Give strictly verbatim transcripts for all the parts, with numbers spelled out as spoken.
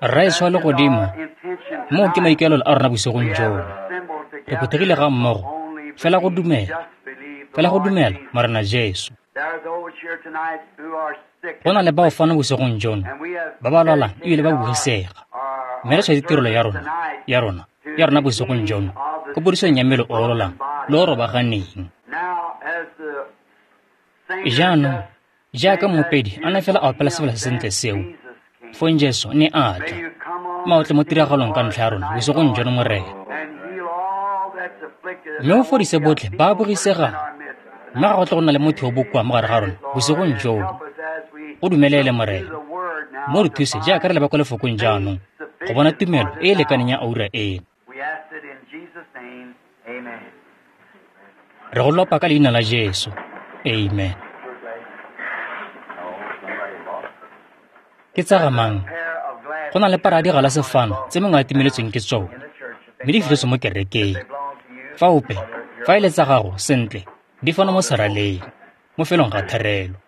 Rraetsho wa legodimo, moo ke maikaelelo a rona bosigong jono. Re phuthegile ga mmogo, fela go dumela, fela go dumela Morena Jesu. Go na le bao fano bosigong jono ba ba lwalang ebile ba bogisega, mme re tshwaetse tirelo ya rona, ya rona, ya rona bosigong jono ko podisong ya mmele o o lwalang le o robaganeng. Jaanong, jaaka moopedi a ne fela a opela sefela se sentle seo, fong Jesu ne a tla, maotle mo tiragalong ka ntlha ya rona bosigong jono, Morena. Mme o fodise botlhe ba bogisegang, mme ga go tle go nna le motho yo bokoa mo gare ga rona bosigong jono. Go dumelele, Morena. Mo re thuse jaaka re leba kwa lefokong jaanong go bona tumelo e e lekaneng ya oura eno. Re go lopa ka leina la Jesu. Amen. Ke tsa ga mang? Go na le para ya digalase fano tse mongwe a timeletsweng ke tsone, mme di fitlhetswe mo kerekeng. Fa ope, fa e le tsa gago, sentle, di fano mo seraleng, mo felong ga therelo.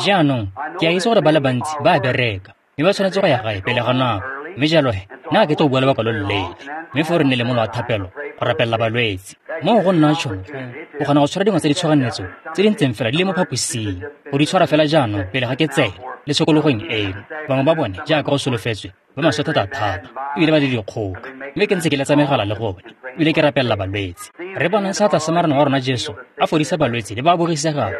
Jaanong, ke a itse gore ba le bantsi ba a bereka, mme ba tshwanetse go ya gae pele ga nako. Mme jalo he, nna ga ke tlo go bua lebaka lo loleele, mme foo re nne le mola wa thapelo go rapelela balwetse. Moo go nna tšhono go kgona go tshwara dingwe tsa ditshoganyetso tse di ntseng fela di le mo phaposing, go di tshwara fela jaanong pele ga ke tsena le tshokologong eno. Bangwe ba bone, jaaka go solofetswe, ba maswe thata-thata ebile ba le dikgoka, mme ke ntse ke letsa megala le gone ebile ke rapelela balwetse. Re bonang seatla sa Morena wa rona Jesu a fodisa balwetse le ba bogisegang,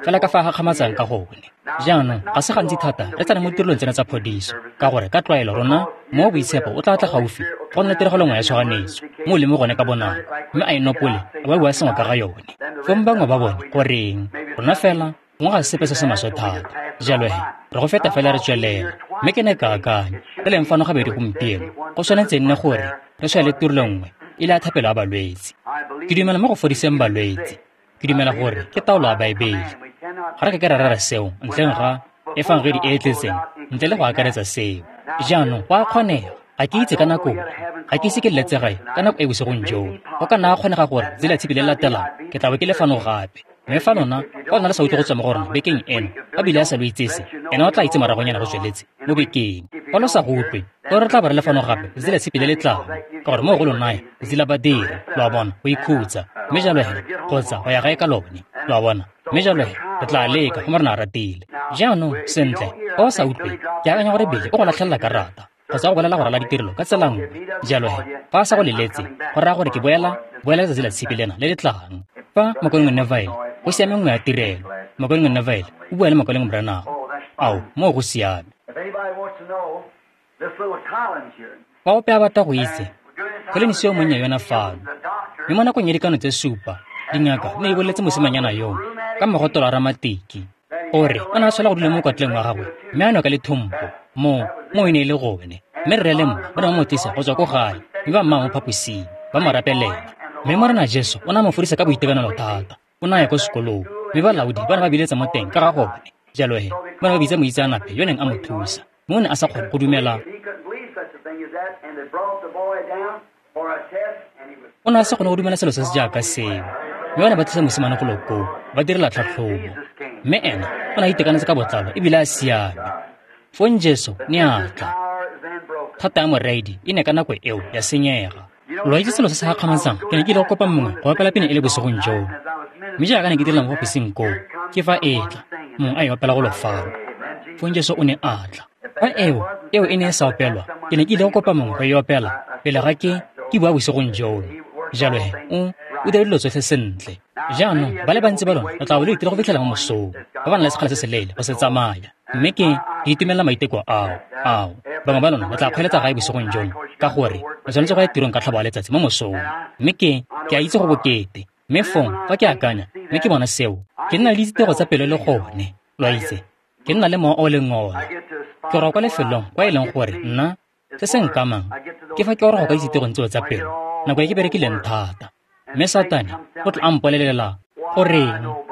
fela ka fa a gakgamatsang ka gone. Jaanong ga se gantsi thata re tsena mo ditirelong tsena tsa phodiso, ka gore ka tlwaelo rona mo boitshepo o tla tla gaufi go nna tiragalo nngwe ya tshoganyetso mo o leng mo gone ka bonako, mme a e nopole a ba bua sengwe ka ga yone. Fong bangwe ba bone goreng rona fela gongwe ga sepe se se maswe thata, jalo he re go feta fela re tswelela. Mme ke ne ka akanya re leng fano gabedi gompieno, go tshwanetse nne gore re tshwaele tirelo nngwe e le ya thapelo ya balwetse. Ke dumela mo go fodiseng balwetse, ke dumela gore ke taolo ya Baebele. Ga re ka ke ra rera seo ntleng ga efangedi e e tletseng, ntle le go akaretsa seo. Jaanong go a kgonega, ga ke itse ka nako, ga ke ise ke leletse gae ka nako e bosigong joo. Go ka nna ga kgonega gore tsela tshipi le latelang ke tla bo ke le fano gape. Mme fa lona, fa lona le sa utlwe go tswa mo go rona bekeng eno, a bile a sa lo itsese, ena o tla itse moragonyana go tsweletse mo bekeng. Fa lo sa go utlwe, gore re tla bo re le fano gape letsatsi la tshipi le le tlang, ka gore moo go lo naya letsatsi la badiri, lo a bona, go ikhutsa, mme jalo he, kgotsa go ya gae ka lone, lo a bona. Mme jalo he, re tla leka go Morena a ratile. Jaanong, sentle, fa o sa utlwe, ke akanya gore Bili o go latlhelela karata kgotsa go bolela go rala ditirelo ka tsela nngwe. Jalo he, fa a sa go leletse, go raya gore ke boela boela letsatsi la tshipi lena le le tlang. Fa Mokaulengwe Neville, go siame nngwe ya tirelo, Mokaulengwe Neville o bua le Mokaulengwe Branham. Ao, moo go siame. Fa ope a batla go itse, Collins yo monnye yona fano, mme mo nakong ya dikano tse supa, dingaka ne di boleletse mosimanyana yoo ka mogotelo wa ramatiki gore o ne a tshwanela go dula mo mokwatleng wa gagwe mme a nwe ka lethompo. Mo mo e ne e le gone, mme rre le mma ba ne ba mo tlisa go tswa ko gae, mme ba mmaya mo phaposing ba mo rapelela. Mme Morena Jesu o ne a mo fodisa ka boitekanelo thata. O ne a ya ko sekolong, mme balaodi ba ne ba biletsa mo teng ka ga gone. Jalo he, ba ne ba bitsa moitseanape yo neng a mo thusa, mme o ne a sa kgone go dumela. O ne a sa kgone go dumela selo se se jaaka seo, mme ba ne ba tlisa mosimane golo koo ba direla tlhatlhobo, mme ena o ne a itekanetse ka botlalo ebile a siame. Fong Jesu ne a tla. Thata ya moraedi e ne ka nako eo ya senyega. Lo itse selo se se gakgamatsang, ke ne ke ile go kopa mongwe go opela pina e le bosigong joo, mme jaaka ne ke direla mo phaposing koo, ke fa e tla, mongwe a e opela go lo fano. Fong Jesu o ne a tla. Fa eo, eo e ne e sa opelwa, ke ne ke ile go kopa mongwe go e opela pele ga ke ke bua bosigong joo. Jalo he, o o dira dilo tsotlhe sentle. Jaanong, ba le bantsi ba lona lo tla bo lo itile go fitlhela mo mosong, ba ba nang le sekgala se se leele go se tsamaya. Mme ke ke itumelela maiteko ao, ao. Bangwe ba lona lo tla kgweletsa gae bosigong jono, ka gore lo tshwanetse go ya tirong ka tlhabo ya letsatsi mo mosong. Mme ke ke a itse go bokete. Mme fong fa ke akanya, mme ke bona seo, ke nna le dititego tsa pelo le gone, lo a itse. Ke nna le mowa o leng ona. Ke roka kwa lefelong kwa e leng gore nna se se nkamang ke fa ke oroga kwa ditsitegong tseo tsa pelo nako e ke berekileng thata. Mme Satane o tla a mpolelela goreng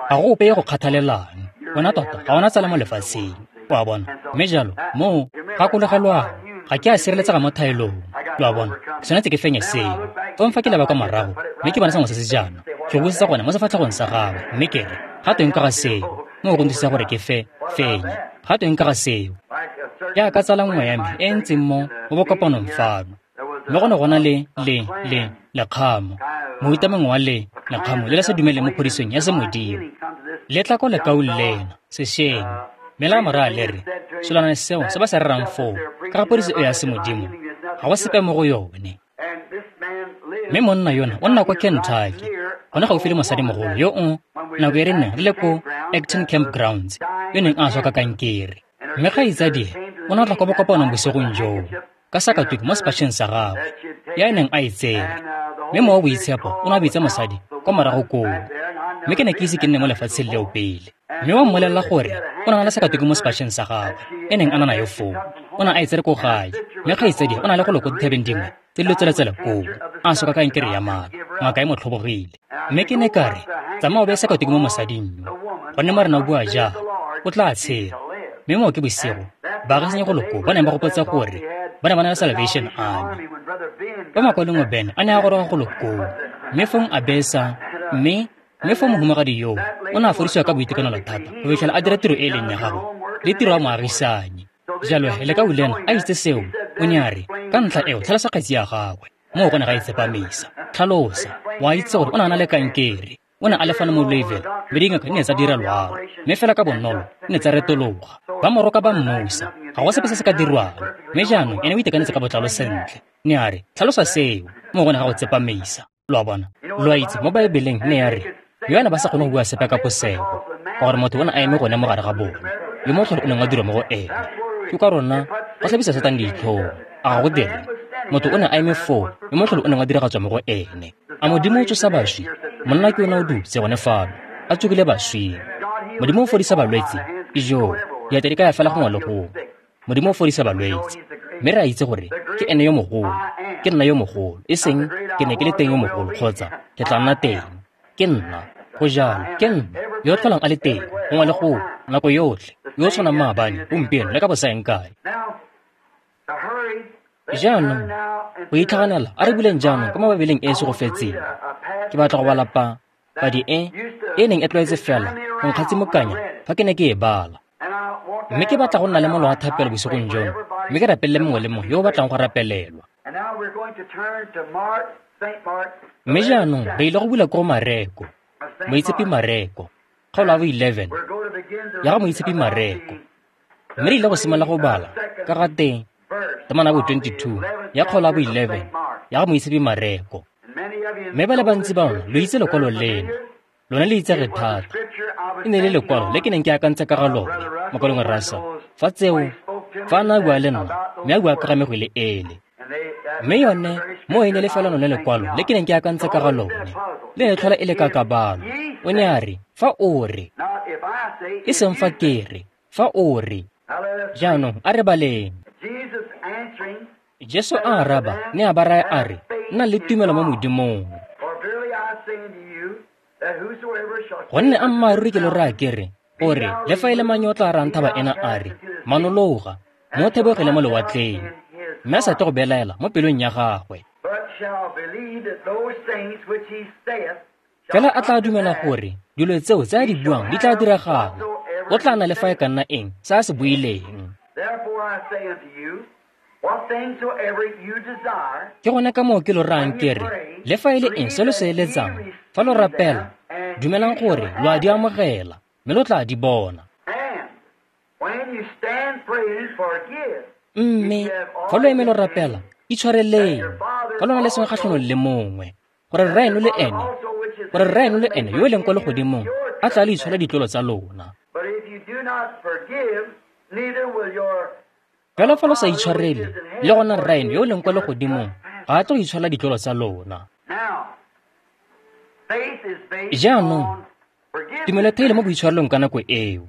ga go ope yo go kgathalelang, wena tota ga ona tsala mo lefatsheng, o a bona. Mme jalo moo gakologelwang, ga ke a sireletsega mo thaelong, lo a bona, ke tshwanetse ke fenye seo. Fong fa ke leba kwa morago mme ke bona sengwe se se jaana, ke go busetsa gone mo sefatlhegong sa gagwe, mme ke re, ga tweng ka ga seo? Moo go nthusa gore ke fe fenye. Ga tweng ka ga seo? Jaaka tsala nngwe ya me e e ntseng mo mo bokopanong fano. Mme go ne go na le le le lekgamo, mohuta mongwe wa le lekgamo le le sa dumeleng mo phodisong ya semodimo. Le tla ko lekaung lena, sešweng, mme la mo raya le re, selwana seo se ba se rerang foo, ka ga phodiso e ya semodimo, ga go sepe mo go yone. Mme monna yona o nna kwa Kentucky, gone gaufi le mosadimogolo yo o nako e re neng re le ko Acton Campgrounds, yo neng a swa ka kankere. Mme kgaitsadie o ne a tla kwa bokopanong bosigong joo, ka sakatuku mo sepatšheng sa gagwe, ya e neng a e tsere. Mme Mowa o Boitshepo o ne a bitsa mosadi kwa morago koo. Mme ke ne ke ise ke nne mo lefatsheng leo pele. Mme wa mmolelela gore o ne a na le sakatuku mo sepatšheng sa gagwe, e neng a na nayo foo. O ne a e tsere ko gae, mme kgaitsadie o na le go lo ko dithabeng dingwe tse di lotseletsele koo, a swa ka kankere ya mala, ngaka e mo tlhobogile. Mme ke ne ka re, tsamaya o beye sakatuku mo mosading yo, gonne Morena o bua jang, o tla tshela. Mme moo ke bosigo, baagisanyi go lo koo ba neng ba gopotse gore ba ne ba na le Salvation Army. Fa makwalengwe Ben a ne a goroga go lo koo, mme fong a besa, mme mme fong mohumagadi yoo o ne a fodisiwa ka boitekanelo thata go fitlhela a dira tiro e e leng ya gagwe le tiro ya moagisanyi. Jalo he lekau lena a itse seo, o ne a re, ka ntlha eo tlhalosa kgetsi ya gagwe, moo go ne ga itsepamisa. Tlhalosa, wa itse gore o ne a na le kankere, o ne a le fano mo Louisville, mme dingaka di ne tsa dira loaro, mme fela ka bonolo di ne tsa retologa. Ba mo roka ba mmusa, ga go sepe se se ka dirwang, mme jaanong ene o itekanetse ka botlalo sentle. Ne a re, tlhalosa seo, moo go ne ga go tsepamisa. Lo a bona? Lo a itse, mo Baebeleng ne ya re, yo a ne ba sa kgone go bua sepe ka posego, ka gore motho o ne a eme gone mo gare ga bone, yo motlholo o neng wa dirwa mo go ene. Ke ka rona go tlhabisa Satane ditlhong, a ga go dire? Motho o ne a eme foo, yo motlholo o neng wa diragatswa mo go ene. A Modimo o tsosa baswi? Monna ke yona o dutse gone fano, a tsogile baswing. Modimo o fodisa balwetse, ijoo, diatla di ka ya fela gongwe le gongwe. Modimo o fodisa balwetse, mme re a itse gore ke ene yo mogolo, ke nna yo mogolo, e seng ke ne ke le teng yo mogolo kgotsa ke tla nna teng. Ke nna, go jalo, ke nna yo o tlholang a le teng gongwe le gongwe, nako yotlhe, yo o tshwanang maabane, gompieno le ka bosaeng kae. Jaanong, go itlhaganela, a re buleng jaanong ka mo Baebeleng e e segofetseng. Ke batla go bala pa padi e e neng e tlwaetse fela go nkgatsimokanya fa ke ne ke e bala. Mme ke batla go nna le mola wa thapelo bosigong jono, mme ke rapelele mongwe le mongwe yo o batlang go rapelelwa. Mme jaanong re ile go bula ko Mareko, Moitshepi Mareko, kgaolo ya bo eleven ya ga Moitshepi Mareko. Mme re ile go simolola go bala ka ga teng temana ya bo twenty-two ya kgaolo ya bo eleven ya ga Moitshepi Mareko. Mme ba le bantsi ba lona lo itse lekwalo leno, lone le itsege thata. E ne le lekwalo le ke neng ke akantse ka ga lone, mokwalong Russell, fa tseo, fa a ne a bua le nna, mme a bua ka ga megwele ele. Mme yone, mo e ne le fela lone lekwalo le ke neng ke akantse ka ga lone, le ne tlhola e le kakabalo. O ne a re, fa o re, e seng fa ke re, fa o re. Jaanong a re baleng. Jesu a araba, ne a ba raya a re, nna le tumelo mo Modimong. Gonne ammaaruri ke lo raya ke re, o re, le fa e le mang yo o tla rayang thaba ena a re, manologa, mo thebogele mo lewatleng, mme a sa tle go belaela mo pelong ya gagwe. Fela a tla dumela gore dilo tseo tse a di buang di tla diragala, o tla nna le fa e ka nna eng se a se buileng. Ke gone ka moo ke lo rayang ke re, le fa e le eng se lo se eletsang, fa lo rapela, dumelang gore lo a di amogela, mme lo tla di bona. Mme fa lo eme lo rapela, itshwareleng, fa lo na le sengwe kgatlhanong le mongwe, gore Rraeno le ene, gore Rraeno le ene yo e leng kwa legodimong a tla le itshwara ditlolo tsa lona. Fela fa lo sa itshwarele, le gona Rraeno yo e leng kwa legodimong ga a tlo itshwara ditlolo tsa lona. Jaanong, tumelo e theilwe mo boitshwarelong ka nako eo.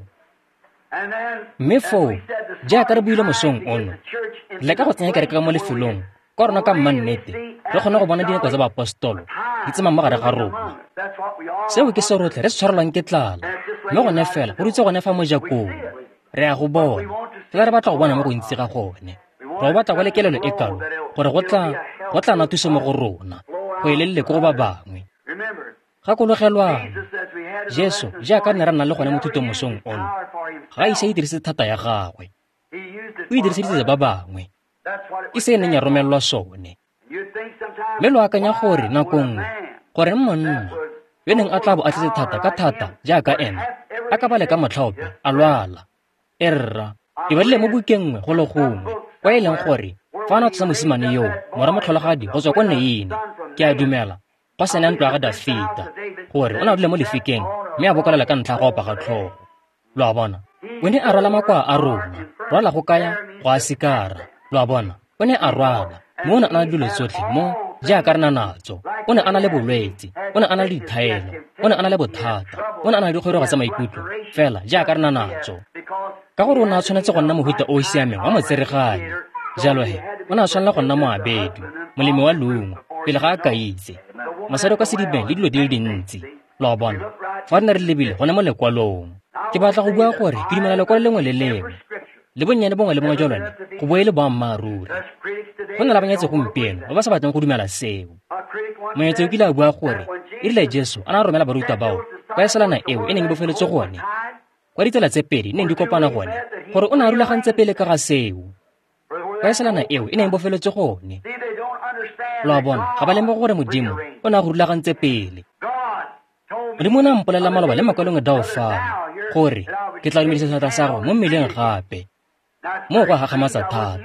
Mme foo, jaaka re buile mosong ono, re leka go tsenya kereke ka mo lefelong kwa rona ka mmannete re kgone go bona dinako tsa baapostolo di tsamaya mo gare ga rona. Seo ke se rotlhe re se tshwarelwang ke tlala, mme gone fela go dutse gone fa mojakong. Re a go bona, fela re batla go bona mo go ntsi ga gone. Re go batla go le kelelo e kalo gore go tla go tla nna thuso mo go rona, go e lelele ko go ba bangwe. Gakologelwang, Jesu jaaka ne re nna le gone mo thutong mosong ono, ga a ise a dirise thata ya gagwe. o e diriseditse ba bangwe. Ke se e neng ya romelelwa sone. Mme lo akanya gore nako nngwe, goreng monna yo neng a tla bo a tletse thata ka thata jaaka ena, a ka ba le ka motlha ope a lwala. E rra, ke badile mo bukeng nngwe go le gongwe, kwa e leng gore fa a ne a tsosa mosimane yoo, morwa motlholagadi go tswa ko Neine, ke a dumela, go sena ntlo ya ga Dafita, gore o ne a dule mo lefikeng mme a bokolela ka ntlha ya go opa ga tlhogo. Lo a bona? O ne a rwala makoa a rona, rwala go kaya go a sikara. Lo a bona? O ne a rwala, mme o ne a na le dilo tsotlhe mo jaaka re na natso. O ne a na le bolwetse, o ne a na le dithaelo, o ne a na le bothata, o ne a na le dikgorego tsa maikutlo, fela jaaka re na natso. Ka gore o ne a tshwanetse go nna mohuta o o siameng wa motsereganyi. Jalo he, o ne a tshwanela go nna moabedi, molemi wa leungo, pele ga a ka itse. Mosadi o ka sedibeng le dilo di le dintsi. Lo a bona? Fa re ne re lebile gone mo lekwalong. Ke batla go bua gore ke dumela lekwalo lengwe le lengwe, le bonnyane bongwe le bongwe jwa lone go bo e le boammaaruri. Go na le banyatsi gompieno ba ba sa batleng go dumela seo. Monyatsi o kile a bua gore e rile Jesu a ne a romela barutwa bao kwa eselana eo e neng e bofeletswe gone, kwa ditsela tse pedi neng di kopana gone, gore o ne a rulagantse pele ka ga seo. Kwa eselana eo e neng e bofeletswe gone. Lo a bona, ga ba lemoge gore Modimo o ne a go rulagantse pele. Modimo o ne a mpolelela maloba le makwalong dao fano gore ke tla dumedisa seatla sa gago mo mmeleng gape. Moo go a gakgamatsa thata.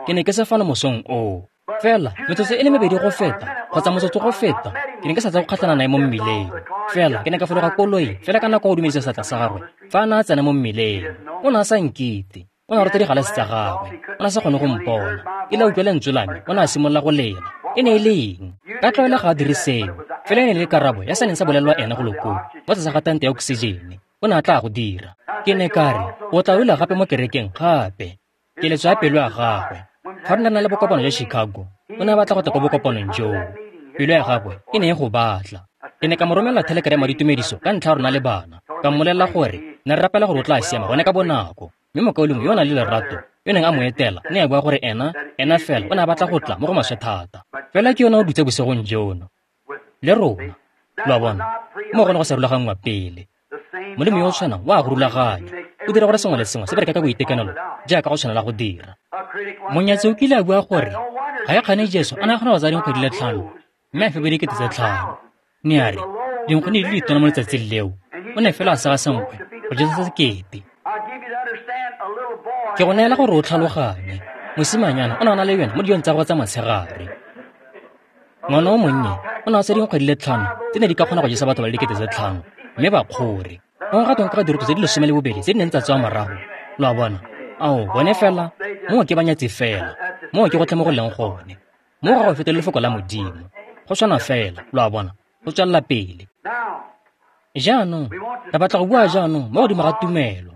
Ke ne ke se fano mosong oo. Fela metsotso e le mebedi go feta, kgotsa motsotso go feta, ke ne ke sa tsa go kgatlhana nae mo mmileng. Fela ke ne ka fologa koloi fela ka nako go dumedisa seatla sa gagwe fa a ne a tsena mo mmileng. O ne a sa nkite. O ne a rota digalase tsa gagwe. O ne a sa kgone go mpona. E le a utlwa lentswe la me, o ne a simolola go lela. E ne e le eng? Ka tlwaelo ga a dire seo. Fela e ne e le karabo ya se neng sa bolelelwa ena go lokong, mo tlase ga tante ya oksijene. O ne a tla go dira. Ke ne ka re, o tla dula gape mo kerekeng gape. Keletso ya pelo ya gagwe. Fa re ne re na le bokopano jwa Chicago, o ne a batla go tla ko bokopanong joo. Pelo ya gagwe e ne e go batla. Ke ne ka mo romelela thelekeramo ya ditumediso ka ntlha ya rona le bana. Ka mmolelela gore ne re rapela gore o tla siama gone ka bonako. Mme mokaulengwe yo o nang le lerato, yo neng a mo etela, ne a bua gore ena, ena fela o ne a batla go tla mo go maswe thata. Fela ke yona o dutse bosigong jono le rona. Lo a bona? Mo gone go sa rulaganngwa pele. Modimo yo o tshwanang wa go rulaganya. O dira gore sengwe le sengwe se bereke ka boitekanelo jaaka go tshwanela go dira. Monyatsi o kile a bua gore ga e kgane Jesu a ne a kgona go tsaya dinkgwe di le tlhano mme a fepe dikete tse tlhano. Ne a re dinkgwe di le ditona mo letsatsing leo, o ne fela a sega senkgwe go jesa sekete. Ke go neela gore o tlhaloganye, mosimanyana o ne a na le yone mo dijong tsa gagwe tsa motshegare. Ngwana o monnye o ne a tsaya dinkgwe di le tlhano tse ne di ka kgona go jesa batho ba le dikete tse tlhano mme ba kgore. Go ga tweng ka diroto tse di lesome le bobedi tse di neng tsa tswa morago. Lo a bona? Ao, bone fela, moo ke banyatsi fela, moo ke gotlhe mo go leng gone. Moo ga go fetole lefoko la Modimo. Go tshwana fela, lo a bona, go tswelela pele. Jaanong, re batla go bua jaanong mo godimo ga tumelo.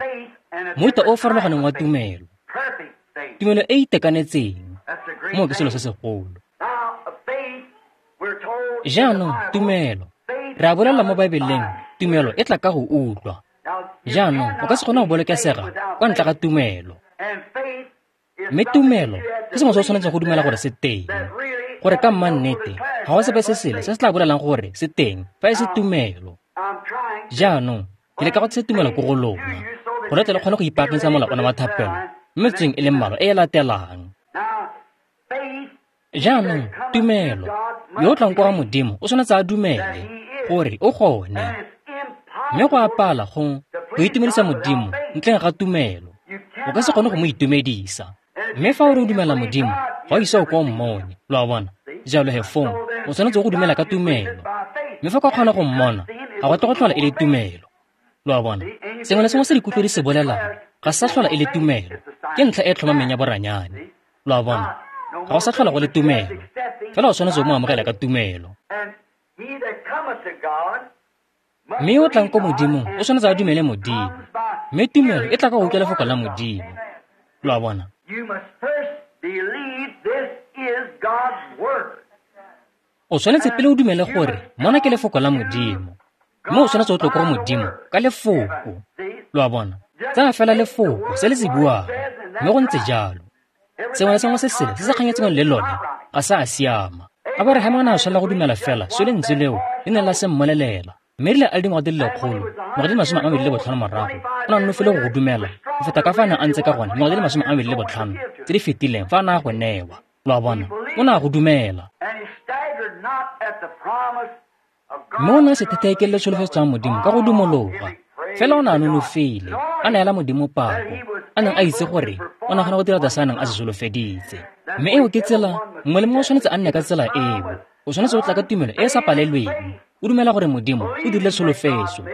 Mohuta o o farologaneng wa tumelo. Tumelo e e itekanetseng. Moo ke selo se segolo. Jaanong, tumelo. Re a bolela mo Baebeleng, tumelo e tla ka go utlwa. Jaanong, o ka se kgone go bolokesega kwa ntle ga tumelo. Mme tumelo ke sengwe se o tshwanetseng go dumela gore se teng. Gore ka mannete, ga go sepe se sele se se tla bolelang gore se teng fa e se tumelo. Jaanong, ke leka go tlisa tumelo ko go lona, gore tle le kgone go ipaakanyetsa mola ona wa thapelo mo metsotsong e le mmalwa e e latelang. Jaanong, tumelo, yo o tlang kwa ga Modimo o tshwanetse a dumele gore o gone. Mme go a pala go go itumedisa Modimo ntleng ga tumelo. O ka se kgone go mo itumedisa. Mme fa o re o dumela Modimo, ga o ise o ko o mmone. Lo a bona? Jalo he fong, o tshwanetse go dumela ka tumelo. Mme fa o ka kgona go mmona, ga go tle go tlhola e le tumelo. Lo a bona? Sengwe le sengwe se dikutlo di se bolelang ga se sa tlhola e le tumelo. Ke ntlha e e tlhomameng ya boranyane. Lo a bona? Ga go sa tlhola go le tumelo. Fela o tshwanetse o mo amogela ka tumelo. Mme yo o tlang ko Modimong o tshwanetse a dumele Modimo. Mme tumelo e tla ka go utlwa lefoko la Modimo. Lo a bona? O tshwanetse pele o dumele gore mona ke lefoko la Modimo. Mme o tshwanetse o tle ko go Modimo ka lefoko. Lo a bona? Tsaya fela lefoko se le se buang, mme go ntse jalo. Sengwe le sengwe se sele se se kganyetseng le lone ga se a siama. Aborahama o ne a tshwanela go dumela fela se lentswe leo le neng la se mmolelela. Mme erile a le dingwaga di le lekgolo, ngwaga di le masome a mabedi le botlhano morago, o ne a nonofile go go dumela go feta ka fa a ne a ntse ka gone dingwaga di le masome a mabedi le botlhano tse di fetileng fa a ne a go newa. Lo a bona? O ne a go dumela. Mme o ne a se thetheekelele tsholofetso ya Modimo ka go dumologa. Fela o ne a nonofile, a neela Modimo pako, a neng a itse gore o ne a kgona go dira se a neng a se solofeditse. Mme eo ke tsela, mongwe le mongwe o tshwanetse a nne ka tsela eo. O tshwanetse go tla ka tumelo e e sa palelweng, o dumela gore Modimo o dirile tsholofetso.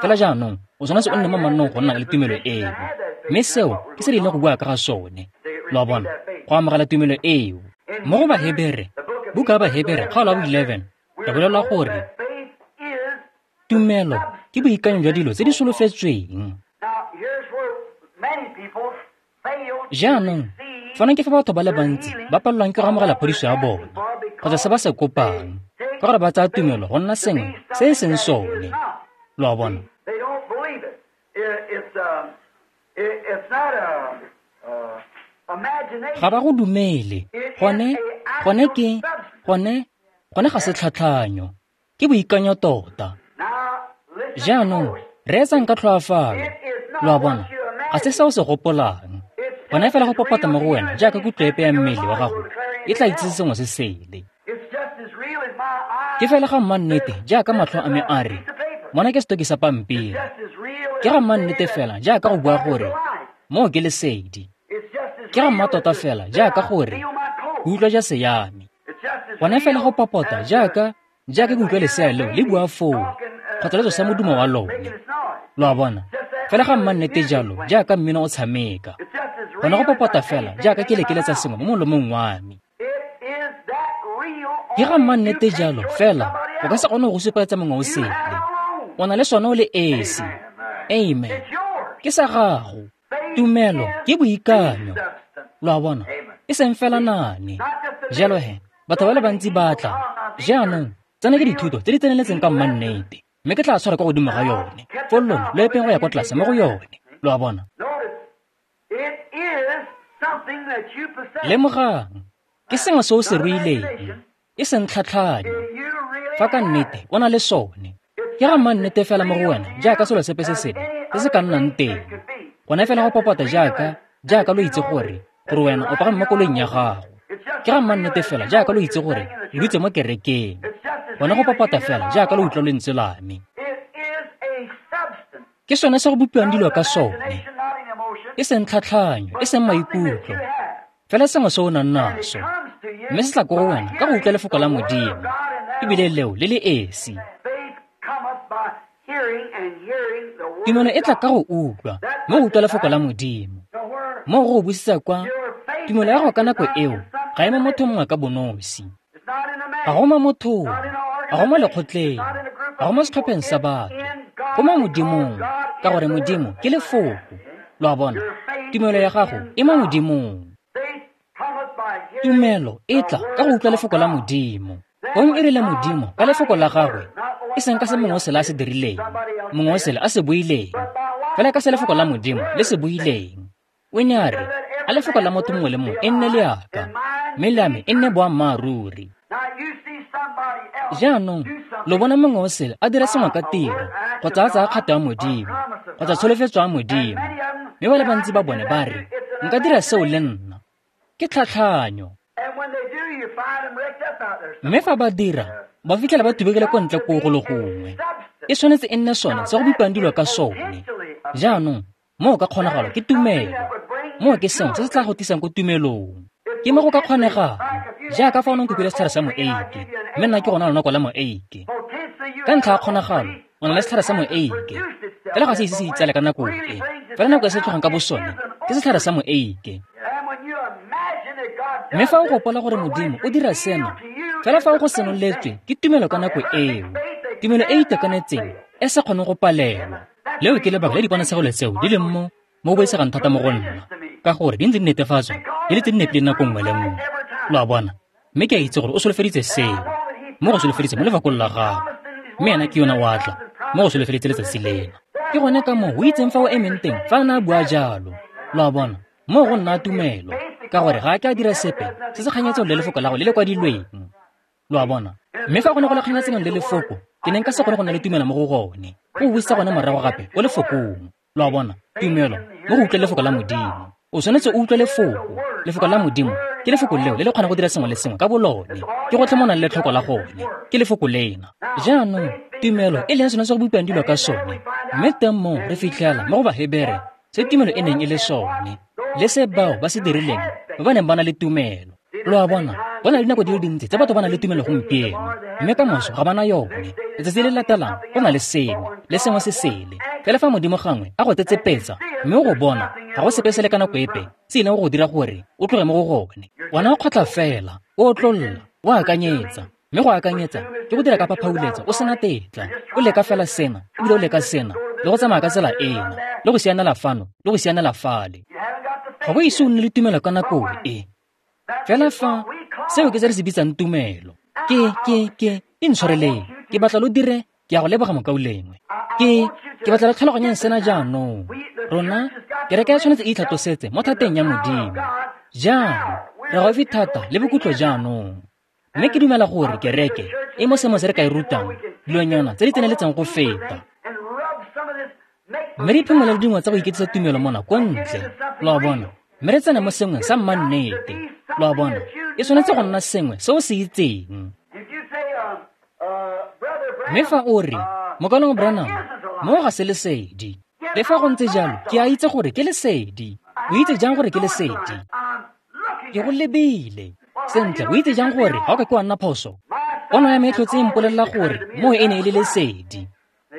Fela jaanong o tshwanetse o nne mo mannong go nna le tumelo eo. Mme seo ke se re ileng go bua ka ga sone. Lo a bona, go amogela tumelo eo. Mo go Bahebere, buka ya Bahebere kgaolo ya bo eleven, re bolelwa gore tumelo ke boikanyo jwa dilo tse di solofetsweng. Jaanong, fano ke fa batho ba le bantsi ba palelwang ke go amogela phodiso ya bona kgotsa se ba se kopang, ka gore ba tsaya tumelo go nna sengwe se e seng sone. Lo a bona? Ga ba go dumele. Gone, gone ke, gone, gone ga se tlhatlhanyo. Ke boikanyo tota. Jaanong, reetsang ka tlhoafalo. Lo a bona? Ga se se o se gopolang. Gone fela go popota mo go wena jaaka kutlo epe ya mmele wa gago e tla itsise sengwe se sele. Ke fela ga mmannete jaaka matlho a me a re, mona ke setoki sa pampiri. Ke ga mmannete fela jaaka go bua gore, moo ke lesedi. Ke ga mmatota fela jaaka gore, ke utlwa jase ya me. Gone fela go popota jaaka jaaka ke utlwa lesea leo le bua foo, kgotsa le tsosa modumo wa lone. Lo a bona? Fela ga mmannete jalo jaaka mmino o tshameka. Gone go popota fela jaaka ke lekeletsa sengwe mo molomong wa me. Ke ga mmannete jalo fela o ka se kgone go supegetsa mongwe o sele. O na le sone o le esi. Amen. Ke sa gago. Tumelo ke boikanyo. Lo a bona? E seng fela naane. Jalo he, batho ba le bantsi ba tla. Jaanong, tsena ke dithuto tse di tseneletseng ka mmannete, mme ke tla tshwara kwa godimo ga yone. Foo lona lo epeng go ya kwa tlase mo go yone. Lo a bona? Lemogang, ke sengwe se o se ruileng, e seng tlhatlhanyo. Fa ka nnete o na le sone, ke ga mmannete fela mo go wena jaaka selo sepe se sengwe se se ka nnang teng. Gone fela go popota jaaka jaaka lo itse gore gore wena o pagame mo koloing ya gago. Ke ga mmannete fela jaaka lo itse gore lo dutse mo kerekeng. Gone go popota fela jaaka lo utlwa lentswe la me. Ke sone se go bopiwang dilo ka sone. E seng tlhatlhanyo, e seng maikutlo, fela sengwe se o nang naso. Mme se tla ko go wena ka go utlwa lefoko la Modimo, ebile leo le le esi. Tumelo e tla ka go utlwa, mo go utlwa lefoko la Modimo. Mo go go busetsa kwa, tumelo ya gago ka nako eo ga e mo motho mongwe ka bonosi. Ga go mo mothong, ga go mo lekgotleng, ga go mo setlhopheng sa batho, go mo Modimong, ka gore Modimo ke lefoko. Lo a bona? Tumelo ya gago e mo Modimong. Tumelo e tla ka go utlwa lefoko la Modimo. Gong e rile Modimo ka lefoko la gagwe, e seng ka se mongwe o sele a se dirileng, mongwe o sele a se buileng, fela ka se lefoko la Modimo le se buileng. O ne a re, a lefoko la motho mongwe le mongwe e nne leaka, mme le ame e nne boammaaruri. Jaanong, lo bona mongwe o sele a dira sengwe ka tiro, kgotsa a tsaya kgato ya Modimo, kgotsa tsholofetso ya Modimo. Mme ba le bantsi ba bone ba re, nka dira seo le nna. Ke tlhatlhanyo. Mme fa ba dira, ba fitlhela ba tubekile ko ntle koo go le gongwe. E tshwanetse e nne sone se go bopiwang dilo ka sone. Jaanong, moo ka kgonagalo ke tumelo. Moo ke sengwe se se tla go tisang ko tumelong. Ke mo go ka kgonegang, jaaka fa o ne o nkopile setlhare sa moeike, mme nna ke gona lonako la moeike. Ka ntlha ya kgonagalo, o na le setlhare sa moeike, fela ga se ise se itsale ka nako e. Fela nako e se tlhogang ka bosone, ke setlhare sa moeike. Mme fa o gopola gore Modimo o dira sena, fela fa o go senoletswe ke tumelo ka nako eo, tumelo e e itekanetseng e sa kgoneng go palelwa. Leo ke lebaka le diponatshegelo tseo di leng mo mo boisegang thata mo go nna, ka gore di ntse di netefatswa di le tse di nepileng nako nngwe le nngwe. Lo a bona? Mme ke a itse gore o solofeditse seo, mo go solofeditse mo lefakong la gago, mme ena ke yona o a tla mo go solofeditse letsatsi lena. Ke gone ka moo o itseng fa o emeng teng fa a ne a bua jalo. Lo a bona? Mo go nna tumelo, ka gore ga a ke a dira sepe se se kganyetsong le lefoko la go le le kwadilweng. Lo a bona? Mme fa go ne go le kganetsanong le lefoko, ke ne nka se kgone go nna le tumelo mo go gone. Go buisa gone morago gape ko lefokong. Lo a bona? Tumelo mo go utlwe lefoko la Modimo. O tshwanetse o utlwe lefoko. Lefoko la Modimo ke lefoko leo le le kgona go dira sengwe le sengwe ka bolone. Ke gotlhe mo nang le letlhoko la gone. Ke lefoko lena. Jaanong tumelo e leng sone se go bopiwang dilo ka sone. Mme teng moo re fitlhela mo go Bahebere se tumelo e neng e le sone le se bao ba se dirileng ba ba neng ba na le tumelo. Lo a bona, go na le dinako di le dintsi tse batho ba na le tumelo gompieno, mme ka moso ga ba na yone. Letsatsi le le latelang go na le sengwe le sengwe se sele. Fela fa Modimo gangwe a go tsetsepetsa mme o go bona, ga go sepe se le ka nako epe se ileng go go dira gore o tloge mo go gone. Wena o kgotla fela, o otlolla, o akanyetsa. Mme go akanyetsa ke go dira ka phaphauletse o sena tetla. O leka fela sena, ebile o leka sena, le go tsamaya ka tsela ena, le go sianela fano, le go sianela fale. Ga go ise o nne le tumelo ka nako e. Fela fa seo ke se re se bitsang tumelo. Ke ke ke intshwareleng. Ke batla lo dire, ke a go leboga mokaulengwe. Ke ke batla le tlhaloganyeng sena jaanong. Rona kereke ya tshwanetse e itlhatlosetse mo thateng ya Modimo. Jaanong re gaufi thata le bokhutlo jaanong. Mme ke dumela gore kereke e mo seemo se re ka e rutang dilonyana tse di tseneletseng go feta. Mme re iphimola le dingwe tsa go iketisa tumelo mona ko ntle. Lo a bona? Mme re tsene mo sengwe sa mmannete. Lo a bona? E tshwanetse go nna sengwe se o se itseng. Mme fa o re, Mokaulengwe Branham, moo ga se lesedi. Le fa go ntse jalo, ke a itse gore ke lesedi. O itse jang gore ke lesedi? Ke go lebile. Sentle, o itse jang gore ga o ka ke wa nna phoso? Pono ya me e tlhotse e mpolelela gore moo e ne e le lesedi.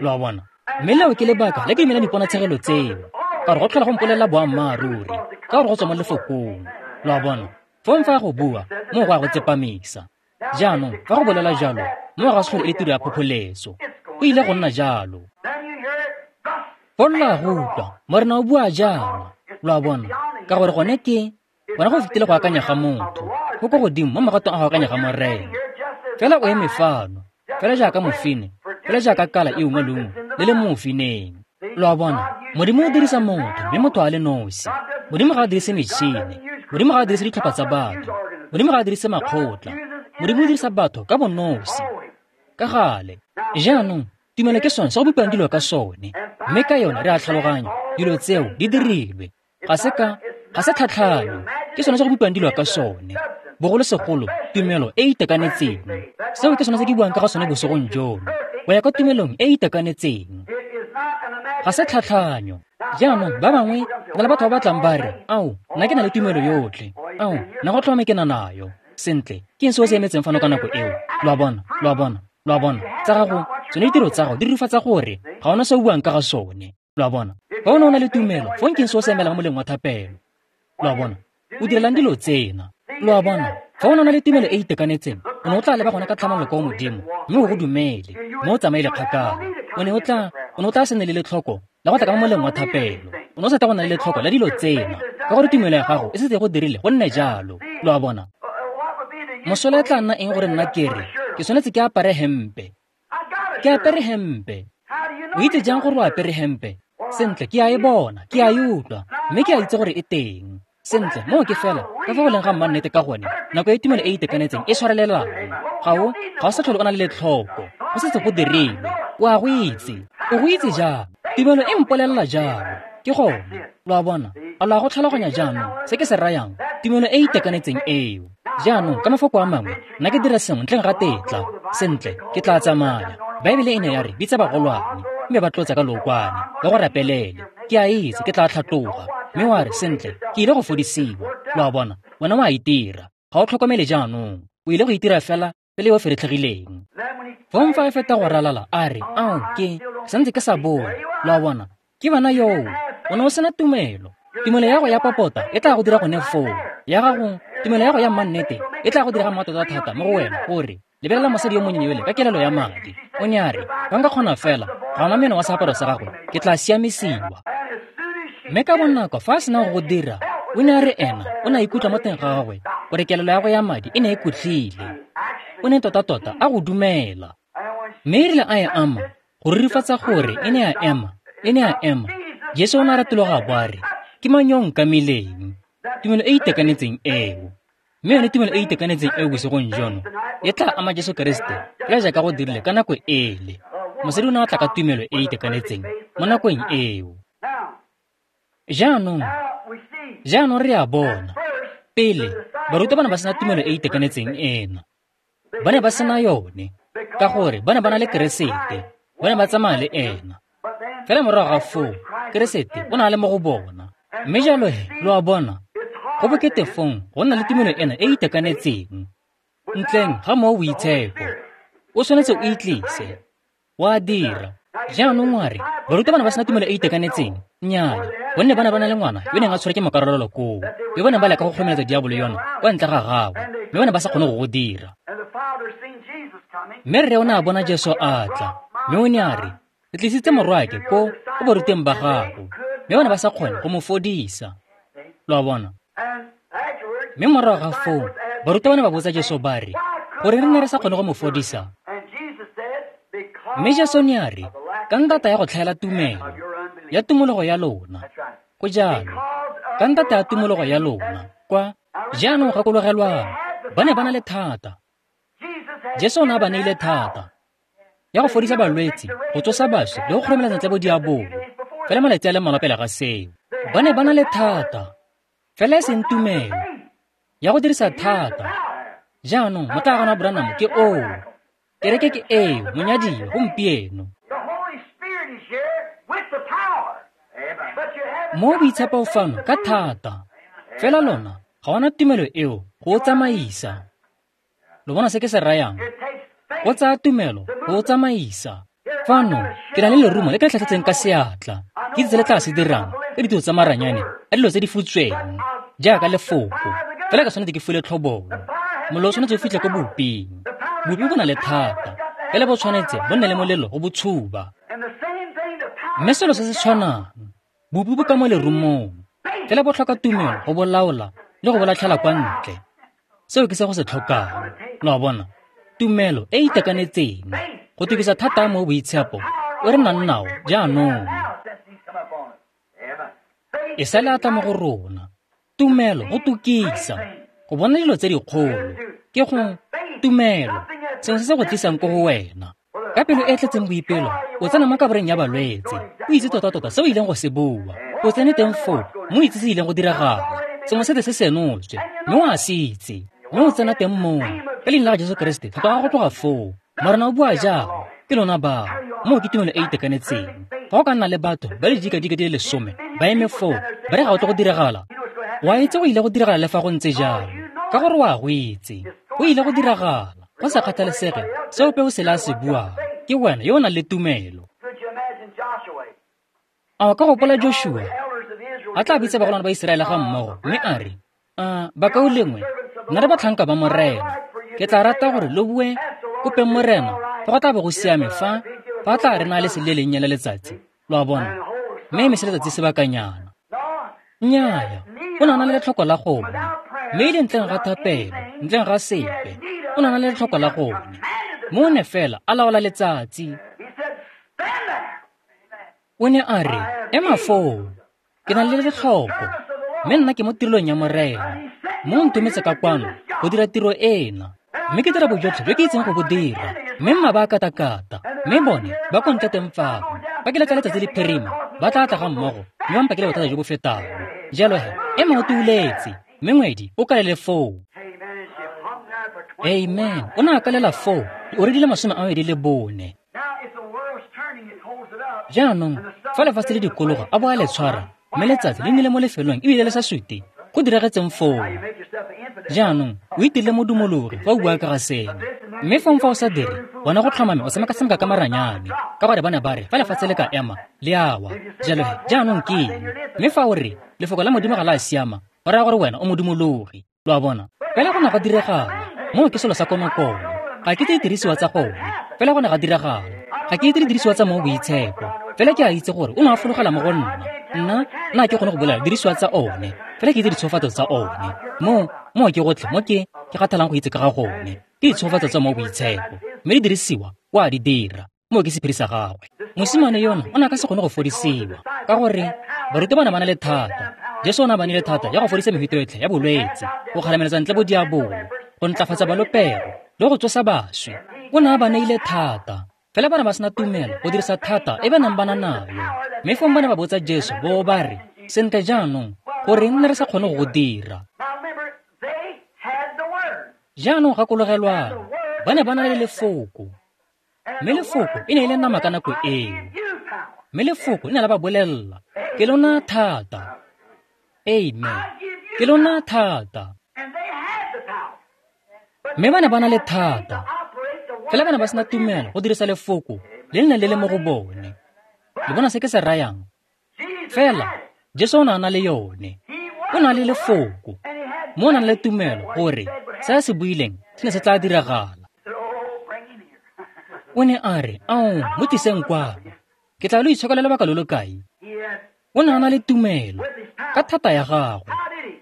Lo a bona? Mme leo ke lebaka le ke dumelang diponatshegelo tseo, ka gore go tlhola go mpolelela boammaaruri, ka gore go tswa mo lefokong. Lo a bona? Fong fa go bua, moo go a go tsepamisa. Jaanong fa go bolela jalo, moo ga se tlhole e le tiro ya phopholetso. Go ile go nna jalo. Fong lo a go utlwa, Morena o bua jaana. Lo a bona? Ka gore gone ke gone go fetile go akanya ga motho, go ko godimo mo magatong a go akanya ga Morena. Fela o eme fano, fela jaaka mofine, fela jaaka kala e ungwa leungo le le mo mofineng. Lo a bona? Modimo o dirisa motho, mme motho a le nosi. Modimo ga a dirise metšhine. Modimo ga a dirise ditlhopha tsa batho. Modimo ga a dirise makgotla. Modimo o dirisa batho ka bonosi. Ka gale. Jaanong tumelo ke sone se go bopiwang dilo ka sone. Mme ka yone re a tlhaloganya dilo tseo di dirilwe. Ga se ka ga se tlhatlhanyo. Ke sone se go bopiwang dilo ka sone. Bogolosegolo tumelo e e itekanetseng. Seo ke sone se ke buang ka ga sone bosigong jono. Go ya ka tumelong e e itekanetseng. Ga se tlhatlhanyo. Jaanong ba bangwe na le batho ba batlang ba re, ao, nna ke na le tumelo yotlhe. Ao, nna go tlhomame ke na nayo. Sentle, ke eng se o se emetseng fano ka nako eo? Lo a bona, lo a bona, lo a bona. Tsa gago, tsone ditiro tsa gago di rurifatsa gore ga ona se o buang ka ga sone. Lo a bona? Fa o ne o na le tumelo, fong ke eng se o se emelang mo moleng wa thapelo? Lo a bona? O direlang dilo tsena. Lo a bona? Fa o ne o na le tumelo e e itekanetseng, o ne o tla leba gone ka tlhamallo kwa Modimo, mme o go dumele, mme o tsamaile kgakala. O ne o tla, o ne o tla se nne le letlhoko la go tla ka mo moleng wa thapelo. O ne o sa tla go nna le letlhoko la dilo tsena, ka gore tumelo ya gago e setse e go dirile go nne jalo. Lo a bona? Mosola e tla nna eng gore nna ke re, ke tshwanetse ke apare hempe. Ke apere hempe. O itse jang gore o apere hempe? Sentle, ke a e bona, ke a e utlwa, mme ke a itse gore e teng. Sentle, moo ke fela ka fa go leng ga mmannete ka gone, nako e tumelo e e itekanetseng e tshwarelelang. Ga o ga o sa tlhole o na le letlhoko, go setse go dirilwe. O a go itse. O go itse jang? Tumelo e mpolelela jalo. Ke gone. Lo a bona? A lo a go tlhaloganya jaanong se ke se rayang? Tumelo e e itekanetseng eo. Jaanong ka mafoko a mangwe, nna ke dira sengwe ntleng ga tetla. Sentle, ke tla tsamaya. Baebele e ne ya re bitsa bagolwane, mme ba tlotsa ka lookwane, ba go rapelele. Ke a itse ke tla tlhatloga. Mme wa re, sentle, ke ile go fodisiwa. Lo a bona? Wena o a itira. Ga o tlhokomele jaanong. O ile go itira fela pele yo feretlhegileng. Fong fa e feta go ralala, a re, ao, ke santse ke sa bone. Lo a bona? Ke bana yoo. O ne o sena tumelo. Tumelo ya go ya popota e tla go dira gone foo. Ya gago, tumelo ya go ya mmannete e tla go dira ga mmatota thata mo go wena gore lebelela mosadi yo monnye yole ka kelelo ya madi. O ne a re, fa nka kgona fela ga ona meno wa seaparo sa gagwe, ke tla siamisiwa. Mme ka bonako fa a sena go go dira, o ne a re ena o ne a ikutlwa mo teng ga gagwe gore kelelo ya go ya madi e ne e kutlhile. O ne tota-tota a go dumela. Mme e rile a e ama, go rurifatsa gore e ne a ema, e ne a ema. Jesu o ne a retologa a bo a re, ke mang yo o nkamileng? Tumelo e e itekanetseng eo. Mme yone tumelo e e itekanetseng eo bosigong jono e tla ama Jesu Keresete fela jaaka go dirile ka nako ele. Mosadi o ne a tla ka tumelo e e itekanetseng mo nakong eo. Jaanong, jaanong re a bona. Pele, barutwa ba ne ba sena tumelo e e itekanetseng ena. Ba ne ba sena yone, ka gore ba ne ba na le Keresete, ba ne ba tsamaya le ena. Fela morago ga foo, Keresete o ne a le mo go bona. Mme jalo he, lo a bona, go bokete fong go nna le tumelo ena e e itekanetseng. Ntleng ga Mowa o Boitshepo, o tshwanetse o itlise, wa dira. Jaanong wa re, barutwa ba ne ba sena tumelo e e itekanetseng? Nnyaa, gonne ba ne ba na le ngwana yo neng a tshwerwe ke mokarololo koo, yo ba neng ba leka go kgomeletsa diabolo yona kwa ntle ga gagwe, mme ba ne ba sa kgone go go dira. Mme rre o ne a bona Jesu a tla, mme o ne a re, ke tlisitse morwaake ko ko baruteng ba gago, mme ba ne ba sa kgone go mo fodisa. Lo a bona? Mme morago ga foo, barutwa ba ne ba botsa Jesu ba re, gore re ne re sa kgone go mo fodisa? Mme Jesu ne a re, ka ntata ya go tlhaela tumelo, ya tumologo ya lona. Go jalo, ka ntata ya tumologo ya lona, kwa jaanong gakologelwang, ba ne ba na le thata. Jesu o ne a ba neile thata ya go fodisa balwetse, go tsosa baswi le go kgoromeletsa ntle bodiabolo. Fela malatsi a le mmalwa pele ga seo, ba ne ba na le thata, fela e seng tumelo ya go dirisa thata. Jaanong motlaaganwa wa Branham ke oo, kereke ke eo, monyadiwa gompieno. Mo Boitshepo fano ka thata, fela lona ga ona tumelo eo go o tsamaisa. Lo bona se ke se rayang? Go tsaya tumelo go o tsamaisa. Fano ke na le lerumo le ke le tlhatlhetseng ka seatla, ke itse le tla se dirang ka ditiro tsa maranyane a dilo tse di futsweng jaaka lefoko. Fela ka tshwanetse ke fule tlhobolo. Mollo o tshwanetse o fitlhe ko boping. Bopi bo na le thata, fela bo tshwanetse bo nne le molelo go bo tshuba. Mme selo se se tshwanang, bopi bo ka mo lerumong, fela bo tlhoka tumelo go bo laola le go bo latlhela kwa ntle. Seo ke se go se tlhokang. Lo a bona? Tumelo e e itekanetseng go tukisa thata mo Boitshepo o re nang nao jaanong. E sale a tla mo go rona. Tumelo go tukisa, go bona dilo tse dikgolo, ke go tumelo, sengwe se se go tlisang ko go wena. Ka pelo e tletseng boipelo, o tsena mo kaboreng ya balwetse, o itse tota-tota se o ileng go se bua, o tsene teng foo, mo itse se ileng go diragala, sengwe se se senotswe, mme o a se itse, mme o tsena teng moo, ka leina la ga Jesu Keresete, tlhoka go tloga foo. Morena o bua jalo, ke lona bao, moo ke tumelo e e itekanetseng. Fa go ka nna le batho ba le dikadika di le lesome, ba eme foo, ba re ga o tle go diragala, wa itse go ile go diragala le fa go ntse jalo, ka gore wa go itse, go ile go diragala. Go sa kgathalesege se ope o se la se buang, ke wena yo o nang le tumelo. A o ka gopola Joshua a tla bitsa bagolwane ba Iseraele ga mmogo, mme a re, a bakaulengwe, nna re batlhanka ba Morena, ke tla rata gore lo bue kopeng Morena fa go tla bo go siame fa fa tla re na le lesedi le lennye la letsatsi, lo a bona, mme emise letsatsi sebakanyana. Nnyaa, o ne a na le letlhoko la gone, mme e le ntleng ga thapelo, ntleng ga sepe, o ne a na le letlhoko la gone. Mo o ne fela a laola letsatsi. O ne a re, ema foo, ke na le letlhoko, mme nna ke mo tirelong ya Morena. Mo o ntometse ka kwano go dira tiro ena, mme ke dira bojotlhe jo ke itseng go bo dira. Mme mma ba katakata, mme bone ba ko ntle teng fano. Ba ke letla letsatsi le phirima, ba tla tla ga mmogo, mme ba mpakele bothata jo bo fetang. Jalo he, ema o tuuletse, mme ngwedi o kalele foo. Amen. O ne a kalela foo, o redile masome a mabedi le bone. Jaanong, fa lefatshe le dikologa a bo a le tshwara, mme letsatsi le nnile mo lefelong ebile le sa sute, go diragetseng foo. Jaanong, o itirile modumologi fa o bua ka ga seno. Mme fong fa o sa dire, bona go tlhomame o tshameka-tshameka ka maranyane, ka gore ba ne ba re fa lefatshe le ka ema, le a wa. Jalo he, jaanong ke eng? Mme fa o re, lefoko la Modimo ga la siama, go raya gore wena o modumologi. Lo a bona? Fela go ne ga diragala, moo ke selo sa konokono. Ga ke itse didirisiwa tsa gone, fela go ne ga diragala. Ga ke itse didirisiwa tsa Mowa o Boitshepo, fela ke a itse gore o ne a fologela mo go nna. Nna, nna ke kgone go bolela didirisiwa tsa one, fela ke itse ditshofatso tsa one. Mo, mo ke gotlhe mo ke ke kgathalang go itse ka ga gone, ke ditshofatso tsa Mowa o Boitshepo, mme didirisiwa o a di dira. Moo ke sephiri sa gagwe. Mosimane yono o ne a ka se kgone go fodisiwa, ka gore barutwa ba ne ba na le thata, Jesu o ne a ba neile thata ya go fodisa mefuta yotlhe ya bolwetse, go kgarameletsa ntle bodiabolo, go ntlafatsa balopego le go tsosa baswi. O ne a ba neile thata. Fela ba ne ba sena tumelo go dirisa thata e ba neng ba na nayo. Mme fong ba ne ba botsa Jesu bo ba re, sentle jaanong, goreng ne re sa kgone go go dira? Jaanong gakologelwang, ba ne ba na le lefoko. Mme lefoko e ne e le nama ka nako eo. Mme lefoko le ne la ba bolelela, ke lona thata. Amen. Ke lona thata. Mme ba ne ba na le thata. Fela ba ne ba sena tumelo go dirisa lefoko le le neng le le mo go bone. Le bona se ke se rayang? Fela Jesu o ne a na le yone. O na le lefoko. Mo o nang le tumelo gore se a se buileng se ne se tla diragala. O ne a re, ao, mo tliseng kwano. Ke tla lo itshokela lobaka lo lo kae? O ne a na le tumelo ka thata ya gagwe.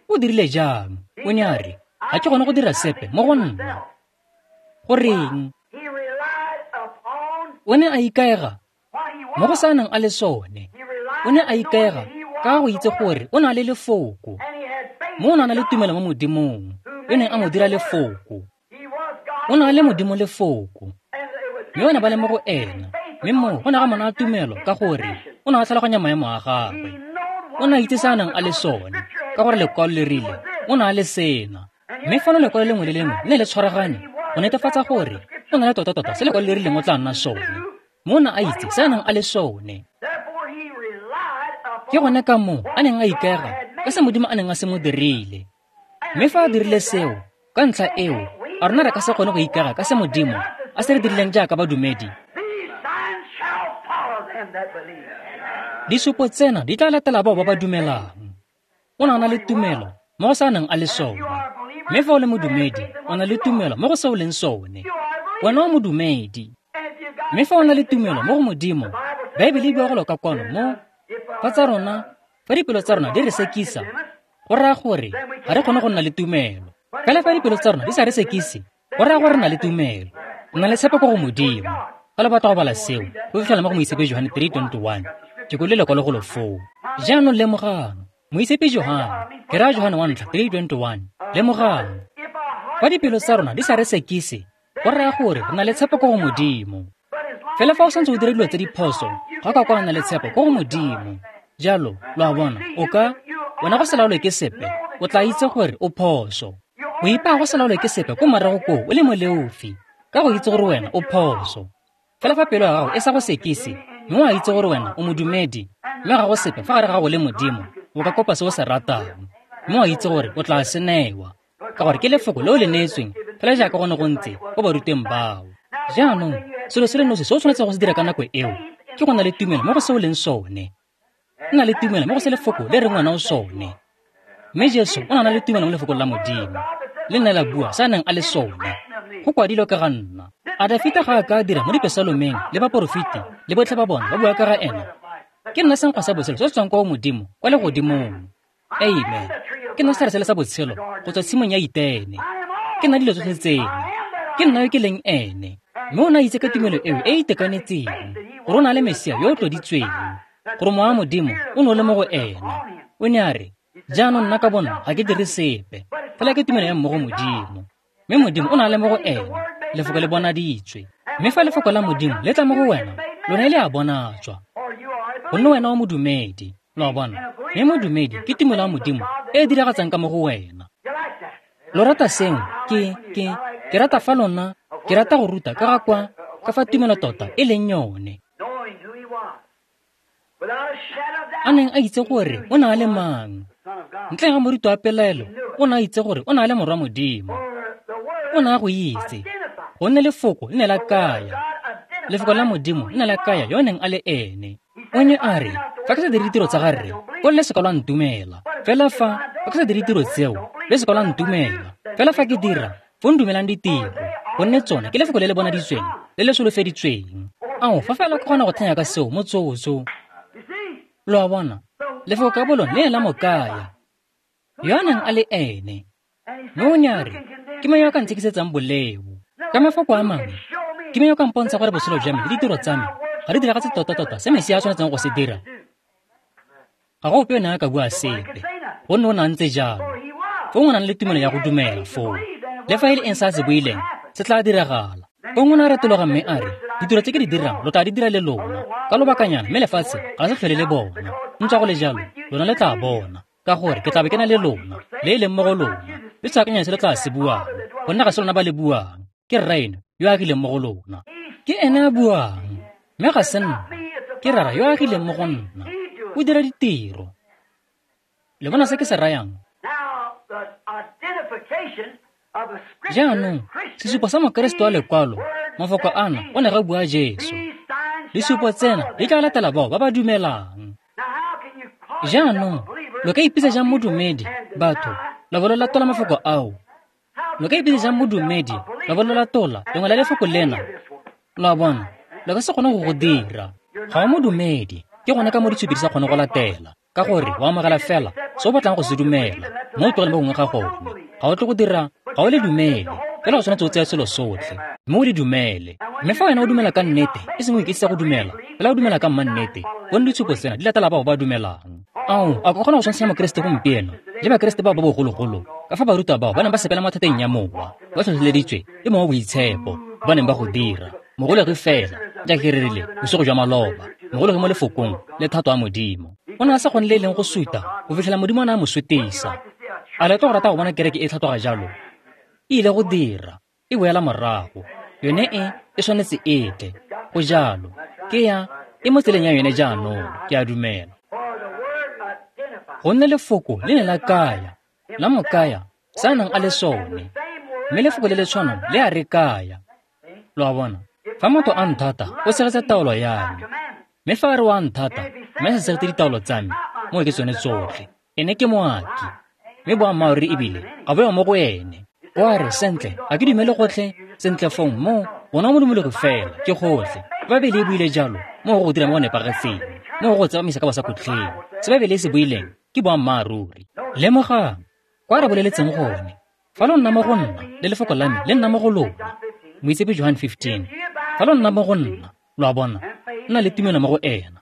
O dirile jang? O ne a re, ga ke kgone go dira sepe mo go nna. Goreng? O ne a ikaega mo go sa nang a le sone. O ne a ikaega ka go itse gore o na le lefoko. Mo o ne a na le tumelo mo Modimong, yo neng a mo dira lefoko. O na le Modimo lefoko. Mme ba ne ba le mo go ena. Mme moo go ne ga mo naya tumelo ka gore o ne a tlhaloganya maemo a gagwe. O ne a itse se a nang a le sone, ka gore lekwalo le rile o ne a le sena. Mme fano lekwalo lengwe le lengwe le ne le tshwaragane go netefatsa gore o na le tota-tota se lekwalo le rileng o tla nna sone. Mo o ne a itse se a nang a le sone. Ke gone ka moo a neng a ikaega ka se Modimo a neng a se mo dirile. Mme fa a dirile seo, ka ntlha eo, a rona re ka se kgone go ikaega ka se Modimo a se re dirileng jaaka badumedi? Disupo tsena di tla latela bao ba ba dumelang. O ne a na le tumelo mo go se a neng a le sone. Mme fa o le modumedi, o na le tumelo mo go se o leng sone. Wena o modumedi. Mme fa o na le tumelo mo go Modimo, Baebele e bua go loka kwano mo fa tsa rona, fa dipelo tsa rona di re sekisa, go raya gore ga re kgone go nna le tumelo. Fela fa dipelo tsa rona di sa re sekise, go raya gore re na le tumelo. Re na le tshepo ko go Modimo. Fa le batla go bala seo, go fitlhela mo go Moitshepi Johane three twenty-one. Ke kwele lekwalo go lo foo. Jaanong lemogang, Moitshepi Johane, ke raya Johane wa ntlha three twenty-one. Lemogang, fa dipelo tsa rona di sa re sekise, go raya gore re na le tshepo ko go Modimo. Fela fa o santse o dira dilo tse di phoso, ga ka kwa na le tshepo ko go Modimo. Jalo, lo a bona, o ka wena go se laolwe ke sepe, o tla itse gore o phoso. O ipaya go se laolwe ke sepe ko morago koo o le moleofi, ka go itse gore wena o phoso. Fela fa pelo ya gago e sa go sekise, mme o a itse gore wena o modumedi, mme ga go sepe fa gare ga gago le Modimo, o ka kopa se o se ratang, mme o a itse gore o tla se newa, ka gore ke lefoko le o le neetsweng fela jaaka go ne go ntse ko baruteng bao. Jaanong, selo se le nosi se o tshwanetseng go se dira ka nako eo ke go na le tumelo mo go se o leng sone. Nna le tumelo mo go se lefoko le reng wena o sone. Mme Jesu o ne a na le tumelo mo lefokong la Modimo, le ne la bua se a neng a le sone. Go kwadilwe ka ga nna. A Dafita ga a ka dira mo dipesalomeng le baporofeti le botlhe ba bona ba bua ka ga ena? Ke nna senkgwa sa botshelo se se tswang kwa go Modimo kwa legodimong. Amen. Ke nna setlhare sele sa botshelo go tswa tshimong ya Itene. Ke nna dilo tsotlhe tseno. Ke nna yo ke leng ene. Mme o ne a itse ka tumelo eo e e itekanetseng gore o na le Mesia yo o tloditsweng, gore Mowa wa Modimo o ne o le mo go ena. O ne a re, jaanong nna ka bona ga ke dire sepe, fela ke tumelo ya mo go Modimo. Mme Modimo o na le mo go ena, lefoko le bonaditswe. Mme fa lefoko la Modimo le tla mo go wena, lone le a bonatswa, gonne wena o modumedi. Lo a bona? Mme modumedi ke tumelo ya Modimo e e diragatsang ka mo go wena. Lo rata seo? Ke, ke, ke rata fa lona, ke rata go ruta ka ga kwa, ka fa tumelo tota e leng yone. A neng a itse gore o na le mang. Ntle ga morito wa pelaelo, o ne a itse gore o na le morwa Modimo. O ne a go itse, gonne lefoko le ne la kaya. Lefoko la Modimo le ne la kaya yo neng a le ene. O ne a re, fa ke sa dire ditiro tsa ga rre, ko le se ka lwa ntumela. Fela fa, fa ke sa dire ditiro tseo, le se ka lwa ntumela. Fela fa ke dira, fo ndumelang ditiro, gonne tsone ke lefoko le le bonaditsweng, le le solofeditsweng. Ao, fa fela ke kgona go thanya ka seo motsotso. Lo a bona, lefoko ka bolone le ne la mo kaya, yo a neng a le ene. Mme o ne a re, ke mang yo a ka ntshekisetsang boleo? Ka mafoko a mangwe, ke mang yo ka mpontsha gore botshelo jwa me le ditiro tsa me ga di diragatse tota-tota se Mesia a tshwanetseng go se dira? Ga go ope yo neng a ka bua sepe. Gonne o ne a ntse jalo. Fong o nang le tumelo ya go dumela foo. Le fa e le eng se a se buileng, se tla diragala. Fong o ne a retologa mme a re, ditiro tse ke di dirang lo tla di dira le lona. Ka lobakanyana mme lefatshe ga se tlhole le bona. Ntswa go le jalo, lona le tla bona. Ka gore ke tla be ke na le lona, le e leng mo go lona. Le se akanya se le tla se buang, gonne ga se lona ba le buang. Ke Rraeno yo a agileng mo go lona. Ke ene a buang, mme ga se nna. Ke Rara yo a agileng mo go nna. O dira ditiro. Le bona se ke se rayang? Jaanong, sesupo sa Mokeresete wa lekwalo, mafoko ana o ne ga bua Jesu. Disupo tsena di tla latela bao ba ba dumelang. Jaanong, lo ka ipitsa jang modumedi, batho, la bo lo latola mafoko ao? Lo ka ipitsa jang modumedi, la bo lo latola lengwe la lefoko lena? Lo a bona, lo ka se kgone go go dira. Ga o modumedi, ke gone ka mo ditshupi di sa kgone go latela. Ka gore o amogela fela se o batlang go se dumela, mo o tlogele mo gongwe ga gone. Ga o tle go dira, ga o le dumele, fela o tshwanetse o tseye selo sotlhe, mme o le dumele. Mme fa wena o dumela ka nnete, e seng o iketsisa go dumela, fela o dumela ka mmannete, gonne ditshupo tsena di latela bao ba dumelang. Ao, a ka kgona go tshwantsha Mokeresete gompieno le Bakeresete bao ba bogologolo, ka fa barutwa bao ba neng ba sepela mo thateng ya mowa, ba tlhotlheleditswe ke Mowa o Boitshepo, ba neng ba go dira. Mogolegi fela, jaaka ke rerile bosigo jwa maloba, mogolegi mo lefokong le thato ya Modimo. O ne a sa kgone le e leng go suta go fitlhela Modimo a ne a mo sutisa. A le tlo go rata go bona kereke e tlhatloga jalo? E ile go dira, e boela morago. Yone e, e tshwanetse e tle. Go jalo. Ke ya, e mo tseleng ya yone jaanong, ke a dumela. Gonne lefoko le ne la kaya, la mo kaya, se a nang a le sone. Mme lefoko le le tshwanang le a re kaya. Lo a bona? Fa motho a nthata, o tshegetsa taolo ya me. Mme fa a re o a nthata, mme a sa tshegetse ditaolo tsa me, moo ke tsone tsotlhe. Ene ke moaki. Mme boammaaruri ebile ga bo yo mo go ene. O a re, sentle, ga ke dumele gotlhe, sentle fong mo, ona o modumologi fela, ke gotlhe. Baebele e buile jalo, mo go go dira mo go nepagetseng, mo go go tsepamisa ka bosakhutleng. Se Baebele e se buileng ke boammaaruri. Lemogang, kwa re boleletseng gone, fa lo nna mo go nna, le lefoko la me le nna mo go lona. Moitsepe Johan fifteen. Fa lo nna mo go nna, lo a bona, nna le tumelo mo go ena.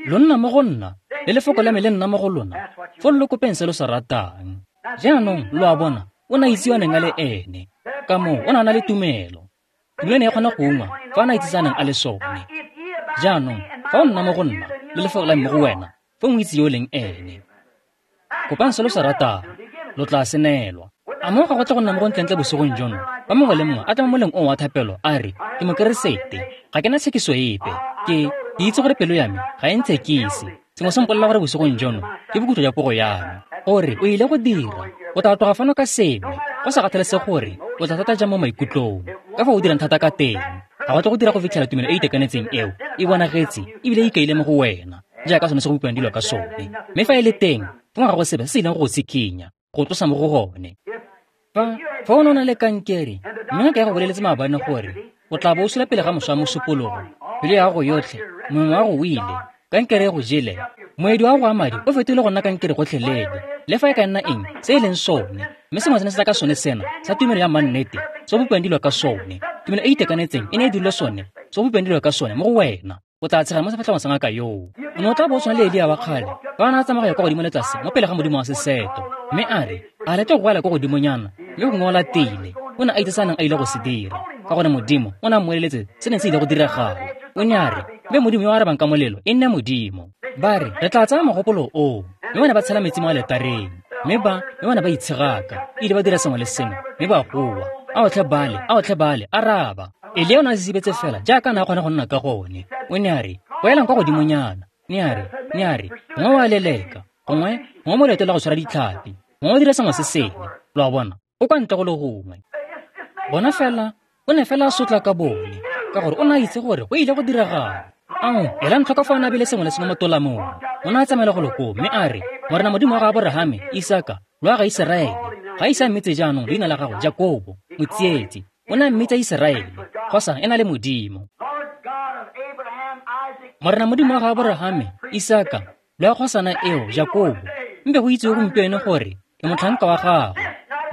Lo nna mo go nna, le lefoko la me le nna mo go lona, fo lo kopeng se lo se ratang. Jaanong, lo a bona, o ne a itse yo a neng a le ene. Ka moo, o ne a na le tumelo. Tumelo ne e kgona go ungwa fa a ne a itse se a neng a le sone. Jaanong, fa o nna mo go nna, le lefoko la me mo go wena, fo o itse yo o leng ene. Kopang se lo se ratang, lo tla se neelwa. A mo ga go tle go nna mo go ntlentle bosigong jono, fa mongwe le mongwe a tla mo moleng oo wa thapelo a re, ke Mokeresete, ga ke na tshekiso epe, ke ke itse gore pelo ya me ga e ntshekise. Sengwe se mpolelela gore bosigong jono ke bokhutlo jwa pogo ya me. Gore o ile go dira, o tla tloga fano ka sengwe, go sa kgathalesege gore o tla thata jang mo maikutlong, ka fa o dirang thata ka teng. Ga go tle go dira go fitlhela tumelo e e itekanetseng eo e bonagetse ebile e ikaile mo go wena, jaaka sone se go utlwang dilo ka sone. Mme fa e le teng, fong ga go sepe se se ileng go go tshikinya, go tlosa mo go gone. Fa fa o ne o na le kankere, mme ngaka ya go boleletse maabane gore o tla bo o sula pele ga moso wa mosupologo, pelo ya gago yotlhe, mongwe wa go o ile, kankere e go jele, moedi wa go wa madi o fetogile go nna kankere gotlhelele, le fa e ka nna eng se e leng sone. Mme sengwe se ne se tla ka sone sena sa tumelo ya mannete, se go bopiwang dilo ka sone. Tumelo e e itekanetseng e ne e dirilwe sone, se go bopiwang dilo ka sone mo go wena. O tla tshega mo sefatlhegong sa ngaka yoo. O ne o tla bo o tshwana le Elia wa kgale, fa a ne a tsamaya go ya kwa godimo le tlase mo pele ga modimo wa seseto. Mme a re, a lete go goela kwa godimonyana, mme gongwe o latile. O ne a itse se a neng a ile go se dira, ka gore Modimo o ne a mmoleletse se neng se ile go diragala. O ne a re, mme Modimo yo o arabang ka molelo e nne Modimo. Ba re, re tla tsaya mogopolo oo. Mme ba ne ba tshela metsi mo aletareng. Mme ba, mme ba ne ba itshegaka, ile ba dira sengwe le sengwe, mme ba goa. Ao tlhe Bale, ao tlhe Bale, araba. Elia o ne a sisibetse fela jaaka a ne a kgona go nna ka gone. O ne a re, boelang kwa godimonyana. Ne a re, ne a re, gongwe o a leleka, gongwe, gongwe mo leetong la go tshwara ditlhapi, gongwe o dira sengwe se sengwe. Lo a bona, o kwa ntle go le gongwe. Bona fela, o ne fela a sotla ka bone, ka gore o ne a itse gore go ile go diragala. Ao, elang tlhoko fa o ne a beile sengwe le sengwe mo tolamong. O ne a tsamaela go lo koo, mme a re, Morena Modimo wa ga Aborahame, Isaka, le wa ga Iseraele, ga ise a mmitse jaanong leina la gago Jakobo, motsietsi. O ne a mmitsa Iseraele, kgosa e na le Modimo. Morena Modimo wa ga Aborahame, Isaka, le wa kgosana eo Jakobo, mpe go itsewe gompieno gore ke motlhanka wa gago.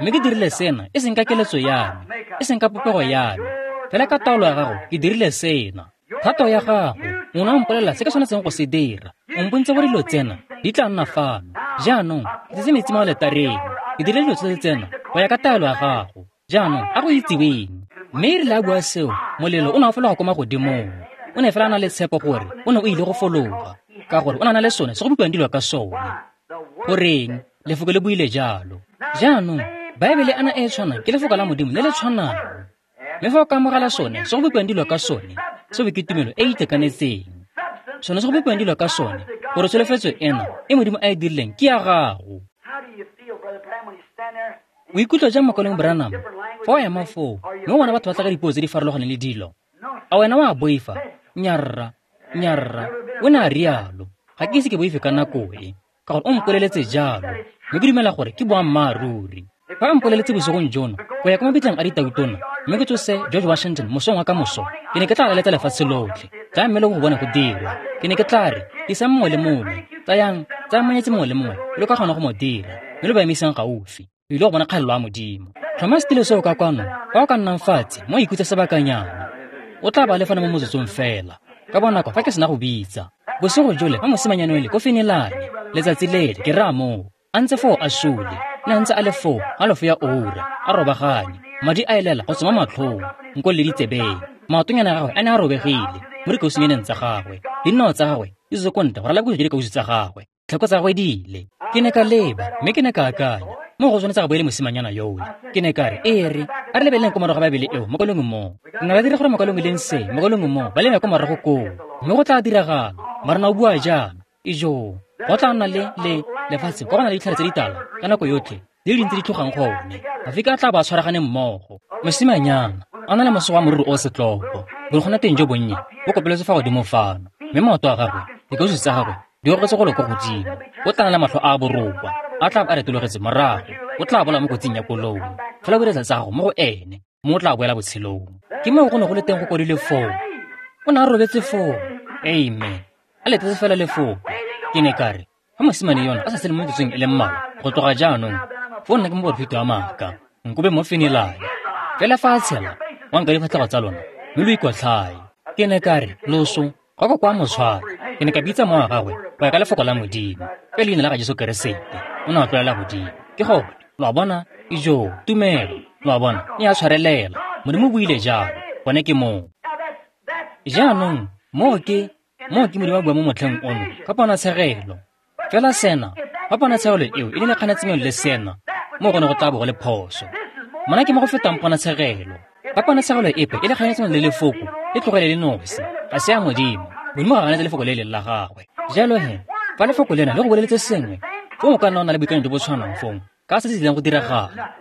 Mme ke dirile sena e seng ka keletso ya me, e seng ka popego ya me, fela ka taolo ya gago ke dirile sena. Thato ya gago, o ne a mpolelela se ke tshwanetseng go se dira. O mpontse gore dilo tsena Di tla nna fano. Jaanong, ke tsetse metsi mo aletareng. Ke dirile dilo tsotlhe tsena go ya ka taelo ya gago. Jaanong, a go itsiweng. Mme e rile a bua seo, molelo o ne wa fologa ko magodimong. O ne fela a na le tshepo gore o ne o ile go fologa, ka gore o ne a na le sone se go bipiwang dilo ka sone. Goreng, lefoko le buile jalo. Jaanong, Baebele ana e e tshwanang ke lefoko la Modimo le le tshwanang. Mme fa o ka amogela sone se go bipiwang dilo ka sone, seo ke tumelo e e itekanetseng. Sone se go bipiwang dilo ka sone, gore tsholofetso ena e Modimo a e dirileng ke ya gago. O ikutlwa jang mokaulengwe Branham fa o ema foo mme o bona batho ba tla ka dipuo tse di farologaneng le dilo? A wena wa boifa? Nyarra, nyarra, o ne a rialo. Ga ke ise ke boife ka nako e, ka gore o mpoleletse jalo, mme ke dumela gore ke boammaaruri. Fa a mpoleletse bosigong jono go ya kwa mabitleng a ditautona mme ke tsose George Washington mosong wa ka moso, ke ne ke tla laletsa lefatshe lotlhe. Tla mme le go bone go dirwa. Ke ne ke tla re, tlisang mongwe le mongwe, tsayang, tsayang monyetsi mongwe le mongwe, lo ka kgona go mo dira, mme lo ba emisang gaufi. O ile go bona kgalelo ya Modimo. Tlhoma setilo seo ka kwano, fa o ka nnang fatshe mo ikhutse sebakanyana. O tla ba le fana mo motsotsong fela. Ka bonako fa ke sena go bitsa. Bosigo jole fa mosimanyana ole ko Finilane, letsatsi lele ke raya moo, a ntse foo a sule, ne a ntse a le foo halofo ya oura, a robaganye, madi a elela go tswa mo matlhong, nko le ditsebeng. Maotonyana a gagwe a ne a robegile mo dikausunyaneng tsa gagwe, dinao tsa gagwe di tswetse ko ntle go ralala bokhutlo jwa dikausu tsa gagwe, tlhako tsa gagwe di ile. Ke ne ka leba mme ke ne ka akanya, mo go tshwanetse ga bo e le mosimanyana yole. Ke ne ka re, e re, a re lebeleleng ko morago ga Baebele eo, mokaulengwe mo. Re ne ra dira gore mokaulengwe leng se, mokaulengwe mo, ba lebe ko morago koo. Mme go tla diragala, Morena o bua jaana, ijoo, go tla nna le le lefatshe kwa go na le ditlhare tse ditala ka nako yotlhe, di le dintsi di tlhogang gone. Mafika a tla ba tshwaragane mmogo. Mosimanyana a na le mosogo wa moriri o setlopo, borokgwana teng jo bonnye bo kopeletswe fa godimo fano, mme maoto a gagwe, dikausu tsa gagwe di ogetse golo ko godimo. O tla na le matlho a a borokwa, a tla a retologetse morago, o tla bola mo kotsing ya koloi. Fela o diretsa tsa gago mo go ene, mme o tla boela botshelong. Ke moo go ne go le teng go kwadilwe foo. O ne a robetse foo. Amen. A letetse fela lefoko. Ke ne ka re, fa mosimane yona a sa sele mo metsotsong e le mmalwa go tloga jaanong, foo nna ke moporofeti wa maaka, nkobe mo Finilane. Fela fa a tshela, wa nka difatlhego tsa lona, mme lo ikotlhae. Ke ne ka re, loso, ga ko kwa motshwara. Ke ne ka bitsa mowa wa gagwe go ya ka lefoko la Modimo, ka leina la ga Jesu Keresete. O ne a tlolela godimo. Ke gone, lo a bona, ijoo, tumelo, lo a bona, e a tshwarelela. Modimo o buile jalo, gone ke moo. Jaanong, moo ke, moo ke Modimo a bua mo motlheng ono, ka ponatshegelo. Fela sena, fa ponatshegelo eo e le kganetsanyo le sena, moo go ne go tla bo go le phoso. Mona ke mo go fetang ponatshegelo. Fa ponatshegelo epe e le kganetsanyo le lefoko, e tlogele le nosi, ga se ya Modimo. Modimo ga a ganetse lefoko le e leng la gagwe. Jalo he, fa lefoko lena le go boleletse sengwe, fong o ka nna o na le boikanyo jo bo tshwanang fong, ka se se tlileng go diragala.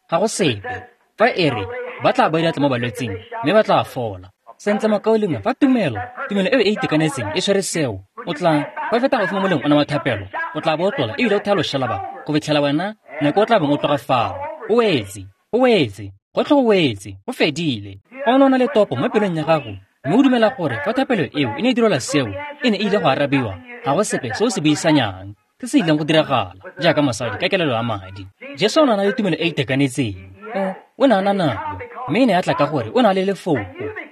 Ga go sepe. Fa e re, ba tla ba diatla mo balwetsing, mme ba tla fola. Sentle mokaulengwe, fa tumelo, tumelo eo e itekanetseng e tshwere seo, o tla, fa e feta gaufi mo moleng ona wa thapelo, o tla bo o tlola ebile o thaya loshalaba go fitlhela wena nako o tla bong o tloga fao. O wetse, o wetse, gotlhe go wetse, go fedile. Fa o ne o na le topo mo pelong ya gago, mme o dumela gore fa thapelo eo e ne e direlwa seo, e ne e ile go arabiwa, ga go sepe se o se buisanyang, se se ileng go diragala, jaaka mosadi ka kelelo ya madi. Jesu o ne a na le tumelo e e itekanetseng. O, o ne a na nayo, mme e ne ya tla ka gore o na le lefoko,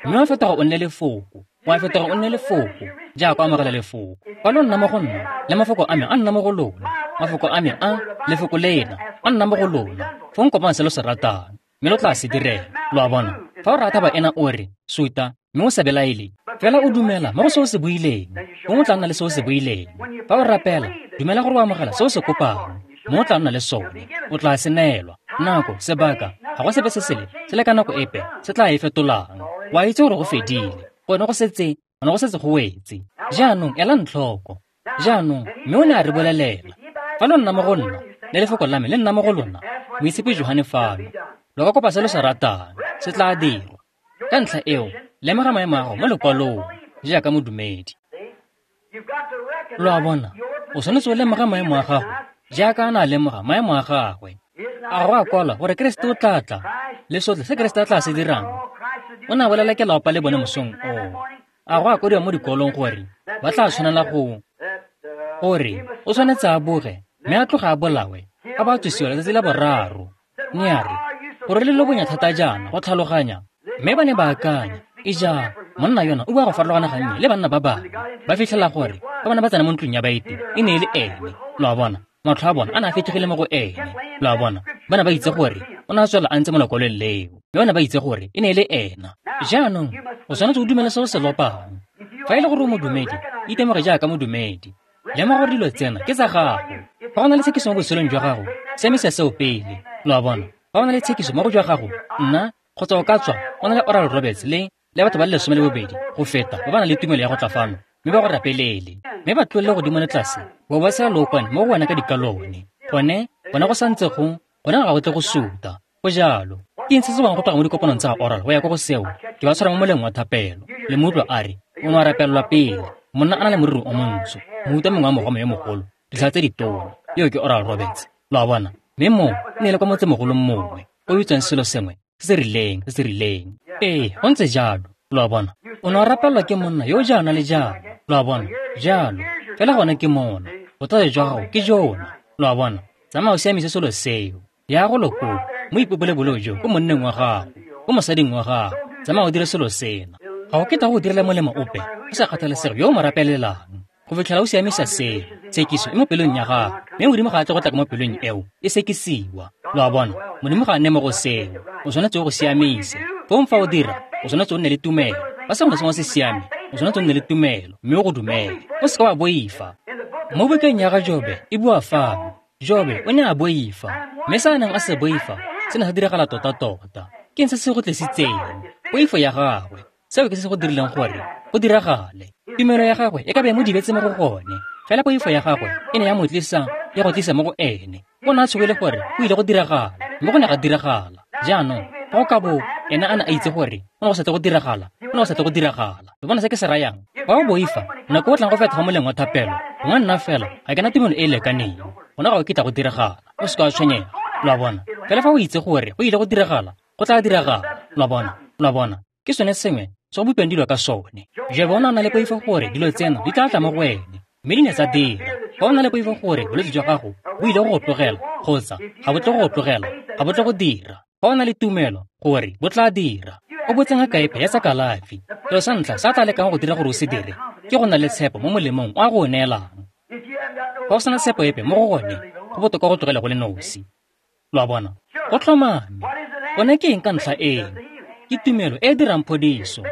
mme wa fetoga o nne lefoko, wa fetoga o nne lefoko, jaaka o amogela lefoko. Fa lo nna mo go nna, le mafoko a me a nna mo go lona, mafoko a me a, lefoko lena, a nna mo go lona, fong kopang se lo se ratang, mme lo tla se direla. Lo a bona, fa o rata baena o re, suta, mme o sa belaele, fela o dumela mo go se o se buileng, fong o tla nna le se o se buileng. Fa o rapela, dumela gore o amogela se o se kopang, mme o tla nna le sone, o tla se neelwa. Nako, sebaka, ga go sepe se sele, se le ka nako epe, se tla e fetolang. Wa itse gore go fedile, gone go setse, gone go setse go wetse. Jaanong, elang tlhoko. Jaanong, mme o ne a re bolelela, fa lo nna mo go nna, le lefoko la me le nna mo go lona, Moitshepi Johane fano, lo ka kopa se lo se ratang, se tla dirwa. Ka ntlha eo, lemoga maemo a gago mo lekwalong, jaaka modumedi. Lo a bona, o tshwanetse o lemoga maemo a gago, jaaka a ne a lemoga maemo a gagwe. A go a kwalwa gore Keresete o tla tla, le sotlhe se Keresete a tla se dirang. O ne a bolela ke lapa le bone mosong oo. A go a kwadiwa mo dikolong gore ba tla tshwanela go, gore o tshwanetse a boge, mme a tloga a bolawe, a ba tsosiwa letsatsi la boraro. Ne a re, gore le lo bonya thata jaana go tlhaloganya, mme ba ne ba akanya, ija, Monna yona o bua go farologana gannye le banna ba bangwe. Ba fitlhela gore fa bana ba tsena mo ntlong ya baeti e ne e le ene. Lo a bona, matlho a bona a ne a fetogile mo go ene. Lo a bona, ba ne ba itse gore o ne a tswela a ntse mo lekwalong leo, mme ba ne ba itse gore e ne e le ena. Jaanong o tshwanetse go dumela se o se lopang. Fa e le gore o modumedi, itemoge jaaka modumedi. Lemoga gore dilo tsena ke tsa gago. Fa go na le tshekiso mo botshelong jwa gago, siamisa seo pele. Lo a bona, fa go na le tshekiso mo go jwa gago, nna kgotsa o ka tswa o na le Oral Roberts le le batho ba le lesome le bobedi go feta ba ba nang le tumelo ya go tla fano mme ba go rapelele, mme ba tlolele godimo le tlase bo ba sela lookwane mo go wena ka dikalone. Gone gone go santse go gone ga go tle go suta. Go jalo. Ke eng se se bang go tloga mo dikopanong tsa ga Oral go ya ko go seo? Ke ba tshwara mo moleng wa thapelo. Le mo utlwa a re o ne a rapelelwa pele. Monna a na le moriri o montsho, mohuta mongwe wa mogoma yo mogolo, ditlhare tse ditona. Eo ke Oral Roberts. Lo a bona? Mme moo e ne e le kwa motsemogolong mongwe o bitswang selo sengwe se se rileng se se rileng. Ee, go ntse jalo. Lo a bona? O ne a rapelelwa ke monna yo jaana le jaana. Lo a bona? Jalo. Fela gone ke mona. Bothata jwa gago ke jona. Lo a bona? Tsamaya o siamise selo seo. Ya go loko mo ipopole boleo jo ko monneng wa gago, ko mosading wa gago. Tsamaya o dire selo sena. Ga o ketla go direla molemo ope, go sa kgathalesege yo o mo rapelelang. Go fitlhela o siamisa seo, tshekiso e mo pelong ya gago, mme Modimo ga a tle go tla ka mo pelong eo e sekisiwa. Lo a bona? Modimo ga a nne mo go seo. O tshwanetse o go siamise. Fong fa o dira, o tshwanetse o nne le tumelo. Fa sengwe le sengwe se siame, o tshwanetse o nne le tumelo mme o go dumele. O seka wa boifa. Mo bukeng ya ga Jobe e bua fano, Jobe o ne a boifa, mme se a neng a se boifa se ne sa diragala tota-tota. Ke eng se se go tlisitseng? Poifo ya gagwe. Seo ke se se go dirileng gore go diragale. Tumelo ya gagwe e ka be e mo dibetse mo go gone, fela poifo ya gagwe e ne ya mo tlisa, ya go tlisa mo go ene. O ne a tshogile gore go ile go diragala, mme go ne ga diragala. Jaanong fa go ka bo ene a ne a itse gore go ne go sa tle go diragala, go ne go sa tle go diragala. Lo bona se ke se rayang? Fa o boifa, nako o tlang go feta fa moleng wa thapelo, gongwe nna fela ga ke na tumelo e e lekaneng, gona ga o kitla go diragala. O seka wa tshwenyega. Lo a bona? Fela fa o itse gore go ile go diragala, go tla diragala. Lo a bona? Lo a bona? Ke sone sengwe se go bopilweng dilo ka sone. Jobe o ne a na le poifo gore dilo tseno di tla tla mo go ene, mme di ne tsa dira. Fa o na le poifo gore bolwetse jwa gago bo ile go go tlogela kgotsa ga bo tle go go tlogela, ga bo tle go dira. Fa o na le tumelo gore bo tla dira, o botse ngaka epe ya tsa kalafi. Selo sa ntlha se a tla lekang go dira gore o se dire ke go nna le tshepo mo molemong o a go o neelang. Fa o sena tshepo epe mo go gone, go botoka go tlogela go le nosi. Lo a bona? Go tlhomame. Gone ke eng ka ntlha eno? Ke tumelo e e dirang phodiso.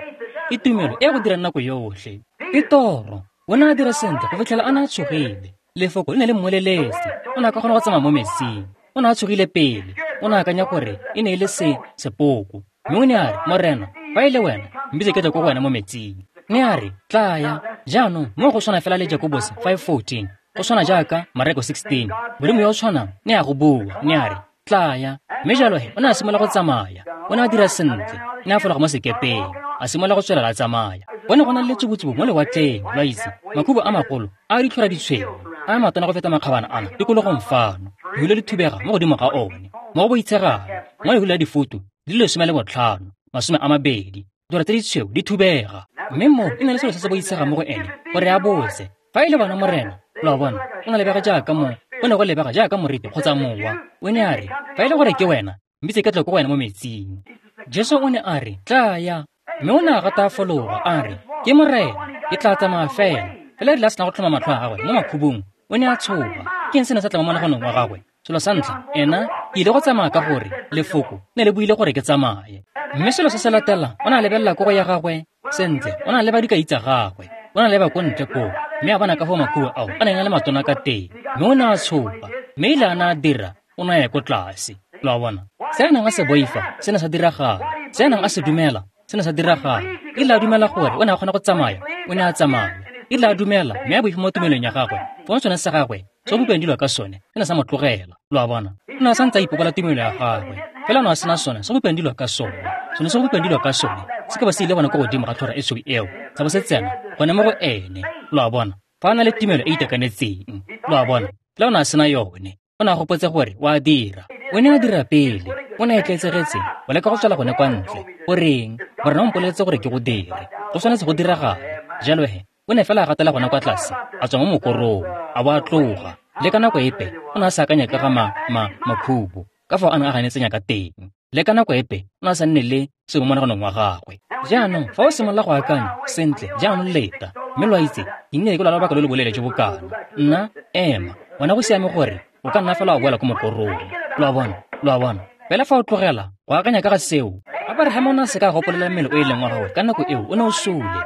Ke tumelo e go dirang nako yotlhe. Petoro o ne a dira sentle go fitlhela a ne a tshogile. Lefoko le ne le mmoleletse. O ne a ka kgona go tsamaya mo metsing. O ne a tshogile pele. O ne a akanya gore e ne e le se sepoko. Mme o ne a re, Morena, fa e le wena, mbitse ke tle ko go wena mo metsing. Mme a re, tlaya. Jaanong mo go tshwana fela le Jakobose five fourteen, go tshwana jaaka Mareko sixteen. Modimo yo o tshwanang ne a go bua, ne a re, tlaya. Mme jalo he o ne a simolola go tsamaya. O ne a dira sentle. Ne a fologa mo sekepeng, a simolola go tswelela a tsamaya. Go ne go na le letsubutsubu mo lewatleng, lo a itse, makhubu a magolo a ditlhora ditshweu, a matona go feta makgabana ana tikologong fano. Lehule le thubega mo godimo ga one, mo go boitshegang, mo lehule la difutu di le lesome le botlhano, masome a mabedi, ditlhora tse ditshweu di thubega. Mme moo e ne le selo se se boitshegang mo go ene gore a botse, fa e le bona Morena. Lo a bona? O ne lebega jaaka mo, o ne go lebega jaaka moriti kgotsa mowa. O ne a re, fa e le gore ke wena, mbitse ke tle ko go wena mo metsing. Jesu o ne a re, tlaya. Mme o ne a gata a fologa, a re, ke Morena, ke tla tsamaya fela. Fela e rile a sena go tlhoma matlho a gagwe mo makhubung, o ne a tshoga. Ke eng se ne sa tla mo monaganong wa gagwe? Selo sa ntlha, ena, ke ile go tsamaya ka gore lefoko ne le buile gore ke tsamaye. Mme selo se se latelang, o ne a lebelela ko go ya gagwe sentle, o ne a leba dikai tsa gagwe, o ne a leba ko ntle koo, mme a bona ka foo makhubu ao a neng a le matona ka teng. Mme o ne a tshoga, mme ile a ne a dira, o ne a ya ko tlase. Lo a bona? Se a neng a se boifa, se ne sa diragala. Se a neng a se dumela, se ne sa diragala. E ile a dumela gore o ne a kgona go tsamaya, o ne a tsamaya. E ile a dumela, mme a boifa mo tumelong ya gagwe. Fong sone sa gagwe, se go bopilweng dilo ka sone, se ne sa mo tlogela. Lo a bona? O ne a santse a ipokola tumelo ya gagwe, fela o ne a sena sone se go bopilweng dilo ka sone. Sone se go bopilweng dilo ka sone, se ka ba se ile gone ko godimo ga tlhora e tshweu eo, sa bo se tsena gone mo go ene. Lo a bona? Fa a na le tumelo e itekanetseng. Lo a bona? Fela o ne a sena yone. O ne a gopotse gore o a dira. O ne a dira pele. O ne a etleetsegetse go leka go tswela gone kwa ntle. Goreng? Morena o mpoleletse gore ke go dire. Go tshwanetse go diragala. Jalo he, o ne fela a gatela gone kwa tlase, a tswa mo mokorong, a bo a tloga. Le ka nako epe, o ne a sa akanya ka ga ma, ma, makhubu, ka fao a neng a ganetsenya ka teng. Le ka nako epe o ne a sa nne le sengwe mo monaganong wa gagwe. Jaanong fa o simolola go akanya, sentle, jaanong leta, mme lo a itse, ke nnile ke lwala lobaka lo lo boleele jo bo kana. Nna, ema, wena go siame gore o ka nna fela wa boela ko mokorong. Lo a bona, lo a bona. Fela fa o tlogela go akanya ka ga seo, Abraham o ne a se ka a gopolela mmele o e leng wa gagwe ka nako eo o ne o sule.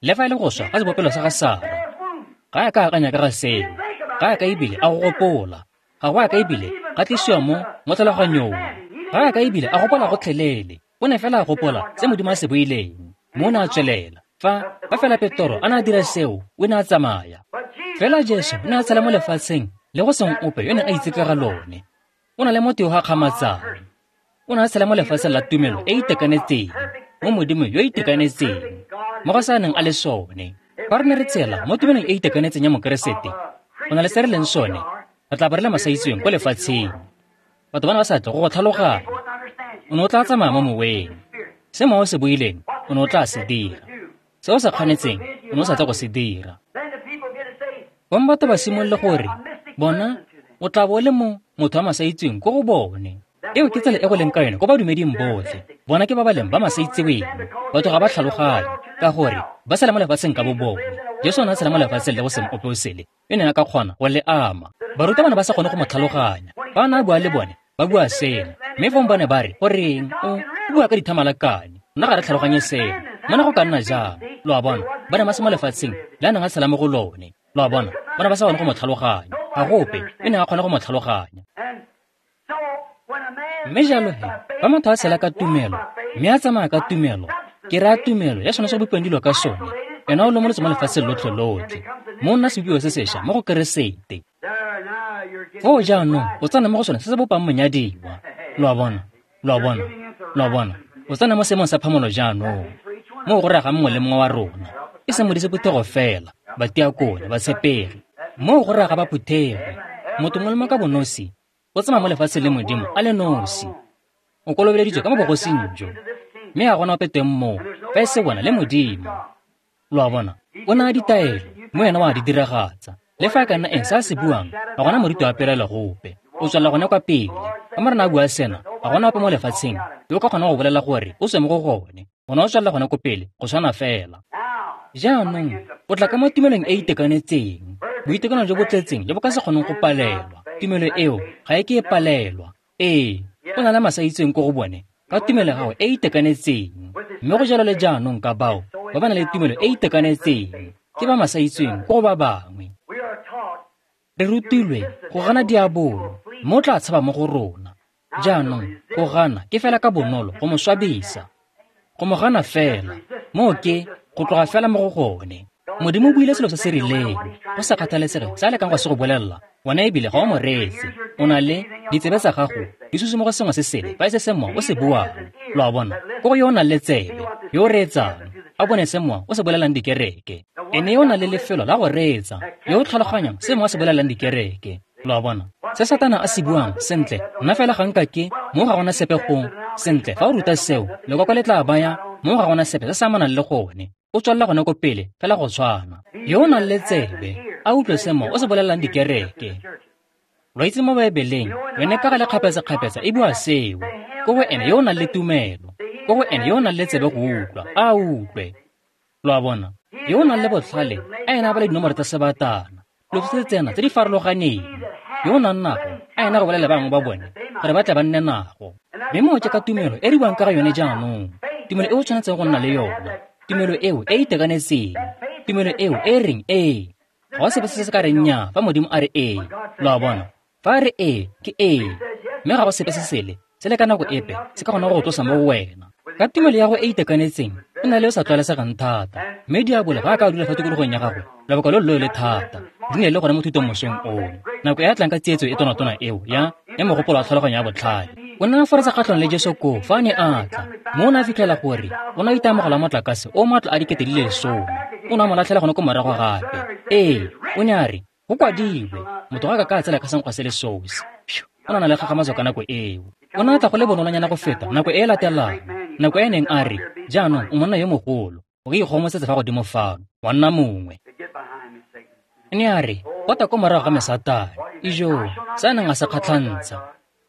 Le fa e le go swa ga sebopelo sa ga Sara, ga a ka akanya ka ga seo, ga a ka ebile a go gopola, ga go a ka ebile ga tlisiwa mo mo tlhaloganyong, ga a ka ebile a gopola gotlhelele. O ne fela a gopola se Modimo a se buileng, mme o ne a tswelela. Fa fa fela Petoro a ne a dira seo, o ne a tsamaya. Fela Jesu o ne a tshela mo lefatsheng le go seng ope yo neng a itse ka ga lone. O na le motho yo gakgamatsang. O ne a tshela mo lefatsheng la tumelo e e itekanetseng, mo Modimo yo itekanetseng, mo go sa neng a le sone. Fa re ne re tshela mo tumelong e e itekanetseng ya Mokeresete, go na le se re leng sone, re tla bo re le masaitseweng ko lefatsheng. Batho ba ne ba sa tle go go tlhaloganya. O ne o tla tsamaya mo moweng. Se mowa o se buileng, o ne o tla se dira. Se o sa kganetseng, o ne o sa tle go se dira. Bong batho ba simolole gore, bona, o tla bo o le mo motho wa masaitseweng ko go bone. Eo ke tsela e go leng ka yone ko badumeding botlhe. Bona ke ba ba leng ba masaitseweng. Batho ga ba tlhaloganye, ka gore ba sala mo lefatsheng ka bo bone. Jesu o ne a tshela mo lefatsheng le go seng ope o sele, yo neng a ka kgona go le ama. Barutabana ba sa kgone go mo tlhaloganya. Fa a ne a bua le bone, ba bua sena. Mme fong ba ne ba re, goreng o o bua ka dithamalakane, nna ga re tlhaloganye seno. Mona go ka nna jang? Lo a bona, ba ne ba se mo lefatsheng le a neng a tshela mo go lone. Lo a bona, ba ne ba sa kgone go mo tlhaloganya. Ga go ope yo neng a kgona go mo tlhaloganya. Mme jalo he, fa motho a tshela ka tumelo, mme a tsamaya ka tumelo, ke raya tumelo ya sone se go bopiwang dilo ka sone, ena o lomolotse mo lefatsheng lotlhe lotlhe, mo o nna sebopiwa se sešwa mo go Keresete. Foo jaanong o tsena mo go sone se se bopang monyadiwa. Lo a bona, lo a bona, lo a bona. O tsena mo seemong sa phamolo jaanong, mo go raya ga mongwe le mongwe wa rona, e seng modise phuthego fela, batiakone, batshepegi. Mo go raya ga ba phuthego, motho mongwe le mongwe ka bonosi o tsamaya mo lefatsheng le Modimo a le nosi. O kolobeleditswe ka mo bogosing jo, mme ga gona ope teng moo fa e se bona le Modimo. Lo a bona, o naya ditaelo, mme wena wa di diragatsa. Le fa e ka nna eng se a se buang, ga gona moriti wa pelaelo gope. O tswelela gone kwa pele. Fa Morena a bua sena, ga gona ope mo lefatsheng yo o ka kgonang go bolela gore o tswe mo go gone. Ona o tswelela gone ko pele, go tshwana fela. Jaanong o tla ka mo tumelong e e itekanetseng, boitekanelo jo bo tletseng jo bo ka se kgoneng go palelwa. Tumelo eo ga e ke e palelwa. Ee, o na le masaitseweng ko go bone ka tumelo ya gago e e itekanetseng. Mme go jalo le jaanong ka bao ba ba nang le tumelo e e itekanetseng, ke ba masaitseweng ko go ba bangwe. Re rutilwe go gana diabolo, mme o tla tshaba mo go rona. Jaanong go gana ke fela ka bonolo go mo swabisa, go mo gana fela, moo ke go tloga fela mo go gone. Modimo o buile selo se se rileng, go sa kgathalesege se a lekang go se go bolelela, wena ebile ga o mo reetse. O na le ditsebe tsa gago di susu mo go sengwe se sele fa e se se mowa o se buang. Lo a bona, ko go yo o nang le tsebe, yo o reetsang, a bone se mowa o se bolelang dikereke. Ene yo o nang le lefelo la go reetsa, yo o tlhaloganyang se mowa o se bolelang dikereke. Lo a bona, se Satana a se buang, sentle, nna fela ga nka ke, mo ga gona sepe gong. Sentle, fa o ruta seo, lekoko le tla baya, mo ga gona sepe se se amanang le gone. O tswelela gone ko pele, fela go tshwana. Yo o nang le tsebe, a utlwe se mowa o se bolelang dikereke. Lo itse mo Baebeleng, yone ka gale kgapetsa-kgapetsa e bua seo. Ko go ene yo o nang le tumelo, ko go ene yo o nang le tsebe go utlwa, a utlwe. Lo a bona, yo o nang le botlhale, a ena a bale dinomoro tsa sebatana, dilo tse tsena tse di farologaneng. Yo o nang nago, a ena go bolela bangwe ba bone, gore ba tle ba nne nago. Mme moo ke ka tumelo e re buang ka ga yone jaanong, tumelo e o tshwanetseng go nna le yona, tumelo eo e e itekanetseng, tumelo eo e reng ee. Ga go sepe se se ka reng nnyaa fa Modimo a re ee. Lo a bona, fa a re ee, ke ee. Mme ga go sepe se sele se le ka nako epe se ka kgona go go tlosa mo go wena. Ka tumelo ya go e itekanetseng, e na le yo sa tlwaelesegang thata, mme diabolo ga a ka dula fa tikologong ya gagwe lobaka lo lo le thata. Di ne le gone mo thutong mosong ono, nako e a tlang ka tsietso e tonatona eo ya ya mogopolo wa tlhaloganyo ya botlhale. O ne a foretsa kgatlhanong le Jesu koo fa a ne a tla, mme o ne a fitlhela gore o ne a itemogela motlakase o maatla a dikete di le lesome. O ne a mo latlhela gone ko morago gape. Ee, o ne a re, go kwadilwe, motho ga a ka ka a tsela ka senkgwa se le sosi. O ne a na le kgakgamatso ka nako eo. O ne a tla go le bonolonyana go feta nako e e latelang, nako e e neng a re, jaanong o monna yo mogolo, o ka ikgomosetsa fa godimo fano, wa nna mongwe. Ne a re, pota ko morago ga me Satane, ijo, se a neng a se kgatlhantsha.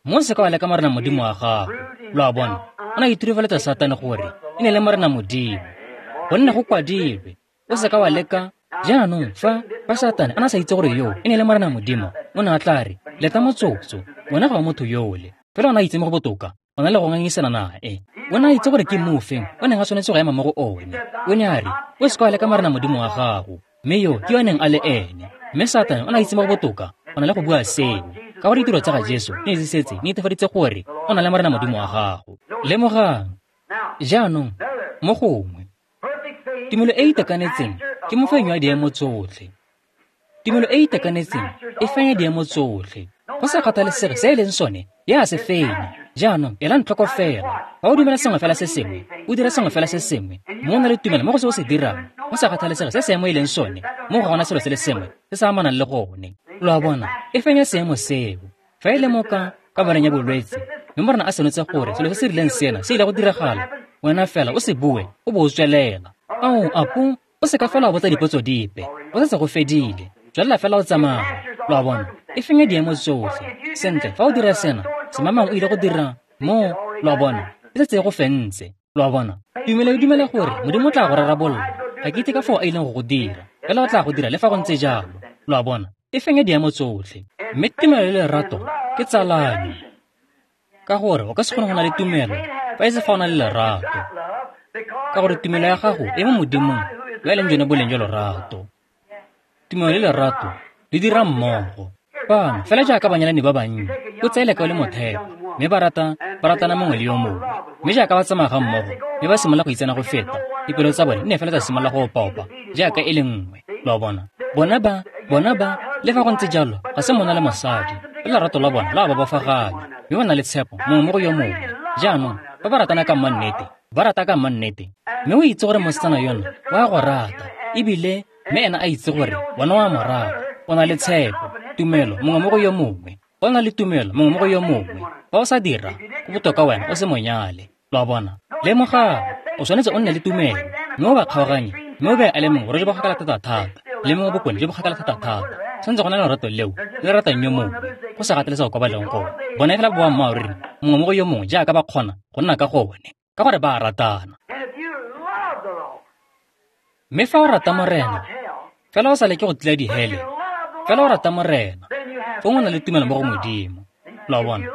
Mo se ka wa leka Morena Modimo wa gago. Lo a bona, o ne a iturifaletsa Satane gore e ne le Morena Modimo. Gonne go kwadilwe, o se ka wa leka. Jaanong fa fa Satane a na sa itse gore yo e ne le Morena Modimo, o ne a tla re, leta motsotso, wena ga wa motho yole. Fela o ne a itse mo go botoka, o na le go ngangisana nae. O ne a itse gore ke mofeng o neng a tshwanetse go ema mo go one. O ne a re, o se ka wa leka Morena Modimo wa gago, mme yo ke yo a neng a le ene. Mme Satane o ne a itse mo go botoka, o na le go bua seo. Ka gore ditiro tsa ga Jesu di ne di setse di netefaditse gore o na le Morena Modimo wa gago. Lemogang, jaanong, mo gongwe, tumelo e e itekanetseng ke mofenyi wa diemo tsotlhe. Tumelo e e itekanetseng e fenya diemo tsotlhe. Go sa kgathalesege se e leng sone, ya se fenya. Jaanong, elang tlhoko fela. Fa o dumela sengwe fela se sengwe, o dira sengwe fela se sengwe, mme o na le tumelo mo go se o se dirang, go sa kgathalesege se seemo e leng sone, mo ga gona selo se le sengwe se se amanang le gone. Lo a bona, e fenya seemo seo. Fa e le mo ka kamoreng ya bolwetse, mme Morena a senotse gore selo se se rileng sena se ile go diragala, wena fela o se bue, o bo o tswelela. Ao, apo, o se ka fela wa botsa dipotso dipe, go setse go fedile, tswelela fela o tsamaya. Lo a bona, e fenya diemo tsotlhe. Sentle, fa o dira sena, semamang o ile go dira mo, lo a bona, e setse e go fentse. Lo a bona, tumelo e dumela gore Modimo o tla go rarabolola. Ga ke itse ka foo a ileng go go dira, fela o tla go dira le fa go ntse jalo. Lo a bona, e fenya diemo tsotlhe. Mme tumelo le lerato ke tsalano, ka gore o ka se kgone go na le tumelo fa e se fa o na le lerato, ka gore tumelo ya gago e mo Modimong yo e leng jone boleng jwa lorato. Tumelo le lerato di dira mmogo. Fano, fela jaaka banyalani ba bannye, o tseye lekau le motheo, mme ba rata ba ratana mongwe le yo mongwe. Mme jaaka ba tsamaya ga mmogo, mme ba simolola go itsena go feta, dipelo tsa bone di ne fela tsa simolola go opaopa jaaka e le nngwe. Lo a bona, bona ba, bona ba, le fa go ntse jalo, ga se monna le mosadi, le lerato la bona la ba bofaganya, mme ba na le tshepo mongwe mo go yo mongwe. Jaanong, ba ba ratana ka mannete, ba rata ka mannete, mme o itse gore mosetsana yono wa go rata, ebile mme ena a itse gore wena wa mo rata. O na le tshepo, tumelo mongwe mo go yo mongwe. O na le tumelo mongwe mo go yo mongwe. Fa o sa dira, go botoka wena o se monyale. Lo a bona, lemogang, o tshwanetse o nne le tumelo, mme o ba kgaoganye, mme o be a le mongwe gore jo bo kgakala thata-thata, le mongwe bokone jo bo kgakala thata-thata. Tshwanetse go na le lerato leo le ratang yo mongwe, go sa kgathalesege kwa ba leng gone. Bona fela boammaaruri mongwe mo go yo mongwe jaaka ba kgona go nna ka gone, ka gore ba a ratana. Mme fa o rata Morena, fela o sa leke go tila dihele, fela o rata Morena, fong o na le tumelo mo go Modimo. Lo a bona,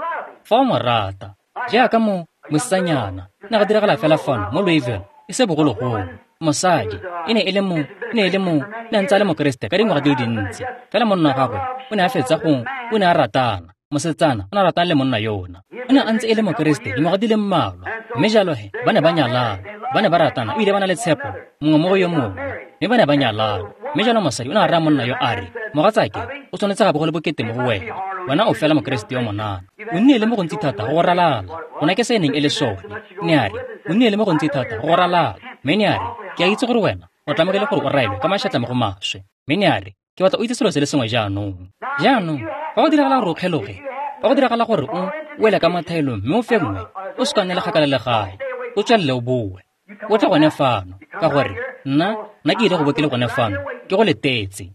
fa o mo rata, jaaka mo mosetsanyana, ne ga diragala fela fano mo Louisville, e se bogologolo. Mosadi e ne e le mo, e ne e le mo, ne a ntse a le Mokeresete ka dingwaga di le dintsi. Fela monna wa gagwe o ne a fetsa go, o ne a ratana. Mosetsana o ne a ratana le monna yona. O ne a ntse e le Mokeresete dingwaga di le mmalwa, mme jalo he ba ne ba nyalana, ba ne ba ratana, ebile ba na le tshepo mongwe mo go yo mongwe, mme ba ne ba nyalana. Mme jalo mosadi o ne a raya monna yo a re, mogatsake, o tshwanetse ga bo go le bokete mo go wena, wena o fela Mokeresete yo monana. O nnile le mo gontsi thata go go ralala, gona ke se e neng e le sone. Ne a re, o nnile le mo gontsi thata go go ralala. Mme ne a re, ke a itse gore wena o tlamegile gore o raelwe ka mašatla mo go maswe. Mme ne a re, ke batla o itse selo se le sengwe jaanong. Jaanong, fa go diragala gore o kgeloge, fa go diragala gore o wele ka mathaelong mme o fengwe, o se ka nne le kgakala le gae, o tswelele o boe. O tle gone fano, ka gore nna nna ke ile go bo ke le gone fano, ke go letetse.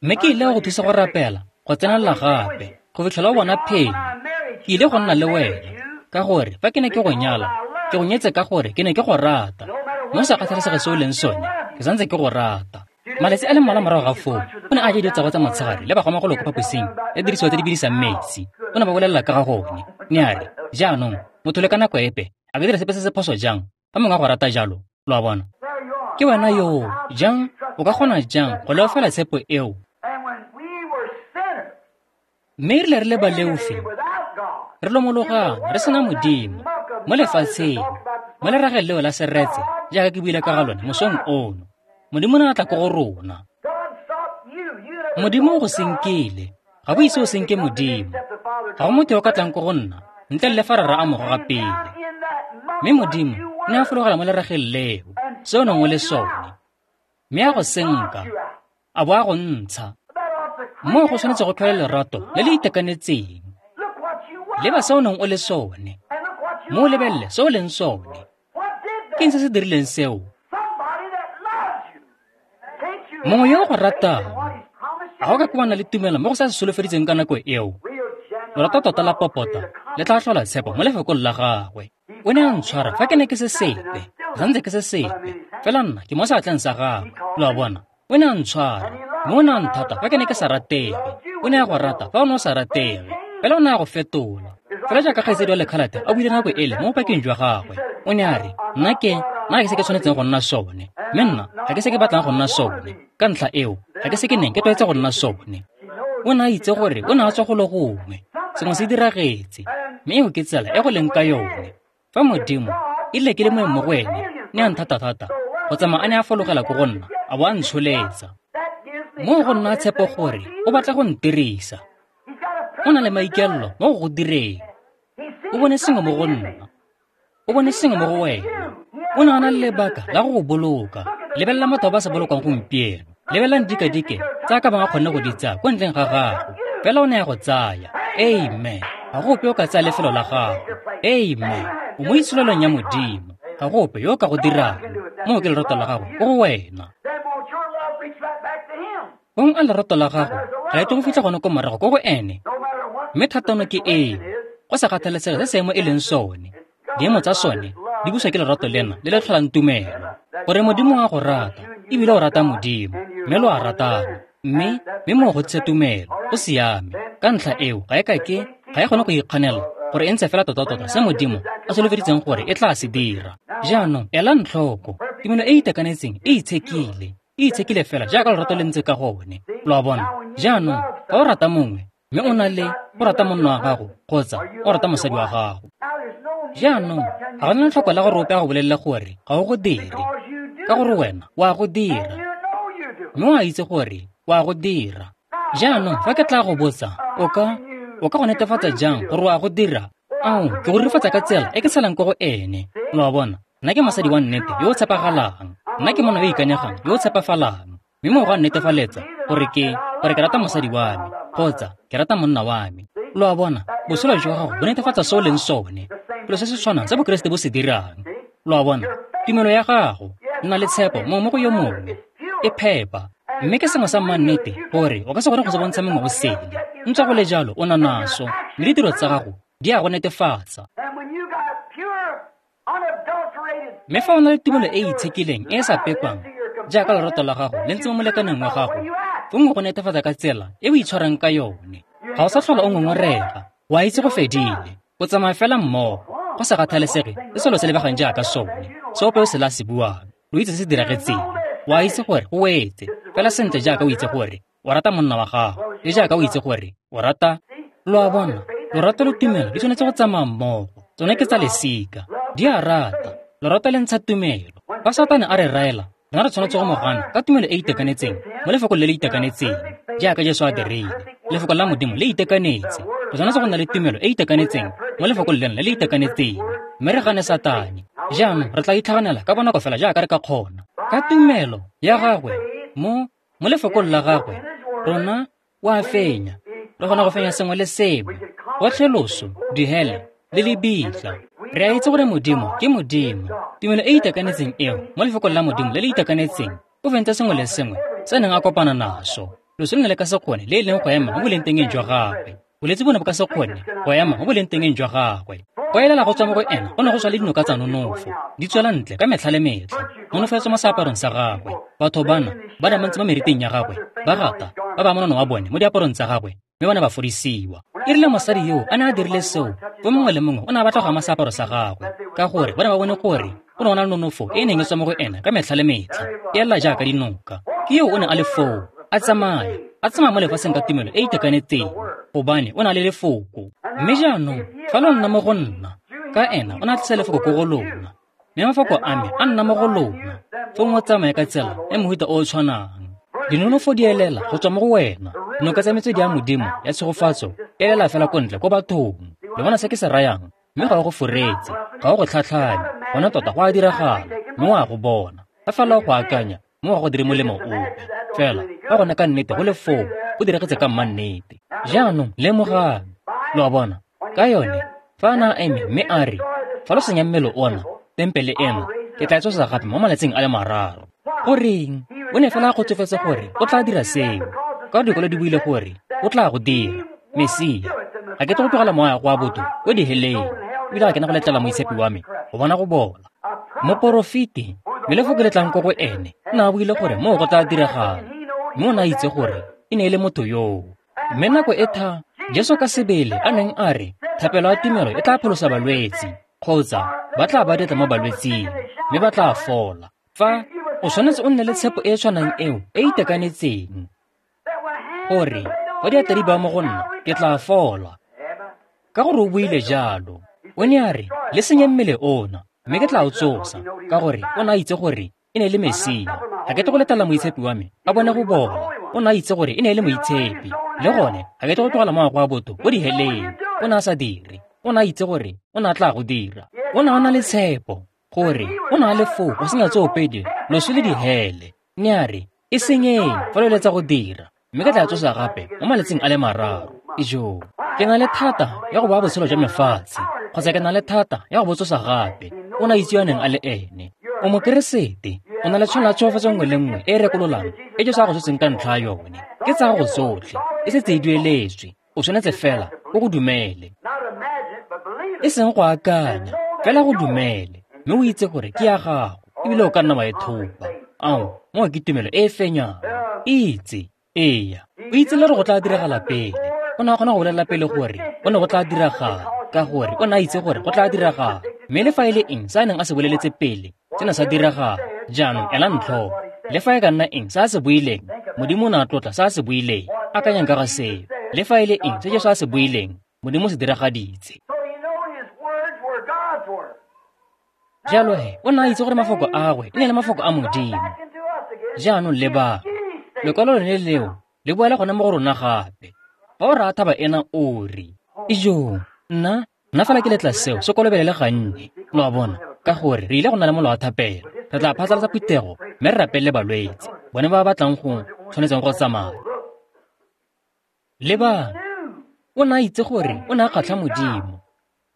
Mme ke ile go thusa go rapela, go tsenelela gape, go fitlhela o bona phenyo. Ke ile go nna le wena, ka gore fa ke ne ke go nyala, ke go nyetse ka gore ke ne ke go rata. Mme o sa kgathalesege se o leng sone, ke santse ke go rata. Malatsi a le mmalwa morago ga foo, o ne a ja dijo tsa gagwe tsa motshegare le bagomagolo ko phaposing ya dirisiwa tse di bidisang metsi. O ne ba bolelela ka ga gone. Ne a re, jaanong, motho le ka nako epe a ka dira sepe se se phoso jang fa mongwe a go rata jalo. Lo a bona, ke wena yoo jang, o ka kgona jang go leofela tshepo eo? Mme e rile re le baleofi, re lomologana, re sena Modimo mo lefatsheng, mo lerageng leo la seretse, jaaka ke buile ka ga lone mosong ono. Modimo o ne a tla ko go rona. Modimo o go senkile, ga bo ise o senke Modimo. Ga go motho yo o ka tlang ko go nna ntle le fa Rara a mo goga pele. Mme Modimo o ne a fologela mo lerageng leo, se o neng o le sone, mme a go senka, a bo a go ntsha. Moo go tshwanetse go tlhole lerato le le itekanetseng. Leba se o neng o le sone, mme o lebelele se o leng sone. Ke eng se se dirileng seo? Mongwe yo o go ratang, a go ka ke wa nna le tumelo mo go sa se solofeditseng ka nako eo? Lorato tota la popota le tla tlhola tshepo mo lefokong la gagwe. O ne a ntshwara fa ke ne ke se sepe, ke santse ke se sepe, fela nna ke mo seatleng sa gagwe. Lo a bona? O ne a ntshwara, mme o ne a nthata fa ke ne ke sa ratege. O ne a go rata fa o ne o sa ratege, fela o ne a go fetola. Fela jaaka kgaitsedi wa lekhalate a buile nako ele mo bopakeng jwa gagwe, o ne a re, nna ke, nna ga ke se ke tshwanetseng go nna sone, mme nna ga ke se ke batlang go nna sone. Ka ntlha eo, ga ke se ke neng ke tlwaetse go nna sone. O ne a itse gore o ne a tswa go le gongwe, sengwe se diragetse, mme eo ke tsela e go leng ka yone. Fa Modimo, e rile ke le moeng mo go ene, ne a nthata thata, go tsamaya a ne a fologela ko go nna, a bo a ntsholetsa. Moo go nna tshepo gore o batla go ntirisa. O na le maikaelelo mo go go direng. O bone sengwe mo go nna. O bone sengwe mo go wena. O ne a na le lebaka la go go boloka. Lebelela motho ba sa bolokwang gompieno. Lebelelang dikadike tsa ka bang a kgonne go di tsaya ko ntleng ga gago. Fela o ne a go tsaya. Amen. Ga go ope yo ka tsaya lefelo la gago. Amen. O mo itsholelong ya Modimo. Ga go ope yo ka go dirang. Moo ke lerato la gago ko go wena. Bong a lerato la gago ga e tle go fitlha gone ko morago ko go ene. Mme thatano ke eo, go sa kgathalesege se seemo e leng sone. Diemo tsa sone di buswa ke lerato lena le le tlholang tumelo. Gore Modimo a go rata, ebile o rata Modimo, mme lo a ratana. Mme, mme moo go tse tumelo, go siame. Ka ntlha eo, ga e ka ke, ga e kgone go ikganela gore e ntshe fela tota-tota se Modimo a solofeditseng gore e tla se dira. Jaanong, elang tlhoko, tumelo e e itekanetseng e itshekile. E itshekile fela jaaka lerato le ntse ka gone. Lo a bona? Jaanong, fa o rata mongwe, mme o na le o rata monna wa gago kgotsa o rata mosadi wa gago. Jaanong, ga go na letlhoko la gore ope a go bolelele gore ga o go dire, ka gore wena o a go dira, mme o a itse gore o a go dira. Jaanong, fa ke tla go botsa, o ka o ka go netefatsa jang gore o a go dira? Ao, ke go rurifatsa ka tsela e ke tshelang ko go ene. Lo a bona? Nna ke mosadi wa nnete yo o tshepagalang. Nna ke monna yo o ikanyegang yo o tshepafalang. Mme moo go a nnetefaletsa gore ke gore ke rata mosadi wa me kgotsa ke rata monna wa me. Lo a bona? Botshelo jwa gago bo netefatsa se o leng sone. Selo se se tshwanang se Bokeresete bo se dirang. Lo a bona? Tumelo ya gago, nna le tshepo mongwe mo go yo mongwe, e phepa. Mme ke sengwe sa mannete gore o ka se kgone go se bontsha mongwe o sele. Ntswa go le jalo o na naso, mme ditiro tsa gago di a go netefatsa. Mme fa o na le tumelo e e itshekileng e e sa pekwang, jaaka lerato la gago le ntse mo molekaneng wa gago, fong go netefatsa ka tsela e o itshwarang ka yone. Ga o sa tlhola o ngongorega, o a itse go fedile, o tsamaya fela mmogo, go sa kgathalesege se selo se lebegang jaaka sone, se ope o se la se buang, lo itse se se diragetseng. O a itse gore o wetse, fela sentle jaaka o itse gore o rata monna wa gago, le jaaka o itse gore o rata. Lo a bona? Lorato le tumelo di tshwanetse go tsamaya mmogo. Tsone ke tsa lesika, di a rata. Lorato le ntsha tumelo. Fa Satane a re raela, rona re tshwanetse go mo gana ka tumelo e e itekanetseng mo lefokong le le itekanetseng, jaaka Jesu a dirile. Lefoko la Modimo le itekanetse. Re tshwanetse go nna le tumelo e e itekanetseng mo lefokong leno le le itekanetseng, mme re gane Satane. Jaanong re tla itlhaganela ka bonako fela jaaka re ka kgona. Ka tumelo ya gagwe mo mo lefokong la gagwe, rona o a fenya. Re kgona go fenya sengwe le sengwe, gotlhe loso, dihele le lebitla. Re a itse gore Modimo ke Modimo. Tumelo e e itekanetseng eo mo lefokong la Modimo le le itekanetseng o fentse sengwe le sengwe se neng a kopana naso. Loso le ne le ka se kgone le e leng go ema mo bolengtengeng jwa gagwe. Bolwetse bo ne bo ka se kgone go ema mo bolengtengeng jwa gagwe. Go elela go tswa mo go ena go ne go tswa le dinoka tsa nonofo, di tswela ntle ka metlha le metlha. Nonofo ya tswa mo seaparong sa gagwe. Batho bana ba ne ba ntse mo meriting ya gagwe, ba gata ba ba monono wa bone mo diaparong tsa gagwe, mme ba ne ba fodisiwa. E rile mosadi yo a ne a dirile seo, fo mongwe le mongwe o ne a batla go ama seaparo sa gagwe, ka gore ba ne ba bone gore go ne go na le nonofo e e neng e tswa mo go ena ka metlha le metlha, e ela jaaka dinoka. Ke yo o ne a le foo, a tsamaya, a tsamaya mo lefatsheng ka tumelo e e itekanetseng, gobane o na le lefoko. Mme jaanong, fa lo nna mo go nna, ka ena o ne a tlisa lefoko ko go lona, mme mafoko a me a nna mo go lona, fong o tsamaye ka tsela ya mohuta o o tshwanang. Dinonofo di elela go tswa mo go wena. Dinoka tsa metswedi ya Modimo ya tshegofatso e elela fela ko ntle ko bathong. Le bona se ke se rayang? Mme ga o go foretse, ga o go tlhatlhanye, gona tota go a diragala, mme o a go bona. Fa fela o go akanya, mme ga go dire molemo ope. Fela, fa gone ka nnete go le foo, go diragetse ka mmannete. Jaanong, lemogang. Lo a bona? Ka yone, fa a na a eme mme a re, fa lo senya mmele ona, tempele eno, ke tla e tsosa gape mo malatsing a le mararo. Goreng? O ne fela a kgotsofetse gore o tla dira seo, ka dikwalo di buile gore o tla go dira. Mesia Ga ke tle go tlogela moya go a botho ko diheleng, ebile ga ke na go letlela moitshepi wa me go bona go bola. Moporofeti, mme lefoko le tlang ko go ene, o ne a buile gore moo go tla diragala, mme o ne a itse gore e ne e le motho yoo. Mme nako e tha Jesu ka sebele a neng a re thapelo ya tumelo e tla pholosa balwetsi, kgotsa ba tla ba diatla mo balwetsing, mme ba tla fola. Fa o tshwanetse o nne le tshepo e e tshwanang eo e e itekanetseng, gore fa diatla di baya mo go nna ke tla fola, ka gore o buile jalo. O ne a re le senye mmele ona, mme ke tla o tsosa, ka gore o ne a itse gore e ne e le Mesia. Ga ke tle go letela moitshepi wa me a bone go bola. O ne a itse gore e ne e le moitshepi, le gone ga ke tle go tlogela moya go a botho ko diheleng. O ne a sa dire, o ne a itse gore o ne a tla go dira. O ne a na le tshepo gore o ne a le foo go senya tsoopedi loso le dihele. Ne a re e senyeng fa lo eletsa go dira, mme ke tla tsosa gape mo malatsing a le mararo. Ijoo, ke na le thata ya go baya botshelo jwa mefatshe, kgotsa ke na le thata ya go bo tsosa gape. O ne a itse yo a neng a le ene. O mokeresete, o na le tshwanelo ya tsholofetso nngwe le nngwe e e rekololang e Jesu a go tshotseng ka ntlha ya yone. Ke tsa gago tsotlhe, e setse e dueletswe. O tshwanetse fela o go dumele, e seng go akanya, fela go dumele, mme o itse gore ke ya gago, ebile o ka nna wa e thopa. Ao, moo ke tumelo e e fenyang. Itse, eya, o itse le gore go tla diragala pele. O ne a kgona go bolelela pele gore o ne go tla diragala, ka gore o ne a itse gore go tla diragala. Mme le fa e le eng se a neng a se boleletse pele, se ne sa diragala. Jaanong elang tlhoko, le fa e ka nna eng se a se buileng, Modimo o ne a tlotla se a se buileng. Akanyang ka ga seo. Le fa e le eng se Jesu a se buileng, Modimo o se diragaditse. Jalo he, o ne a itse gore mafoko a gagwe e ne le mafoko a Modimo. Jaanong lebang, lekwalo lone leo le boela gone mo go rona gape. Fa o raya thaba ena o re, ijoo, nna nna fela ke letla seo se kolobelele gannye. Lo a bona, ka gore re ile go nna le molao wa thapelo. Re tla phatlalatsa phuthego mme re rapelele balwetse, bone ba ba batlang go tshwanetseng go tsamaya. Lebang, o ne a itse gore o ne a kgatlha Modimo.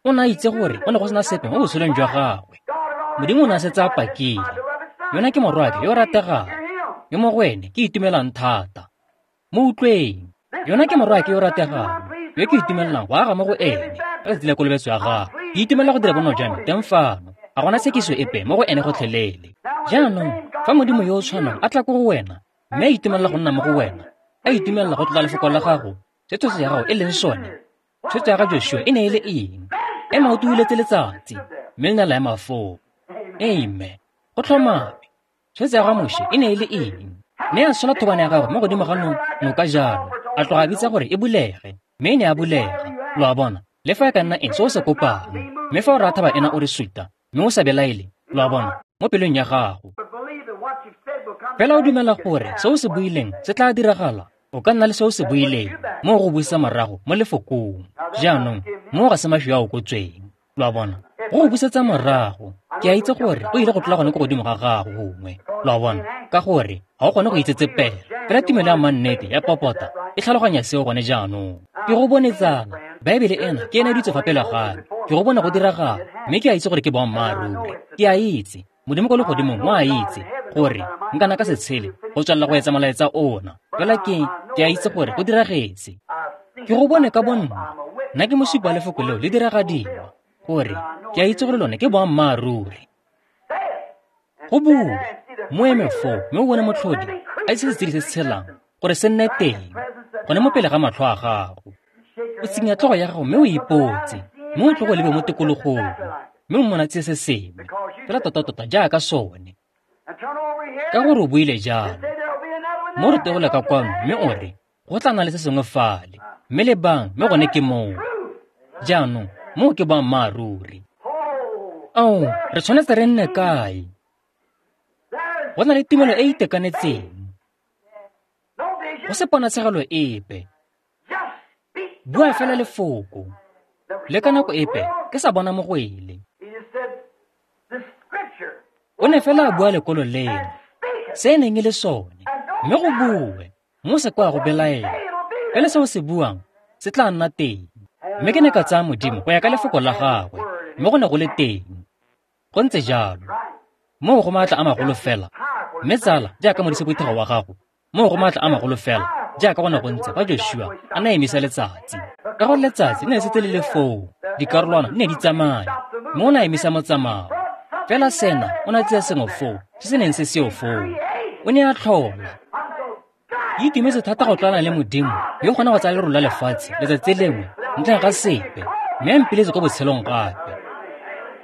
O ne a itse gore o ne go sena sepe mo botshelong jwa gagwe. Modimo o ne a setse a pakile. Yona ke morwake yo o rategang, yo mo go ene ke itumelang thata. Mo utlweng. Yona ke morwake yo o rategang, yo ke itumelang go aga mo go ene ka letsatsi la kolobetso ya gagwe. Ke itumelela go dira bonno jwa me teng fano. Ga gona tshekiso epe mo go ene gotlhelele. Jaanong, fa Modimo yo o tshwanang a tla ko go wena, mme a itumelela go nna mo go wena, a itumelela go tlotla lefoko la gago, se tshwetso ya gago e leng sone. Tshwetso ya ga Joshua e ne e le eng? Ema o tuuletse letsatsi, mme le ne la ema foo. Amen. Go tlhomame. Tshwetso ya ga Moshe e ne e le eng? Ne a sola thobane ya gagwe mo godimo ga noka jalo, a tloga a bitsa gore e bulege, mme e ne a bulega. Lo a bona, le fa e ka nna eng se o se kopang, mme fa o raya thaba ena o re suta, mme o sa belaele, lo a bona, mo pelong ya gago. Fela o dumela gore se o se buileng se tla diragala, o ka nna le se o se buileng, moo go buisa morago mo lefokong. Jaanong, moo ga se mašwi a okotsweng. Lo a bona, go go busetsa morago. Ke a itse gore o ile go tlola gone ko godimo ga gago gongwe. Lo a bona, ka gore ga o kgone go itsetsepela. Fela tumelo ya mannete ya popota e tlhaloganya seo gone jaanong. Ke go bone tsala, Baebele ena ke ena e dutse fa pele ga me. Ke go bone go diragala, mme ke a itse gore ke boammaaruri. Ke a itse, Modimo ko legodimong o a itse gore nkana ka se tshele go tswelela go etsa molaetsa ona. Fela ke ke a itse gore go diragetse. Ke go bone ka bonna. Nna ke mosupi wa lefoko leo le diragadiwa, gore ke a itse gore lone ke boammaaruri. Go bue, mo eme foo mme o bone motlhodi a itse setshedi se se tshelang gore se nne teng gone mo pele ga matlho a gago. O tsenya tlhogo ya gago mme o ipotse, mme o tlogo lebe mo tikologong, mme o mmonatse se sengwe fela tota-tota jaaka sone, ka gore o buile jalo. Mo re tegole ka kwano mme o re go tla nna le se sengwe fale, mme lebang, mme gone ke moo. Jaanong moo ke boammaaruri. Ao, re tshwanetse re nne kae? Go na le tumelo e e itekanetseng, go se ponatshegelo epe. Bua fela lefoko. Le ka nako epe ke sa bona mogwele. O ne fela a bua lekwalo leno, se e neng e le sone, mme go bue, mo se kwa go belaela. Fela se o se buang se tla nna teng. Mme ke ne ka tsaya Modimo go ya ka lefoko la gagwe, mme go ne go le teng. Go ntse jalo. Moo go maatla a magolo fela. Mme tsala, jaaka modisephuthego wa gago, moo go maatla a magolo fela jaaka go ne go ntse fa Joshua a ne a emisa letsatsi. Ka gore letsatsi le ne setse le le foo, dikarolwana di ne di tsamaya, mme o ne a emisa motsamao. Fela sena o ne a tsaya sengwe foo se se neng se seo foo. O ne a tlhola. Ke itumetse thata go tlwaelana le Modimo yo o kgona go tsaya lerole la lefatshe letsatsi lengwe ntleng ga sepe, mme a mpiletse ko botshelong gape.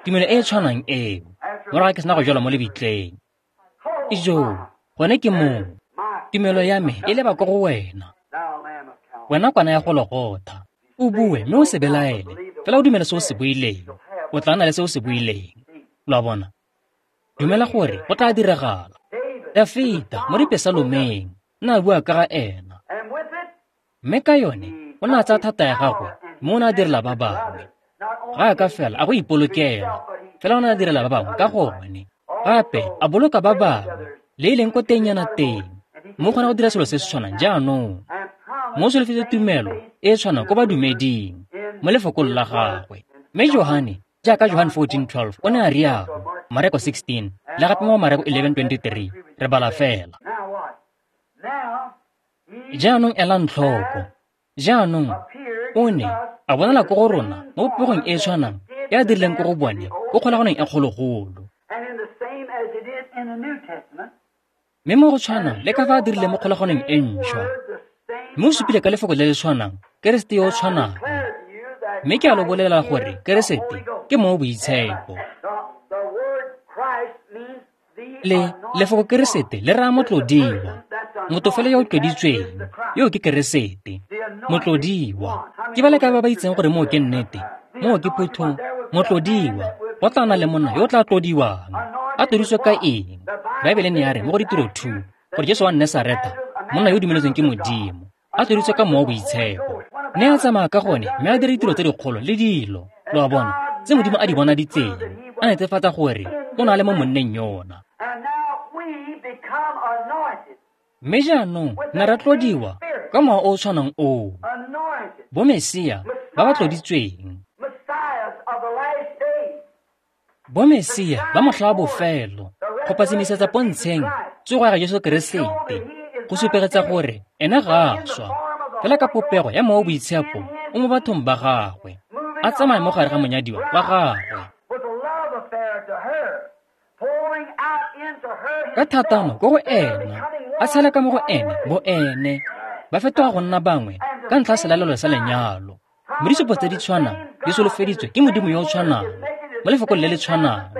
Tumelo e e tshwanang eo, morago ga ke sena go jalwa mo lebitleng. Ijoo, gone ke moo. Tumelo ya me e leba ko go wena. Wena kwana ya Gologotha. O bue mme o se belaele, fela o dumele se o se buileng. O tla nna le se o se buileng. Lo a bona? Dumela gore go tla diragala. Dafita mo dipesalomeng o ne a bua ka ga ena. Mme ka yone o ne a tsaya thata ya gagwe mme o ne a direla ba bangwe. Ga a ka fela a go ipolokela, fela o ne a direla ba bangwe ka gone. Gape a boloka ba bangwe, le e leng ko tengnyana teng. Mme o kgona go dira selo se se tshwanang jaanong. Mo solofetse tumelo e e tshwanang ko badumeding mo lefokong la gagwe. Mme Johane, jaaka Johane fourteen twelve, o ne a rialo, Mareko sixteen, le gape mo Mareko eleven twenty-three, re bala fela. Jaanong elang tlhoko. Jaanong o ne a bonala ko go rona mo popegong e e tshwanang e a dirileng ko go bone ko kgolaganong e kgologolo. Mme mo go tshwanang le ka fa a dirileng mo kgolaganong e ntšhwa. Mme o supile ka lefoko le le tshwanang, Keresete yo o tshwanang. Mme ke a lo bolela gore Keresete ke Mowa o Boitshepo. Le lefoko Keresete le raya motlodiwa. Motho fela yo o tloditsweng, yo ke Keresete, motlodiwa. Ke ba le kae ba ba itseng gore moo ke nnete? Moo ke phutho, motlodiwa. Go tla nna le monna yo o tla tlodiwang. A tloditswe ka eng? Baebele ne ya re mo go Ditiro two, gore Jesu wa Nasaretha, monna yo o dumeletsweng ke Modimo, a tloditswe ka Mowa o Boitshepo. Ne a tsamaya ka gone mme a dira ditiro tse dikgolo le dilo, lo a bona, tse Modimo a di bonaditseng, a netefatsa gore o na le mo monneng yona. Mme jaanong ne ra tlodiwa ka Mowa o o tshwanang oo. Bo Mesia ba ba tloditsweng. Bo Mesia ba motlha wa bofelo, go patsimisetsa pontsheng tsogo ya ga Jesu Keresete, go supegetsa gore ene ga a swa, fela ka popego ya Mowa o Boitshepo o mo bathong ba gagwe, a tsamaya mo gare ga monyadiwa wa gagwe. Ka thatano ko go ena, a tshela ka mo go ene bo ene, ba fetoga go nna bangwe ka ntlha ya selalelo sa lenyalo. Mme disupo tse di tshwanang di solofeditswe ke Modimo yo o tshwanang, mo lefokong le le tshwanang,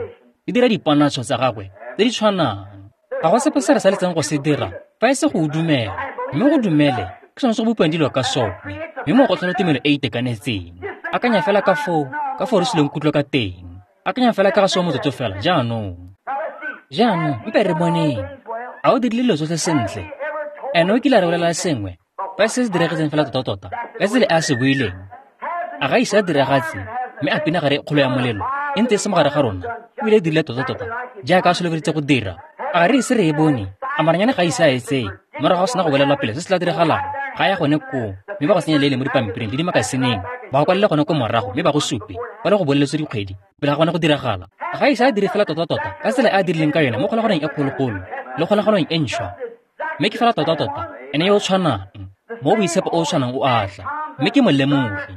di dira diponatsho tsa gagwe tse di tshwanang. Ga go sepe se re saletseng go se dira fa e se go o dumela, mme go dumele ke sone se go bopiwang dilo ka sone, mme mo go tlhola tumelo e e itekanetseng. Akanya fela ka foo, ka foo re sileng kutlo ka teng. Akanya fela ka ga seo motsotso fela jaanong. Jaanong mpe re boneng. A o dirile dilo tsotlhe sentle? Ene o kile a re bolela sengwe fa se se diragetseng fela tota-tota ka tsela e a se buileng. A ga ise a diragatse mme a pinagare e kgolo ya molelo e ntse e se mo gare ga rona, ebile e dirile tota-tota jaaka a solofeditse go dira. A ga re ise re e bone? A maranyane ga ise a e tseye morago ga sena go bolelwa pele se se tla diragalang? Ga ya gone koo mme ba go senya le le mo dipampiring le dimakasineng, ba go kwalele gone ko morago mme ba go supe ba le go boleletswe dikgwedi pele ga gone go diragala. Ga ise a dire fela tota-tota ka tsela e a dirileng ka yone mo kgolaganong e kgologolo le kgolaganong e ntšhwa. Mme ke fela tota-tota ene yo o tshwanang, mo boitshepo o o tshwanang o a tla, mme ke molemogi.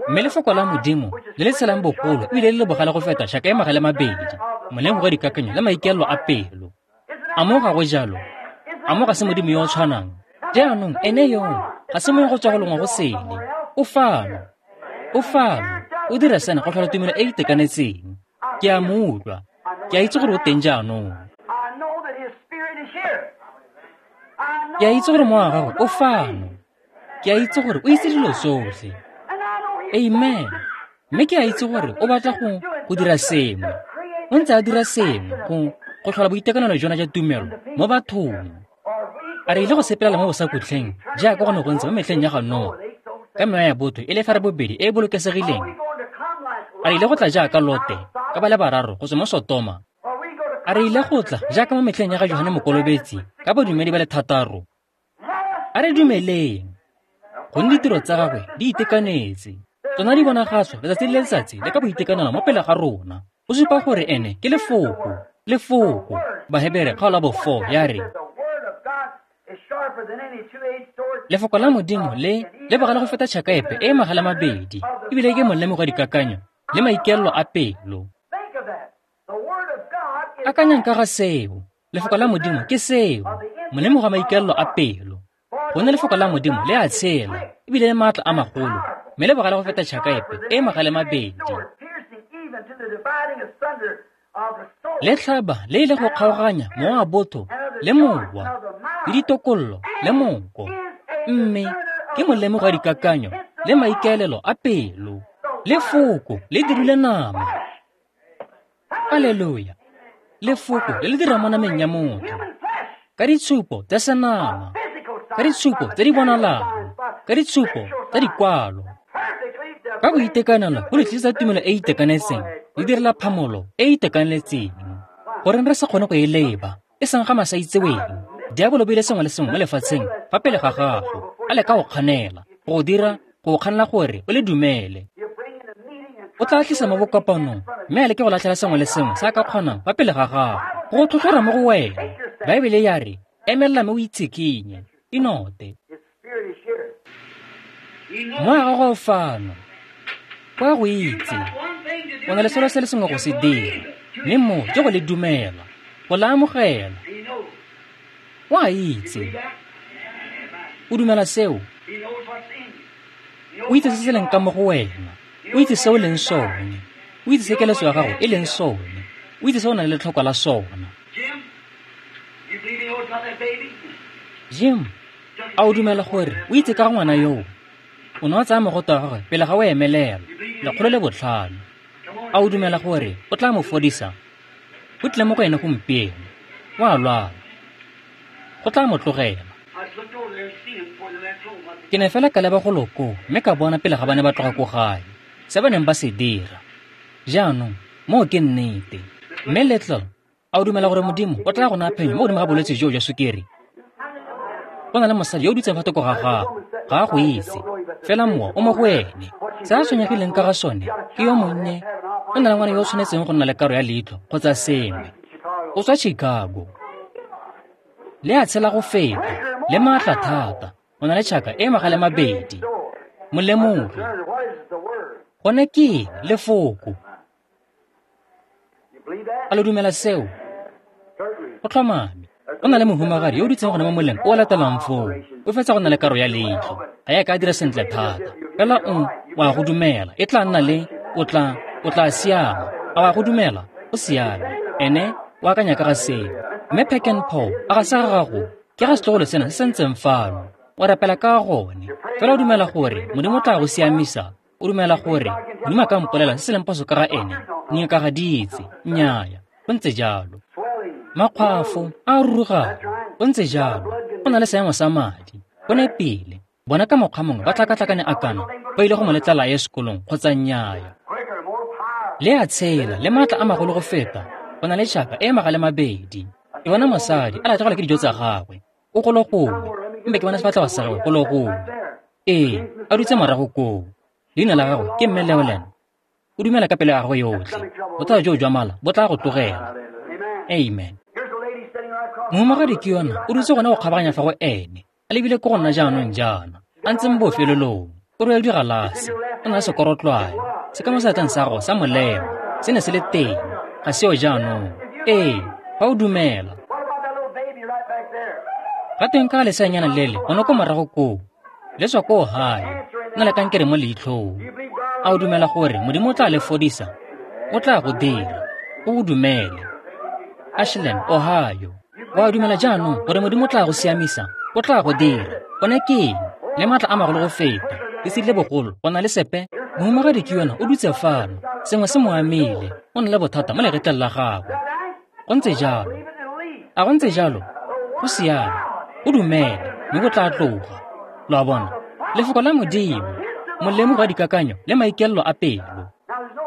Mme lefoko la Modimo le le tshelang bogolo ebile le le bogale go feta tšhaka e magale mabedi, molemogi wa dikakanyo le maikaelelo a pelo. A mo ga go jalo? A mo ga se Modimo yo o tshwanang? Jaanong ene yo ga se mongwe go tswa go longwe go sele. O fano, o fano, o dira sena go tlhola tumelo e e itekanetseng. Ke a mo utlwa, ke a itse gore o teng jaanong. Ke a itse gore mowa wa gagwe o fano. Ke a itse gore o itse dilo tsotlhe. Amen. Mme ke a itse gore o batla go go dira sengwe. O ntse a dira sengwe go go tlhola boitekanelo jona jwa tumelo mo bathong. A re ile go sepelela mo bosakutleng jaaka go ne go ntse mo metlheng ya ga Noa, ka mewa ya botho e le ferabobedi e e bolokesegileng. A re ile go tla jaaka Lote ka ba le bararo go tswa mo Sotoma. A re ile go tla jaaka mo metlheng ya ga Johane Mokolobetsi ka badumedi ba le thataro. A re dumeleng, gonne ditiro tsa gagwe di itekanetse. Tsona di bonagatswa letsatsi le letsatsi le ka boitekanelo mo pele ga rona. Go supa gore ene ke lefoko, lefoko. Bahebere kgaolo ya bo four ya re, Lefoko la Modimo le le bogale go feta tšhaka epe e e magala mabedi, ebile ke molemo wa dikakanyo le maikaelelo a pelo. Akanyang ka ga seo. Lefoko la Modimo ke seo, molemo wa maikaelelo a pelo. Gonne lefoko la Modimo le a tshela, ebile le maatla a magolo, mme le bogale go feta tšhaka epe e e magala mabedi. Le tlhaba le ile go kgaoganya mowa wa botho le mowa, le ditokololo le monko, mme ke molemo wa dikakanyo le maikaelelo a pelo. Lefoko le dirile nama. Aleluya. Lefoko le le dira mo nameng ya motho, ka ditshupo tsa senama, ka ditshupo tse di bonalang, ka ditshupo tsa dikwalo. Ka boitekanelo go le tlisa tumelo e e itekanetseng, le direla phamolo e e itekanetseng. Goreng re sa kgone go e leba, e seng ga masaitseweng. Diabolo o beile sengwe le sengwe mo lefatsheng fa pele ga gago, a leka go kganela, go dira, go kganela gore o le dumele. O tla tlisa mo bokopanong, mme a leke go latlhela sengwe le sengwe se a ka kgonang fa pele ga gago, go go tlhotlhora mo go wena. Baebele ya re, emelela mme o itshikinye, inote. Moya wa gago o fano, o a go itse. O na le selo se le sengwe go se dira, mme moo ke go le dumela, go le amogela. O a itse. O dumela seo. O itse se se leng ka mo go wena. O itse se o leng sone. O itse se keletso ya gago e leng sone. O itse se o nang le letlhoko la sona. Jim, a o dumela gore o itse ka ga ngwana yoo? O ne wa tsaya mogoto wa gagwe pele ga o emelela, lekgolo le botlhano. A o dumela gore o tla mo fodisa? O tlile mo go ene gompieno. O a lwala. Go tla mo tlogela. Ke ne fela ka leba golo koo mme ka bona pele ga ba ne ba tloga ko gae, se ba neng ba se dira. Jaanong, moo ke nnete. Mme Little, a o dumela gore Modimo o tla go naya phenyo mo godimo ga bolwetse joo jwa sukiri? Go na le mosadi yo o dutseng fa thoko ga gago, ga a go itse, fela mowa o mo go ene. Se a tshwenyegileng ka ga sone ke yo monnye, o na le ngwana yo o tshwanetseng go nna le karo ya leitlho kgotsa sengwe. O tswa Chicago. Le a tshela go feta, le maatla thata, o na le tšhaka e magale mabedi. Molemoge. Gone ke eng? Lefoko. A lo dumela seo? Go tlhomame. O na le mohumagadi yo o dutseng gone mo moleng o o latelang foo. O fetsa go nna le karo ya leitlho. Ga ya ka dira sentle thata. Fela o o a go dumela. E tla nna le, o tla, o tla siama. A wa go dumela? O siame. Ene o akanya ka ga seo. Mme Peck and Paul, a ga se ga gago, ke ga setlogolo sena se se ntseng fano. O rapela ka gone. Fela o dumela gore Modimo o tla go siamisa. O dumela gore Modimo a ka mpolela se se leng phoso ka ga ene. Dingaka ga di itse. Nnyaya. Go ntse jalo. Makgwafo a rurugang. Go ntse jalo. Go na le seemo sa madi. Go nepile. Bona ka mokgwa mongwe ba tlhakatlhakane a kana ba ile go mo letlela a ye sekolong kgotsa nnyaya. Le a tshela le maatla a magolo go feta. Go na le tšhaka e magale mabedi. Ke bona mosadi a latlhegelwa ke dijo tsa gagwe. O golo gongwe, mme ke bona sefatlhego sa gagwe golo gongwe. Ee, a dutse morago koo. Leina la gagwe ke Mme Leolen. O dumela ka pelo ya gagwe yotlhe. Bothata joo jwa mala bo tla go tlogela. Amen. Mohumagadi ke yona o dutse gone go kgabaganya fa go ene. A lebile ko go nna jaanong jaana. A ntse mo bofelelong. O rwele digalase. O na le sekorotlwane. Se ka mo seatleng sa gagwe sa molema. Se ne se le teng. Ga seo jaanong. Ee, fa o dumela. Ga teng ka leseanyana lele gone ko morago koo. Le tswa ko Ohio. Na le kankere mo leitlhong. A o dumela gore Modimo o tla le fodisa? O tla go dira. O o dumele. Ashland, Ohio. O a dumela jaanong gore Modimo o tla go siamisa? O tla go dira. Gone ke eng? Le maatla a magolo go feta. Le sedile bogolo, go na le sepe. Mohumagadi ke yona o dutse fano. Sengwe se mo amile. O na le bothata mo legetleng la gagwe. Go ntse jalo. A go ntse jalo? Go siame. O dumele, mme go tla tloga. Lo a bona? Lefoko la Modimo, molemo wa dikakanyo le maikaelelo a pelo.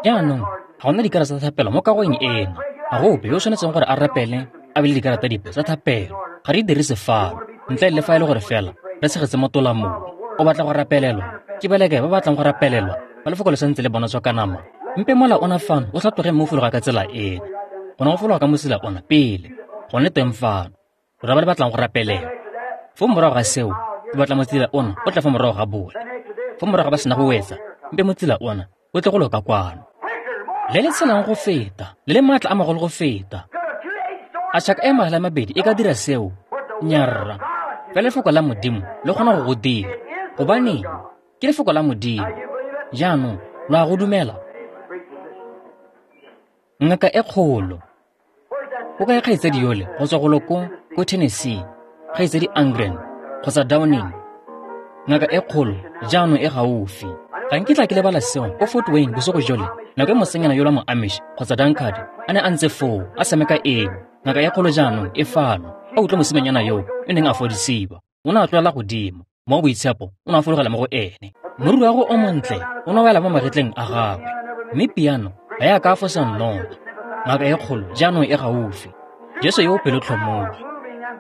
Jaanong, ga gona dikarata tsa thapelo mo kagong ena. Ga go ope yo o tshwanetseng gore a rapele a be le dikarata dipe tsa thapelo. Ga re dirise fano, ntle le fa e le gore fela re tshegetse mo tolamong. O batla go rapelelwa? Ke ba le kae ba batlang go rapelelwa? Ba lefoko le santse le bonatswa ka nama. Mpe mola ona fano o tlhatloge mme o fologa ka tsela ena. Gone go fologa ka mosela ona pele. Gone teng fano. Rona ba le batlang go rapelelwa. Foo morago ga seo, Ke batla motsila ona o tla fa morago ga bone. Fa morago ga ba sena go wetsa, mpe motsila ona o tle go loka kwano. Le le tshelang go feta, le le maatla a magolo go feta. A tšhaka e magala a mabedi e ka dira seo? Nyarra. Fela lefoko la Modimo le kgona go go dira. Gobaneng? Ke lefoko la Modimo. Jaanong, lo a go dumela? Ngaka e kgolo. O kae kgaitsadi yole go tswa golo ko ko Tennessee, kgaitsadi Angren kgotsa Downing? Ngaka e kgolo jaanong e gaufi. Ga nkitla ke lebala seo ko Fort Wayne bosigo jole, nako e mosenyana yola mo Amish kgotsa Dunkard a ne a ntse foo a tshameka eo. Ngaka e kgolo jaanong e fano. A utlwa mosimanyana yo e neng a fodisiwa. O ne a tlolela godimo. Mo boitshepo o ne a fologela mo go ene. Moriri wa go o montle o ne a wela mo magetleng a gagwe. Mme piano ga ya ka a fosa nnoto. Ngaka e kgolo jaanong e gaufi. Jesu yo o pelotlhomogi.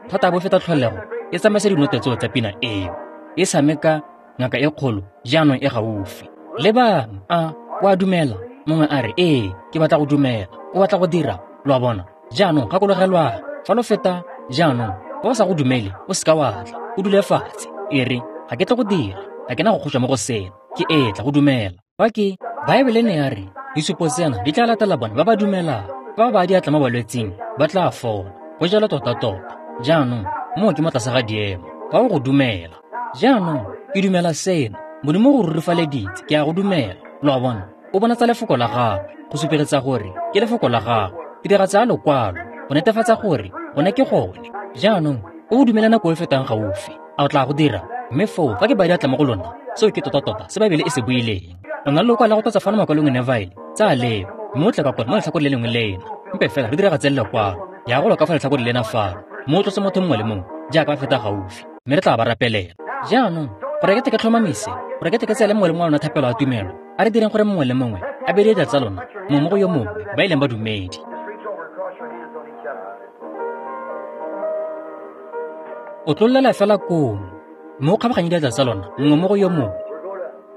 Thata bo feta tlholego e tsamaisa dinote tseo tsa pina eo. E tshameka ngaka e kgolo jaanong e gaufi. Lebang, a o a dumela? Mongwe a re, ee, ke batla go dumela. O batla go dira, lo a bona. Jaanong gakologelwang, fa lo feta jaanong, fa o sa go dumele, o seka wa tla, o dule fatshe. E re, ga ke tle go dira, ga ke na go kgotšwa mo go sena, ke etla go dumela. Fa ke, Baebele ne ya re, disupo tsena di tla latela bone ba ba dumelang. Fa ba ba diatla mo balwetsing, ba tla fola. Go jalo tota-tota. Jaanong, moo ke mo tlase ga diemo. Fa o go dumela. Jaanong, ke dumela sena. Modimo go rurifaleditse, ke a go dumela. Lo a bona? O bonatsa lefoko la gagwe, go supegetsa gore ke lefoko la gagwe. Tiragatso ya lokwalo, go netefatsa gore gone ke gone. Jaanong, o dumela nako e fetang gaufi. A o tla go dira? Mme foo, fa ke ba diatla mo go lona, seo ke tota-tota se Baebele e se buileng. O na le lokwalo la go tlatsa fano makwalong Neville, tsaya leo, mme o tle ka kone mo letlhakoreng le lengwe lena. Mpe fela re diragatse lekwalo, ya go loka fa letlhakoreng lena fano, mme o tlose motho mongwe le mongwe jaaka ba feta gaufi, mme re tla ba rapelela. Jaanong, gore ke tle ke tlhomamise, gore ke tle ke tseele mongwe le mongwe wa lona thapelo ya tumelo, a re direng gore mongwe le mongwe a bee diatla tsa lona mongwe mo go yo mongwe ba e leng badumedi. O tlollela fela koo, mme o kgabaganye diatla tsa lona mongwe mo go yo mongwe.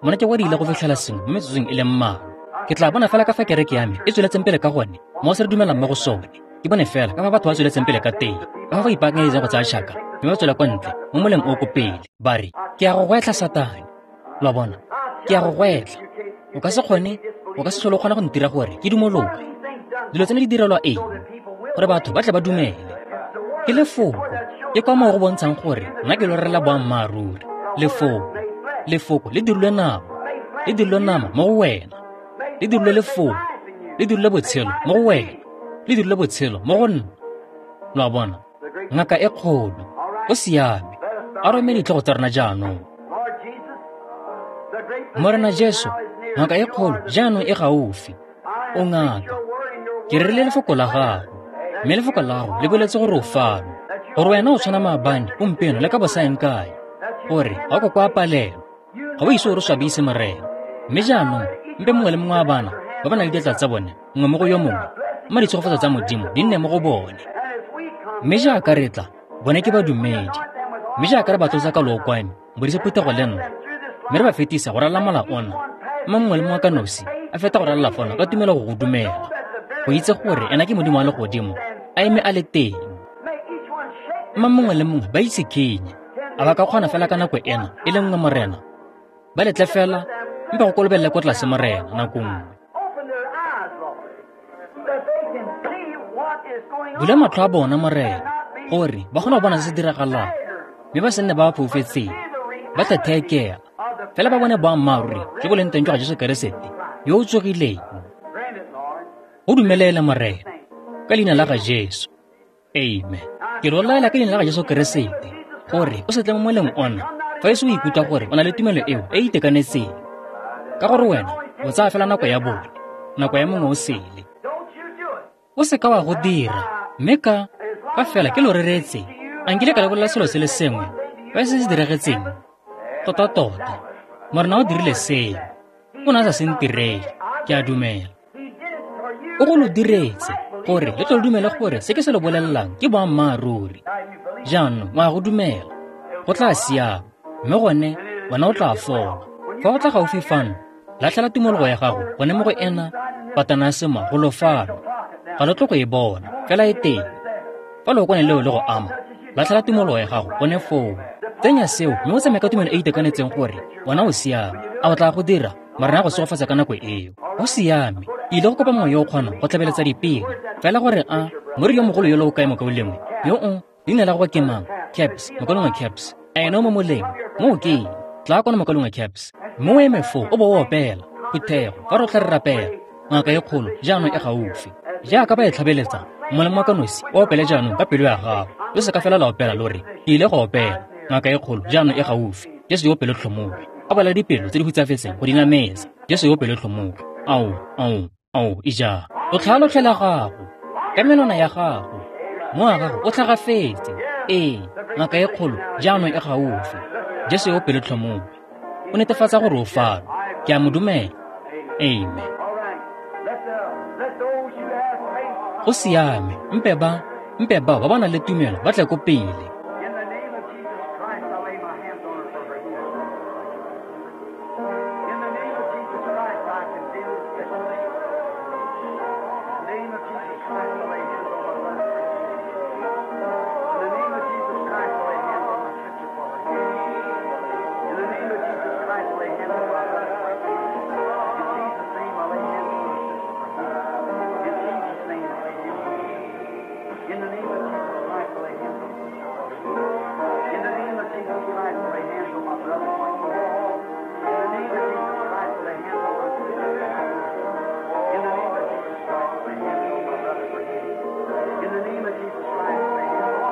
Mona ke kwa di ile go fitlhela sengwe mo metsotsong e le mmalwa. Ke tla bona fela ka fa kereke ya me e tsweletseng pele ka gone, mo se re dumelang mo go sone. Ke bone fela ka fa batho ba tsweletseng pele ka teng, ka fa go ipaakanyetseng go tsaya tšhaka, mme ba tswela kwa ntle mo moleng o ko pele. Ba re, ke a go gwetlha Satane. Lo a bona? Ke a go gwetlha. O ka se kgone, o ka se tlhole o kgona go ntira gore ke dumologe. Dilo tseno di direlwa eng? Gore batho ba tle ba dumele. Ke lefoko. Ke kwa moo go bontshang gore nna ke lo rera boammaaruri. Lefoko. Lefoko le dirilwe nama. Le dirilwe nama mo go wena. Le dirilwe lefoko. Le dirilwe botshelo mo go wena. Le dirilwe botshelo mo go nna. Lo a bona? Ngaka e kgolo. O siame. A rome ditlhogo tsa rona jaanong. Morena Jesu, ngaka e kgolo jaanong e gaufi. O ngaka. Ke rerile lefoko la gago, mme lefoko la gago le boletse gore o fano, gore wena o tshwana maabane, gompieno le ka bosaeng kae, gore ga o ka kwa palelwa, ga o ise o re swabise Morena. Mme jaanong, mpe mongwe le mongwe wa bana ba ba nang le diatla tsa bone mongwe mo go yo mongwe, mma ditshegofatso tsa Modimo di nne mo go bone. Mme jaaka re tla, bone ke badumedi. Mme jaaka re ba tlotsa ka lookwane, modise phuthego le nna, mme re ba fetisa go ralala mola ona, mma mongwe le mongwe ka nosi a feta go ralala fona ka tumelo go go dumela, go itse gore ena ke Modimo wa legodimo a eme a le teng. Mma mongwe le mongwe ba itse kenye, a ba ka kgona fela ka nako ena e le nngwe Morena, ba letle fela mpe go kolobelele ko tlase Morena nako nngwe. Bula matlho a bona Morena, gore ba kgone go bona se se diragalang, mme ba se nne ba ba foufetseng, ba tla theekela, fela ba bone boammaaruri jo bo leng teng jwa ga Jesu Keresete yo o tsogileng. Go dumelele Morena, ka leina la ga Jesu. Amen. Ke lo laela ka leina la ga Jesu Keresete gore o se tle mo moleng ona fa e se o ikutlwa gore o na le tumelo eo e e itekanetseng, ka gore wena o tsaya fela nako ya bone, nako ya mongwe o sele. O seka wa go dira, mme ka fa fela ke lo reretse, a nkile ka le bolela selo se le sengwe fa e se se diragetseng. Tota-tota, Morena o dirile seo. O ne a sa se ntirele, ke a dumela. O go lo diretse gore le tlo lo dumele gore se ke se lo bolelelang ke boammaaruri. Jaanong o a go dumela, go tla siama, mme gone wena o tla fola. Fa o tla gaufi fano, latlhela tumologo ya gago gone mo go ena patana ya sema go lo fano. Ga lo tlo go e bona, fela e teng. Fa lookwane leo le go ama, latlhela tumologo ya gago gone foo. Tsenya seo mme o tsamaye ka tumelo e e itekanetseng gore wena o siame. A o tla go dira? Morena a go segofatsa ka nako eo. Go siame. Ke ile go kopa mongwe yo o kgonang go tlhabeletsa dipina. Fela gore a moriri yo mogolo yo le o kae mokaulengwe? Yo o leina la gagwe ke mang? Caps, mokaulengwe Caps. A ene o mo moleng? Moo ke eng? Tla kwano mokaulengwe Caps. Mme o eme foo o bo o opela. Phuthego, fa rotlhe re rapela. Ngaka e kgolo jaanong e gaufi. Jaaka ba e tlhabeletsa, molemo wa ka nosi o opele jaanong ka pelo ya gago. Lo se ka fela la opela lo re, ke ile go opela. Ngaka e kgolo jaanong e gaufi. Jesu yo pelotlhomogi. A bala dipelo tse di hutsafetseng go di nametsa. Jesu yo pelotlhomogi. Ao, ao, ao, ija. O tlhalotlhe la gago. Ka menwana ya gago. Mo wa gago o tlhagafetse. Ee, ngaka e kgolo jaanong e gaufi. Jesu yo pelotlhomogi. O netefatsa gore o fano. Ke a mo dumela. Amen. Go siame, mpe ba, mpe bao ba ba nang le tumelo ba tle ko pele. In the name of Jesus Christ, I lay my hands on her for her healing. In the name of Jesus Christ, I condemn this sickness. In the name of Jesus Christ, I lay hands on my brother. In the name of Jesus Christ, I lay hands on my sister for her healing. In the name of Jesus Christ, I lay hands on my brother for her healing. In Jesus' name, I lay hands on my sister for healing. In Jesus' name, I lay hands on my sister. In the name of Jesus Christ, I lay hands on my sister for healing. In the name of Jesus Christ, I lay hands on my brother for healing. In the name of Jesus Christ, I lay hands on my sister for healing. In the name of Jesus Christ, I lay hands on my brother for healing. In the name of Jesus Christ, I lay hands on my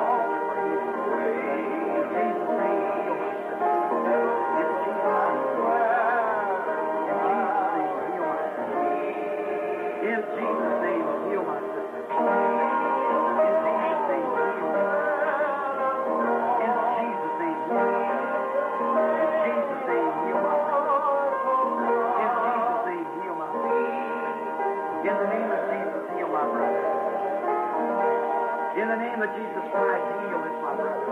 sister for healing. In Jesus' name, heal my sister. In Jesus' name, in Jesus' name, heal my sister. In Jesus' name, heal my sister. In Jesus' name, heal my sister. In Jesus' name, heal my sister. In Jesus' name, heal my brother. In Jesus' name, heal my sister. In the name of Jesus, heal my brother. In the name of Jesus Christ, heal this my brother.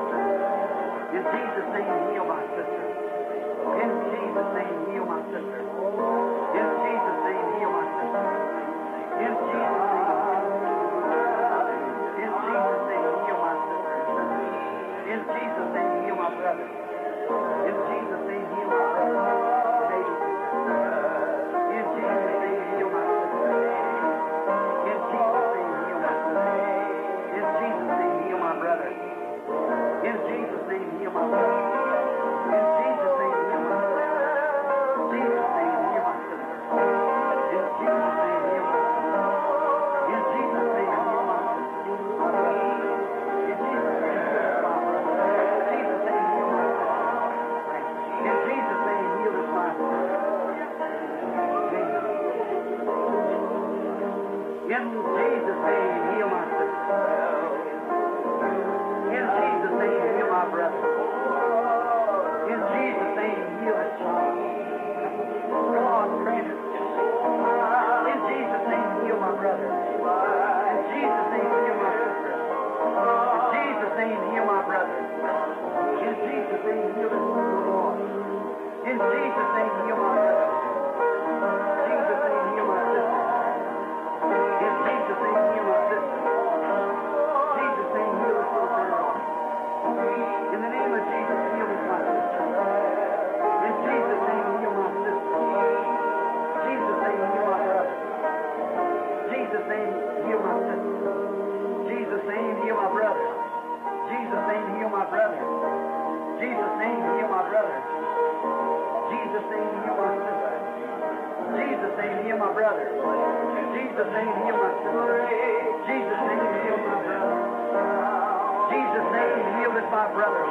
In Jesus' name, heal my sister. In Jesus' name, heal my sister. In Jesus' name, heal my sister. In Jesus' name, in Jesus' name, heal my sister. In Jesus' name, heal my brother. In Jesus' name, heal my brother. Baby sister. In Jesus' name, heal my sister. In Jesus' name, heal my sister. In Jesus' name, heal my brother. In Jesus' name, heal my brother. In Jesus' name, heal my sister. Jesus' name, heal my sister. In Jesus' name, heal my sister. In Jesus' name, heal my sister. My brother. In Jesus' name, heal my brother. Jesus' name, heal my sister. In Jesus' name, heal this my sister. Amen. In Jesus' name, heal my sister. In Jesus' name, heal my brother. In Jesus' name, heal this child. God grant it. In Jesus' name, heal my brother. In Jesus' name, heal my sister. In Jesus' name, heal my brother. In Jesus' name, heal this little boy. In Jesus' name, heal my brother. Jesus' name, heal my sister. In Jesus' name, heal my sister. Jesus' name, heal this little girl. In the name of Jesus, heal this my sister. In Jesus' name, heal my sister. Jesus' name, heal my brother. Jesus' name, heal my sister. Jesus' name, heal my brother. Jesus' name, heal my brother. Jesus' name, heal my brother. Jesus' name, heal my sister. Jesus' name, heal my brother. Jesus' name, heal my sister. Jesus' name, heal my brother. Jesus' name, heal this my brother.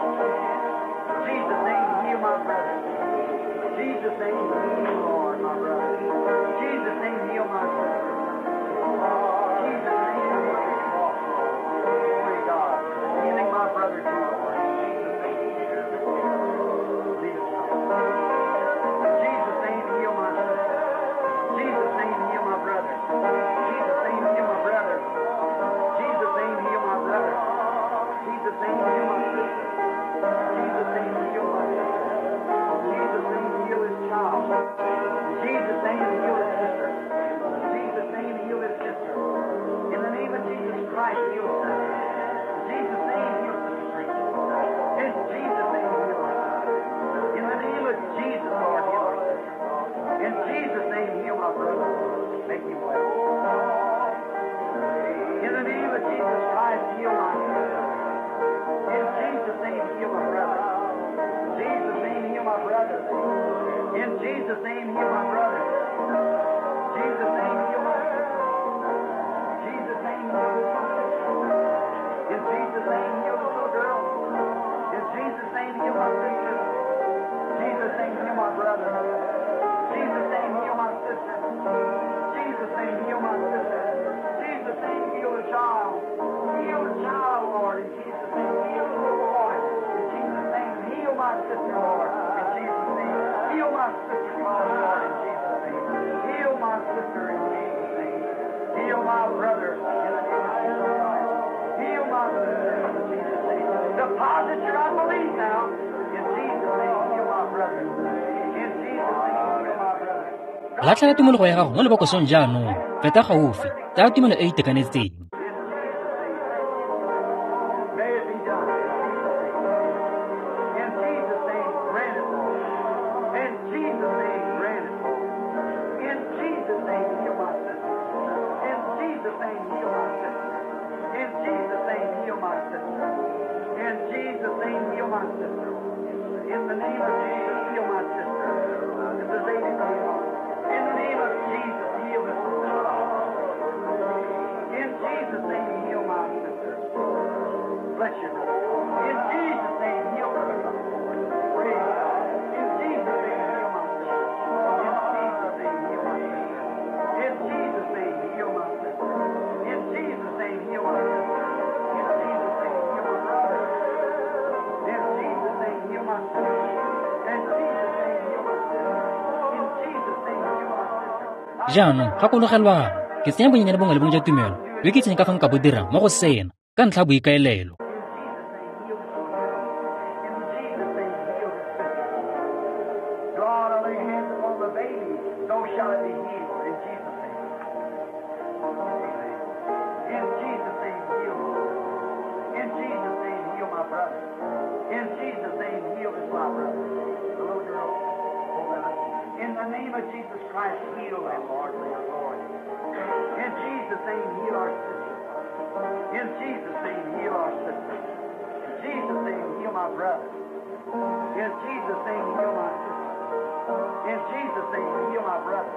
Jesus' name, heal my brother. Jesus' name, heal, Lord, my brother. Jesus' name, heal my sister. Jesus' name, heal my Glory to God. Healing my brother too, Lord. Jesus' name. Lead us now. Jesus' name, heal my sister. Jesus' name, heal my brother. Jesus' name, heal my brother. Jesus' name, heal my brother. Jesus' name, heal my sister. Jesus' name, heal my sister. Jesus' name, heal his child. In Jesus' name, heal my brother. Make him well. In the name of Jesus Christ, heal my sister. In Jesus' name, heal my brother. Jesus' name, heal my brother. In Jesus' name, heal my brother. Jesus' name, heal my sister. Jesus' name, heal my sister. In Jesus' name, heal the little girl. In Jesus' name, heal my sister. Jesus' name, heal my brother. Jesus' name, heal my sister. Jesus' name, heal my sister. Jesus' name, heal the child. Heal the child, Lord. In Jesus' name, heal the little boy. In Jesus' name, heal my sister, Lord. In Jesus' name, heal my sister, Lord. In Jesus' name, heal my sister. In Jesus' name, heal my brother. In the name of Jesus Christ, heal my sister. In Jesus' name, deposit your unbelief now. In Jesus' name, heal my brother. In Jesus' name, heal my brother. Latlhela tumologo ya gago mo lebokosong jaanong. Feta gaufi, tsaya tumelo e e itekanetseng. May it be done. In Jesus' name, grant it, Lord. In Jesus' name, grant it, Lord. In Jesus' name, heal my sister. In Jesus' name, heal my sister. In Jesus' name, heal my sister. In Jesus' name, heal my sister. In the name of Jesus, heal my sister. This is Lady Brown. In the name of Jesus, heal this sister. In Jesus' name, heal my sister. Bless you, brother. In Jesus' name, heal her. Praise God. In Jesus' name, heal my sister. In Jesus' name, heal my sister. In Jesus' name, heal my sister. In Jesus' name, heal my sister. In Jesus' name, heal my brother. In Jesus' name, heal my sister. In Jesus' name, heal my sister. In Jesus' name, heal my sister. Jaanong gakologelwang, ke tsenya bonyenyane bongwe le bongwe jwa tumelo yo ke itseng ka fa nka bo dirang mo go sena ka ntlha ya boikaelelo. In Jesus' name, heal this little girl. In Jesus' name, heal this sister. God, I lay hands upon the baby, so shall it be healed. In Jesus' name. Amen. In Jesus' name, heal. In Jesus' name, heal my brother. In Jesus' name, heal this my brother. The little girl. Hold that up. In the name of Jesus Christ, heal them, Lord, for your glory. In Jesus' name, heal our sister. In Jesus' name, heal our sister. In Jesus' name, heal my brother. In Jesus' name, heal my sister. In Jesus' name, heal my brother.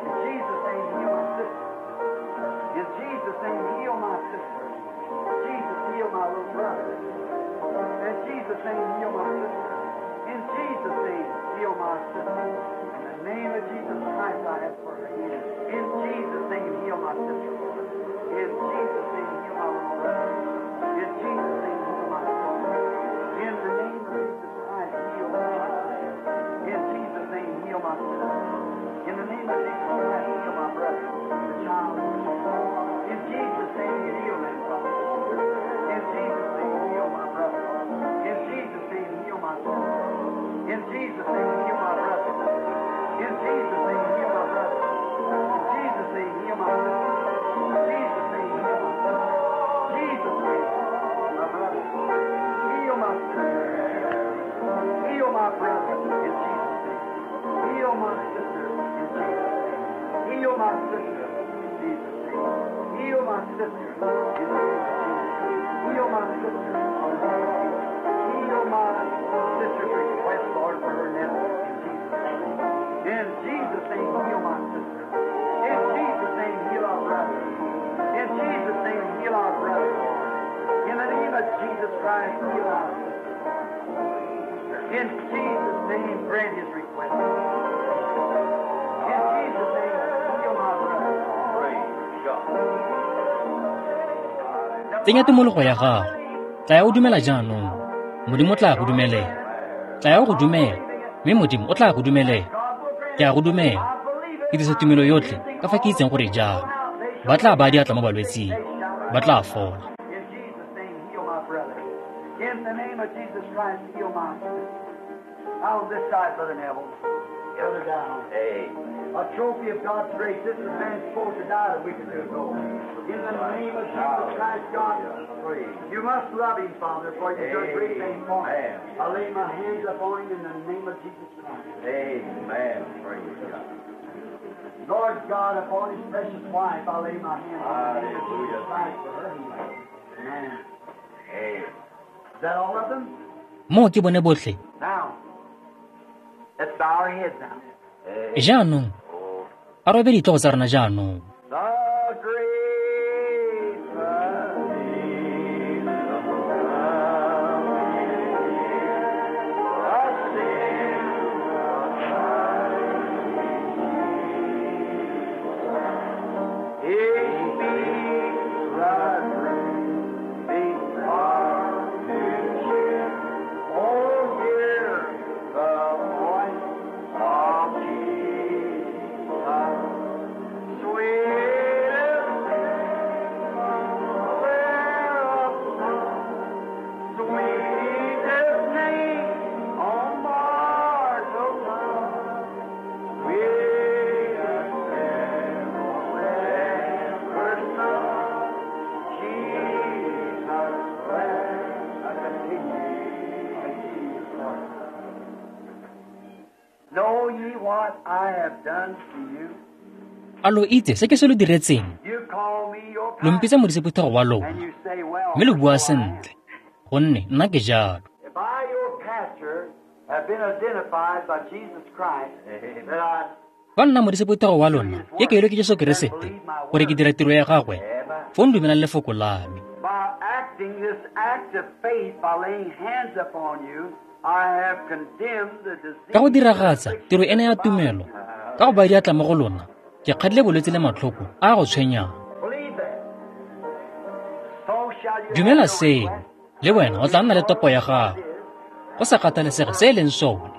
In Jesus' name, heal my sister. In Jesus' name, heal my sister. Jesus, heal my little brother. In Jesus' name, heal my sister. In Jesus' name, heal my sister. In the name of Jesus Christ, I ask for her healing. In Jesus' name, heal my sister, Lord. In Jesus' name, heal my little brother. In Jesus' name, heal my sister. In the name of Jesus Christ, heal my sister. In Jesus' name, heal my sister. In the name of Jesus Christ, heal my brother, the child. In Jesus' name, heal them, Father. In Jesus' name, heal my brother. In Jesus' name, heal my sister. In Jesus' name, heal my brother. In Jesus' name, heal my brother. In Jesus' name, heal my sister. In Jesus' name, heal my sister. Jesus' name, my brother. Heal my sister. Heal my brother in Jesus' name. Heal my sister in Jesus' name. Heal my sister in Jesus' name. Heal my sister in the name of Jesus. Heal my sister in the name of Jesus. Heal my sister's request, Lord, for her nephew in Jesus' name. In Jesus' name, heal my sister. In Jesus' name, heal our brother. In Jesus' name, heal our brother, Lord. In the name of Jesus Christ, heal our sister. In Jesus' name, grant his request. In Jesus' name, heal my brother. Praise God. Tsenya tumologo ya gago. Tlaya o dumela jaanong. Modimo o tla go dumelela. Tlaya o go dumela, mme Modimo o tla go dumelela. Ke a go dumela. Ke dirisa tumelo yotlhe ka fa ke itseng gore jang. Ba tla baya diatla mo balwetsing. Ba tla fola. In Jesus' name, heal my brother. In the name of Jesus Christ, heal my sister. Out on this side, Brother Neville. Brother down. Amen. A trophy of God's grace. This is man supposed to die a week or two ago. In the name of Jesus Christ, God, Praise. you must love him, Father, for you've done great things for him. Amen. I lay my hands upon him in the name of Jesus Christ. Amen. Praise God. God, upon his precious wife, I lay my hands on the name of Jesus Christ for her healing. Amen. Is that all of them? Moo ke bone botlhe. Now, let's bow our heads now. Jaanong, a robe ditlhogo tsa rona jaanong. The great Know ye what I have done to you? A lo itse se ke se lo diretseng? You call me your Lo mpitsa modisephuthego wa and lona, you say, well, mme lo bua so I am. sentle, gonne nna ke jalo. If I, your pastor, have been identified by Jesus Christ, that I Fa nna modisephuthego wa lona ke kailwe ke Jesu Keresete gore ke dira tiro ya gagwe, foo ndumelang lefoko la me. By acting this act of faith, by laying hands upon you, I have condemned the disease. Ka go diragatsa tiro ena ya tumelo, ka go baya diatla mo go lona, ke kgadile bolwetse le matlhoko a a go tshwenyang. Believe that. So shall you Dumela have your seo, request. le wena o tla nna le topo ya gago, go sa kgathalesege se e leng sone,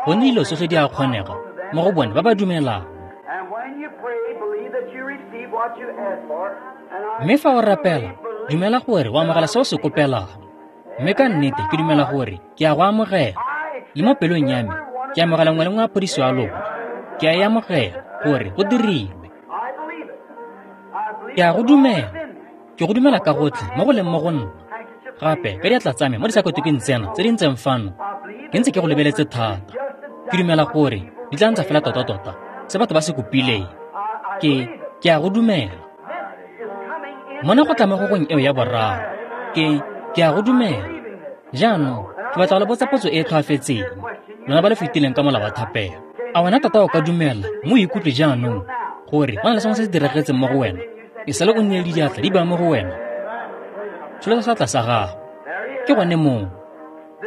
gonne dilo tsotlhe di a kgonega mo go bone ba ba dumelang. And when you pray, believe that you receive what you ask for. And I Mme fa o rapela, dumela gore o amogela se o se kopelang. Mme ka nnete ke dumela gore ke a go amogela. Le mo pelong ya me, ke amogela nngwe le nngwe ya phodiso ya lona. Ke a e amogela gore go dirilwe. I believe it. I believe Ke a go it with all dumela. that's in me. Ke go dumela ka gotlhe mo go leng mo go nna. Gape ka diatla tsa me mo disakotokeng tsena tse di ntseng fano, ke ntse ke go lebeletse thata. Ke dumela gore di tla ntsa fela tota-tota se batho ba se kopileng. Ke ke a go dumela. This is coming in Mona go tla mo gogong eo ya boraro. Ke ke a go dumela. Jaanong ke batla go le botsa potso e e tlhoafetseng, lona ba le fetileng ka mola wa thapelo. A wena tota o ka dumela mo o ikutlwe jaanong gore go na le sengwe se se diragetseng mo go wena, e sale o nnile le diatla di baya mo go wena? Tsholetsa seatla sa gago. Ke gone moo.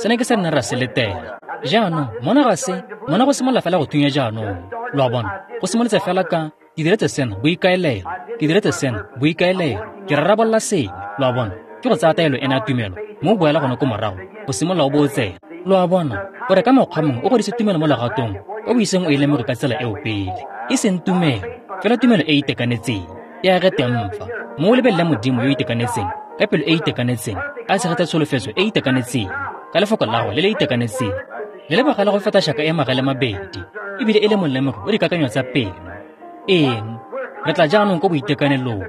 Sena ke se re neng ra se letela. Jaanong mona ga se, mona go simolola fela go thunya jaanong. Lo a bona, go simolotse fela ka ke diretse sena boikaelelo, ke diretse sena boikaelelo, ke rarabolola sengwe. Lo a bona, ke go tsaya taelo ena ya tumelo, mo o boela gone ko morago, go simolola o bo o tsena. Lo a bona, gore ka mokgwa mongwe o godise tumelo mo legatong o o iseng o e lemoge ka tsela eo pele. E seng tumelo, fela tumelo e e itekanetseng, e age teng fa. Mo o lebelele Modimo yo o itekanetseng, ka pelo e e itekanetseng, a tshegetsa tsholofetso e e itekanetseng, ka lefoko la gagwe le le itekanetseng, le le bogale go feta shaka e magale mabedi, ebile e le molemogi o dikakanyo tsa pelo. Eng? Re tla jaanong ko boitekanelong,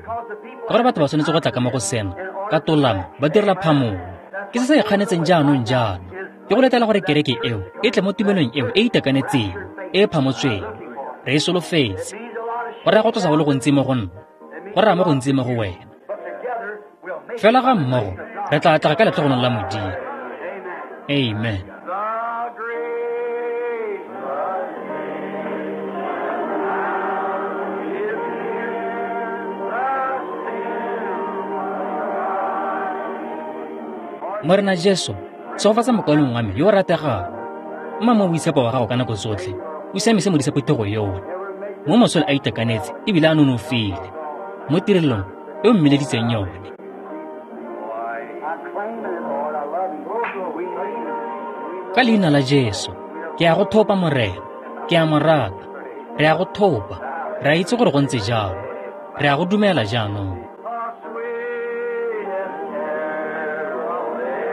ka gore batho ba tshwanetse go tla ka mo go sena, ka tolamo, ba direla phamolo. Ke se se ikganetseng jaanong jaana, ke go letela gore kereke eo e tle mo tumelong eo e e itekanetseng, e e phamotsweng. Re e solofetse. Go raya go tlosa go le gontsi mo go nna, go raya mo gontsi mo go wena. But together we'll make Fela ga mmogo, re tla atlega ka letlhogonolo la Modimo. Amen. Amen. The great Morena Jesu, tshegofatsa mokaulengwe wa me yo o rategang. Mma mo boitshepo wa gago ka nako tsotlhe, o siamise modisephuthego yono. Mo mosole a itekanetse ebile a nonofile mo tirelong e o mmileditseng yone. I claim it, Lord. I love you. We need it. Ka leina la Jesu, ke a go thopa Morena, ke a mo rata. Re a go thopa, re a itse gore go ntse jalo. Re a go dumela jaanong. The sweetest carol ever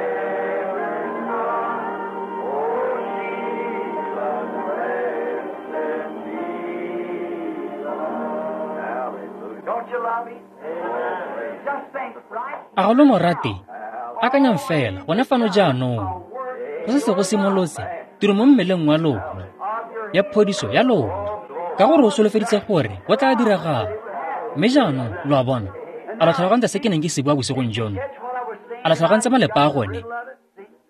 sung. Oh, Jesus, blessed Jesus. Hallelujah. Don't you love him? Just think right A ga lo mo rate? Akanyang fela gone fano jaanong. Go setse go simolotse tiro mo mmeleng wa lona, ya phodiso ya lona, Ka gore o solofeditse gore go tla diragala. Mme jaanong, lo a bona, a lo tlhalogantse se ke neng ke se bua bosigong jono? A lo tlhalogantse malepa a gone?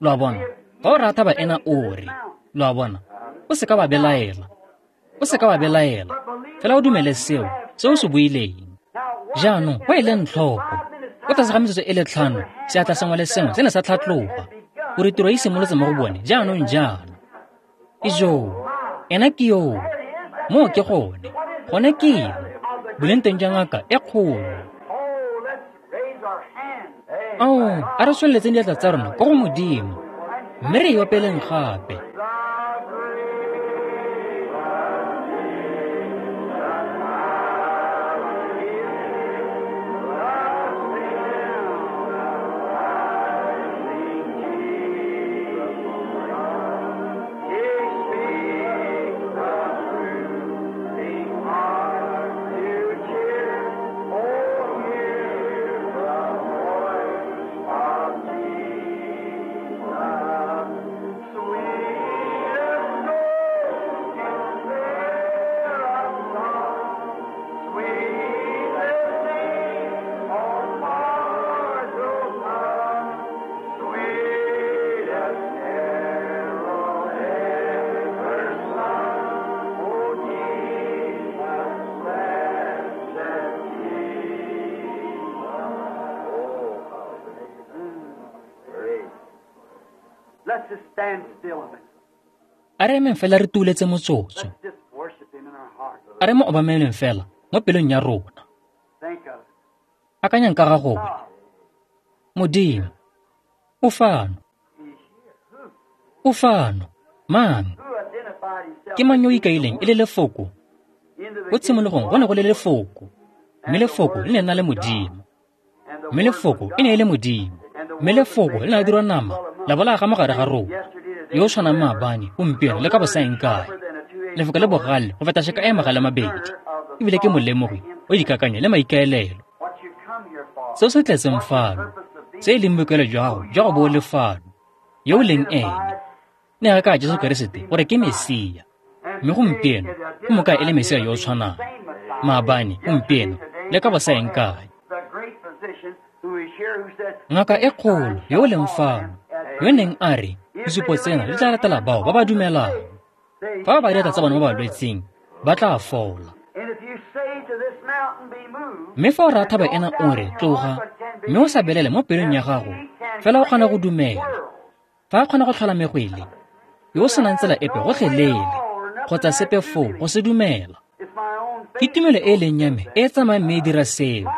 Lo a bona, fa o rata ba ena o re, lo a bona, o seka wa belaela. O seka wa belaela. Fela o dumele seo, se o se buileng. Jaanong, go e leng tlhoko. Ko tlase ga metsotso e le tlhano, seatla sengwe le sengwe se ne sa tlhatloga, gore tiro e simolotse mo go bone jaanong jaana. Ijoo, ena ke yoo. Moo ke gone. Gone ke eng? Boleng teng jwa ngaka e kgolo. Ao, a re tsweletseng diatla tsa rona ko go Modimo, mme re e opeleng gape. A re emeng fela re tuuletse motsotso. A re mo obameleng fela mo pelong ya rona. Akanyang ka ga gone. Modimo, o fano. O fano. Mang? Ke mang yo o ikaileng e le lefoko? Ko tshimologong go ne go le lefoko. Mme lefoko le ne na le Modimo. Mme lefoko e ne e le Modimo. Mme lefoko le ne la dirwa nama, la bolaya ga mogare ga rona. Yo o tshwanang maabane, gompieno le ka bosaeng kae. Lefoko le bogale go feta tšhaka e magale mabedi, ebile ke molemogi o dikakanyo le maikaelelo. Seo se tletseng fano, se e leng boikaelelo jwa gago jwa go bo o le fano, yo o leng ene. Ne ga ka Jesu Keresete gore ke Mesia, mme gompieno o mo kaya e le Mesia yo o tshwanang, maabane, gompieno le ka bosaeng kae. Ngaka e kgolo yo o leng fano, yo neng a re, disupo tsena di tla latela bao ba ba dumelang. Fa ba ba diatla tsa bone ba ba lwetseng, ba tla fola. Mme fa o raya thaba ena o re, tloga, mme o sa belele mo pelong ya gago, fela o kgona go dumela. Fa a kgona go tlhola megwele, yo o senang tsela epe gotlhelele, kgotsa sepe foo go se dumela. Ke tumelo e e leng ya me e e tsamayang mme e dira seo.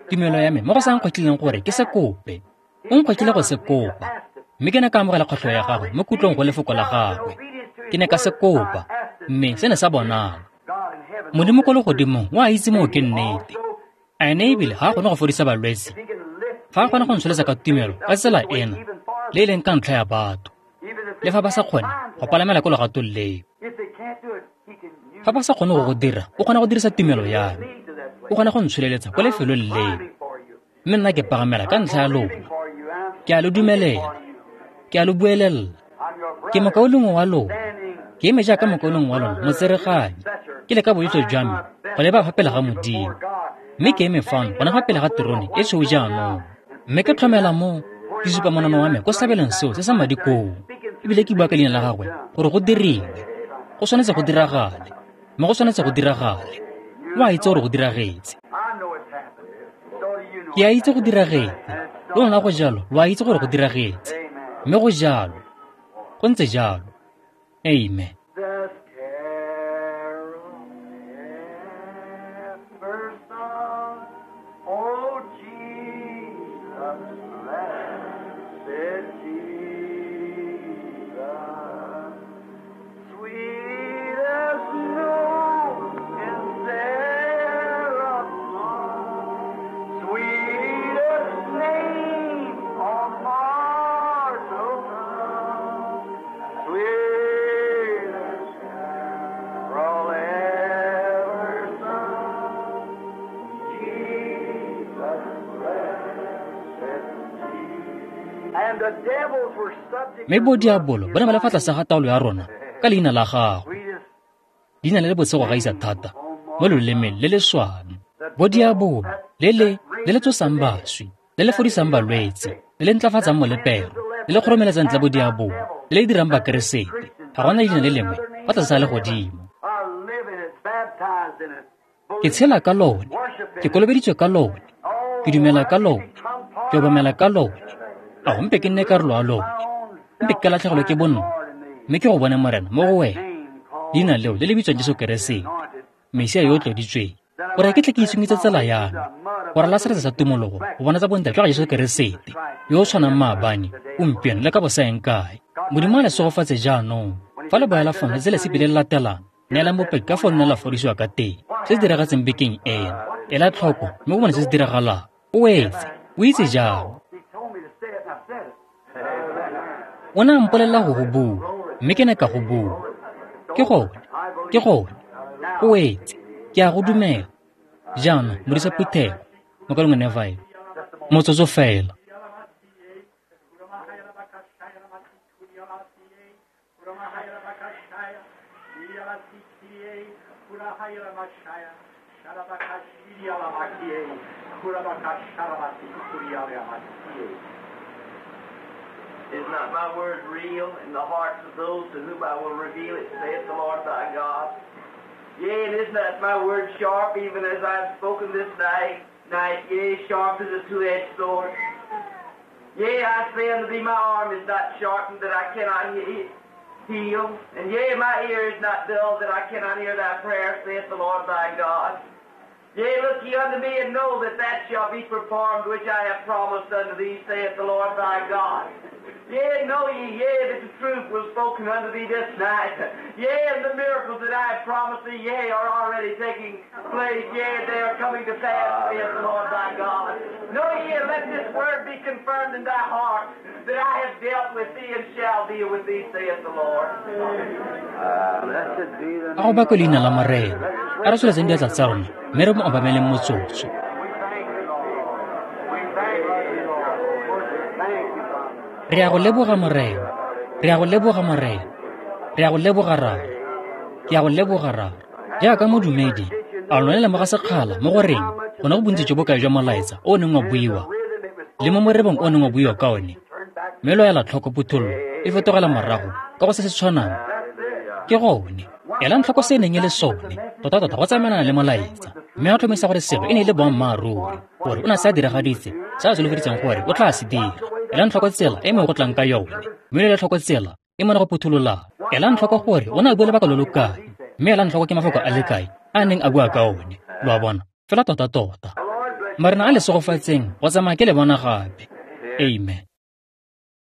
Tumelo ya me mo go sa nkgwetlhileng gore ke se kope. O nkgwetlhile go se kopa. Mme ke ne ka amogela kgwetlho ya gagwe mo kutlong go lefoko la gagwe. Ke ne ka se kopa, mme se ne sa bonala. Modimo ko legodimong o a itse moo ke nnete. A ene ebile ga a kgone go fodisa balwetse. Fa a kgona go ntsholetsa ka tumelo ka tsela ena, le e leng ka ntlha ya batho. Le fa ba sa kgone go palamela ko legatong leo. Fa ba sa kgone go go dira, o kgona go dirisa tumelo ya me. O kgona go ntsholeletsa ko lefelong leo. Mme nna ke pagamela ka ntlha ya lona. Ke a lo dumelela. Ke a lo buelela. Ke mokaulengwe wa lona. Ke eme jaaka mokaulengwe wa lona, motsereganyi. Ke leka boitso jwa me go leba fa pele ga Modimo. Mme ke eme fano gona fa pele ga terone e tshweu jaanong. Mme ke tlhomela mo ke supa monano wa me ko setlhabelong seo se sa madi koo. Ebile ke bua ka leina la gagwe gore go diriwe. Go tshwanetse go diragale. Mme go tshwanetse go diragale. O a itse gore go diragetse. Ke a itse go diragetse. Le lona go jalo, lo a itse gore go diragetse. Mme go jalo. Go ntse jalo. Amen. Mme bodiabolo ba ne ba le fa tlase ga taolo ya rona ka leina la gagwe. Leina le le botse go gaisa thata mo lolemeng le le swang. Bodiabolo le le le le tsosang baswi, le le fodisang balwetse, le le ntlafatsang molepero, le le kgoromeletsang ntle bodiabolo, le le dirang bakeresete. Ga gona leina le lengwe fa tlase ga legodimo. Ke tshela ka lone, ke kolobeditswe ka lone, ke dumela ka lone, ke obamela ka lone. A go mpe ke nne karolo ya lone, mpe ke latlhegelwe ke bonna, mme ke go bone Morena mo go wena. Leina leo le le bitswang Jesu Keresete, Mesia yo o tloditsweng, gore ke tle ke itshungitse tsela ya me, gore la seretse sa tumologo go bona tsa bontle jwa ga Jesu Keresete, yo o tshwanang maabane, gompieno le ka bosaeng kae. Modimo a le segofatse jaanong. Fa le boela fano letsatsi le tshipi le le latelang, neelang bopaki ka fo nna la fodisiwa ka teng, se se diragetseng bekeng eno. Ela tlhoko mme o bone se se diragalang. O etse, o itse jang. O ne a mpolelela go go bua, mme ke ne ka go bua. Ke gone, ke gone, o etse, ke a go dumela. Jaanong, modisa phuthego, mokaulengwe Neville, motsotso fela. Is not my word real in the hearts of those to whom I will reveal it, saith the Lord thy God? Yea, and is not my word sharp, even as I have spoken this night, night, yea, sharp as a two-edged sword? Yea, I say unto thee, my arm is not sharpened that I cannot he- heal, and yea, my ear is not dull that I cannot hear thy prayer, saith the Lord thy God. Yea, look ye unto me, and know that that shall be performed which I have promised unto thee, saith the Lord thy God. Yea, know ye, yea, that the truth was spoken unto thee this night. Yea, and the miracles that I have promised thee, yea, are already taking place. Yea, they are coming to pass, saith the Lord thy God. Know ye, and let this word be confirmed in thy heart, that I have dealt with thee and shall deal with thee, saith the Lord. A go bakwe leina la Morena. A re tsholetseng diatla tsa rona mme re mo obameleng motsotso. Re a go leboga Morena, re a go leboga Morena, re a go leboga Rara, ke a go leboga Rara. Jaaka modumedi, a lone lemoga sekgala mo go reng gona go bontsi jo bo kae jwa molaetsa o o neng wa buiwa le mo morebong o o neng wa buiwa ka one, mme lo ela tlhoko phuthololo e fetogela morago ka go se se tshwanang. Ke gone, elang tlhoko se e neng e le sone, tota-tota go tsamaelana le molaetsa, mme a tlhomisa gore selo e ne e le boammaaruri, gore o ne a se a diragaditse se a solofeditseng gore o tla se dira. Elang tlhoko tsela e mo go tlang ka yone, mme le tlhoko tsela e mo go phuthololang. Elang tlhoko gore o ne a bua lebaka lo lo kae, mme elang tlhoko ke mafoko a le kae a neng a bua ka one. Lo a bona, fela tota-tota. Marena a le segofatseng go tsamaya ke le bona gape. Amen.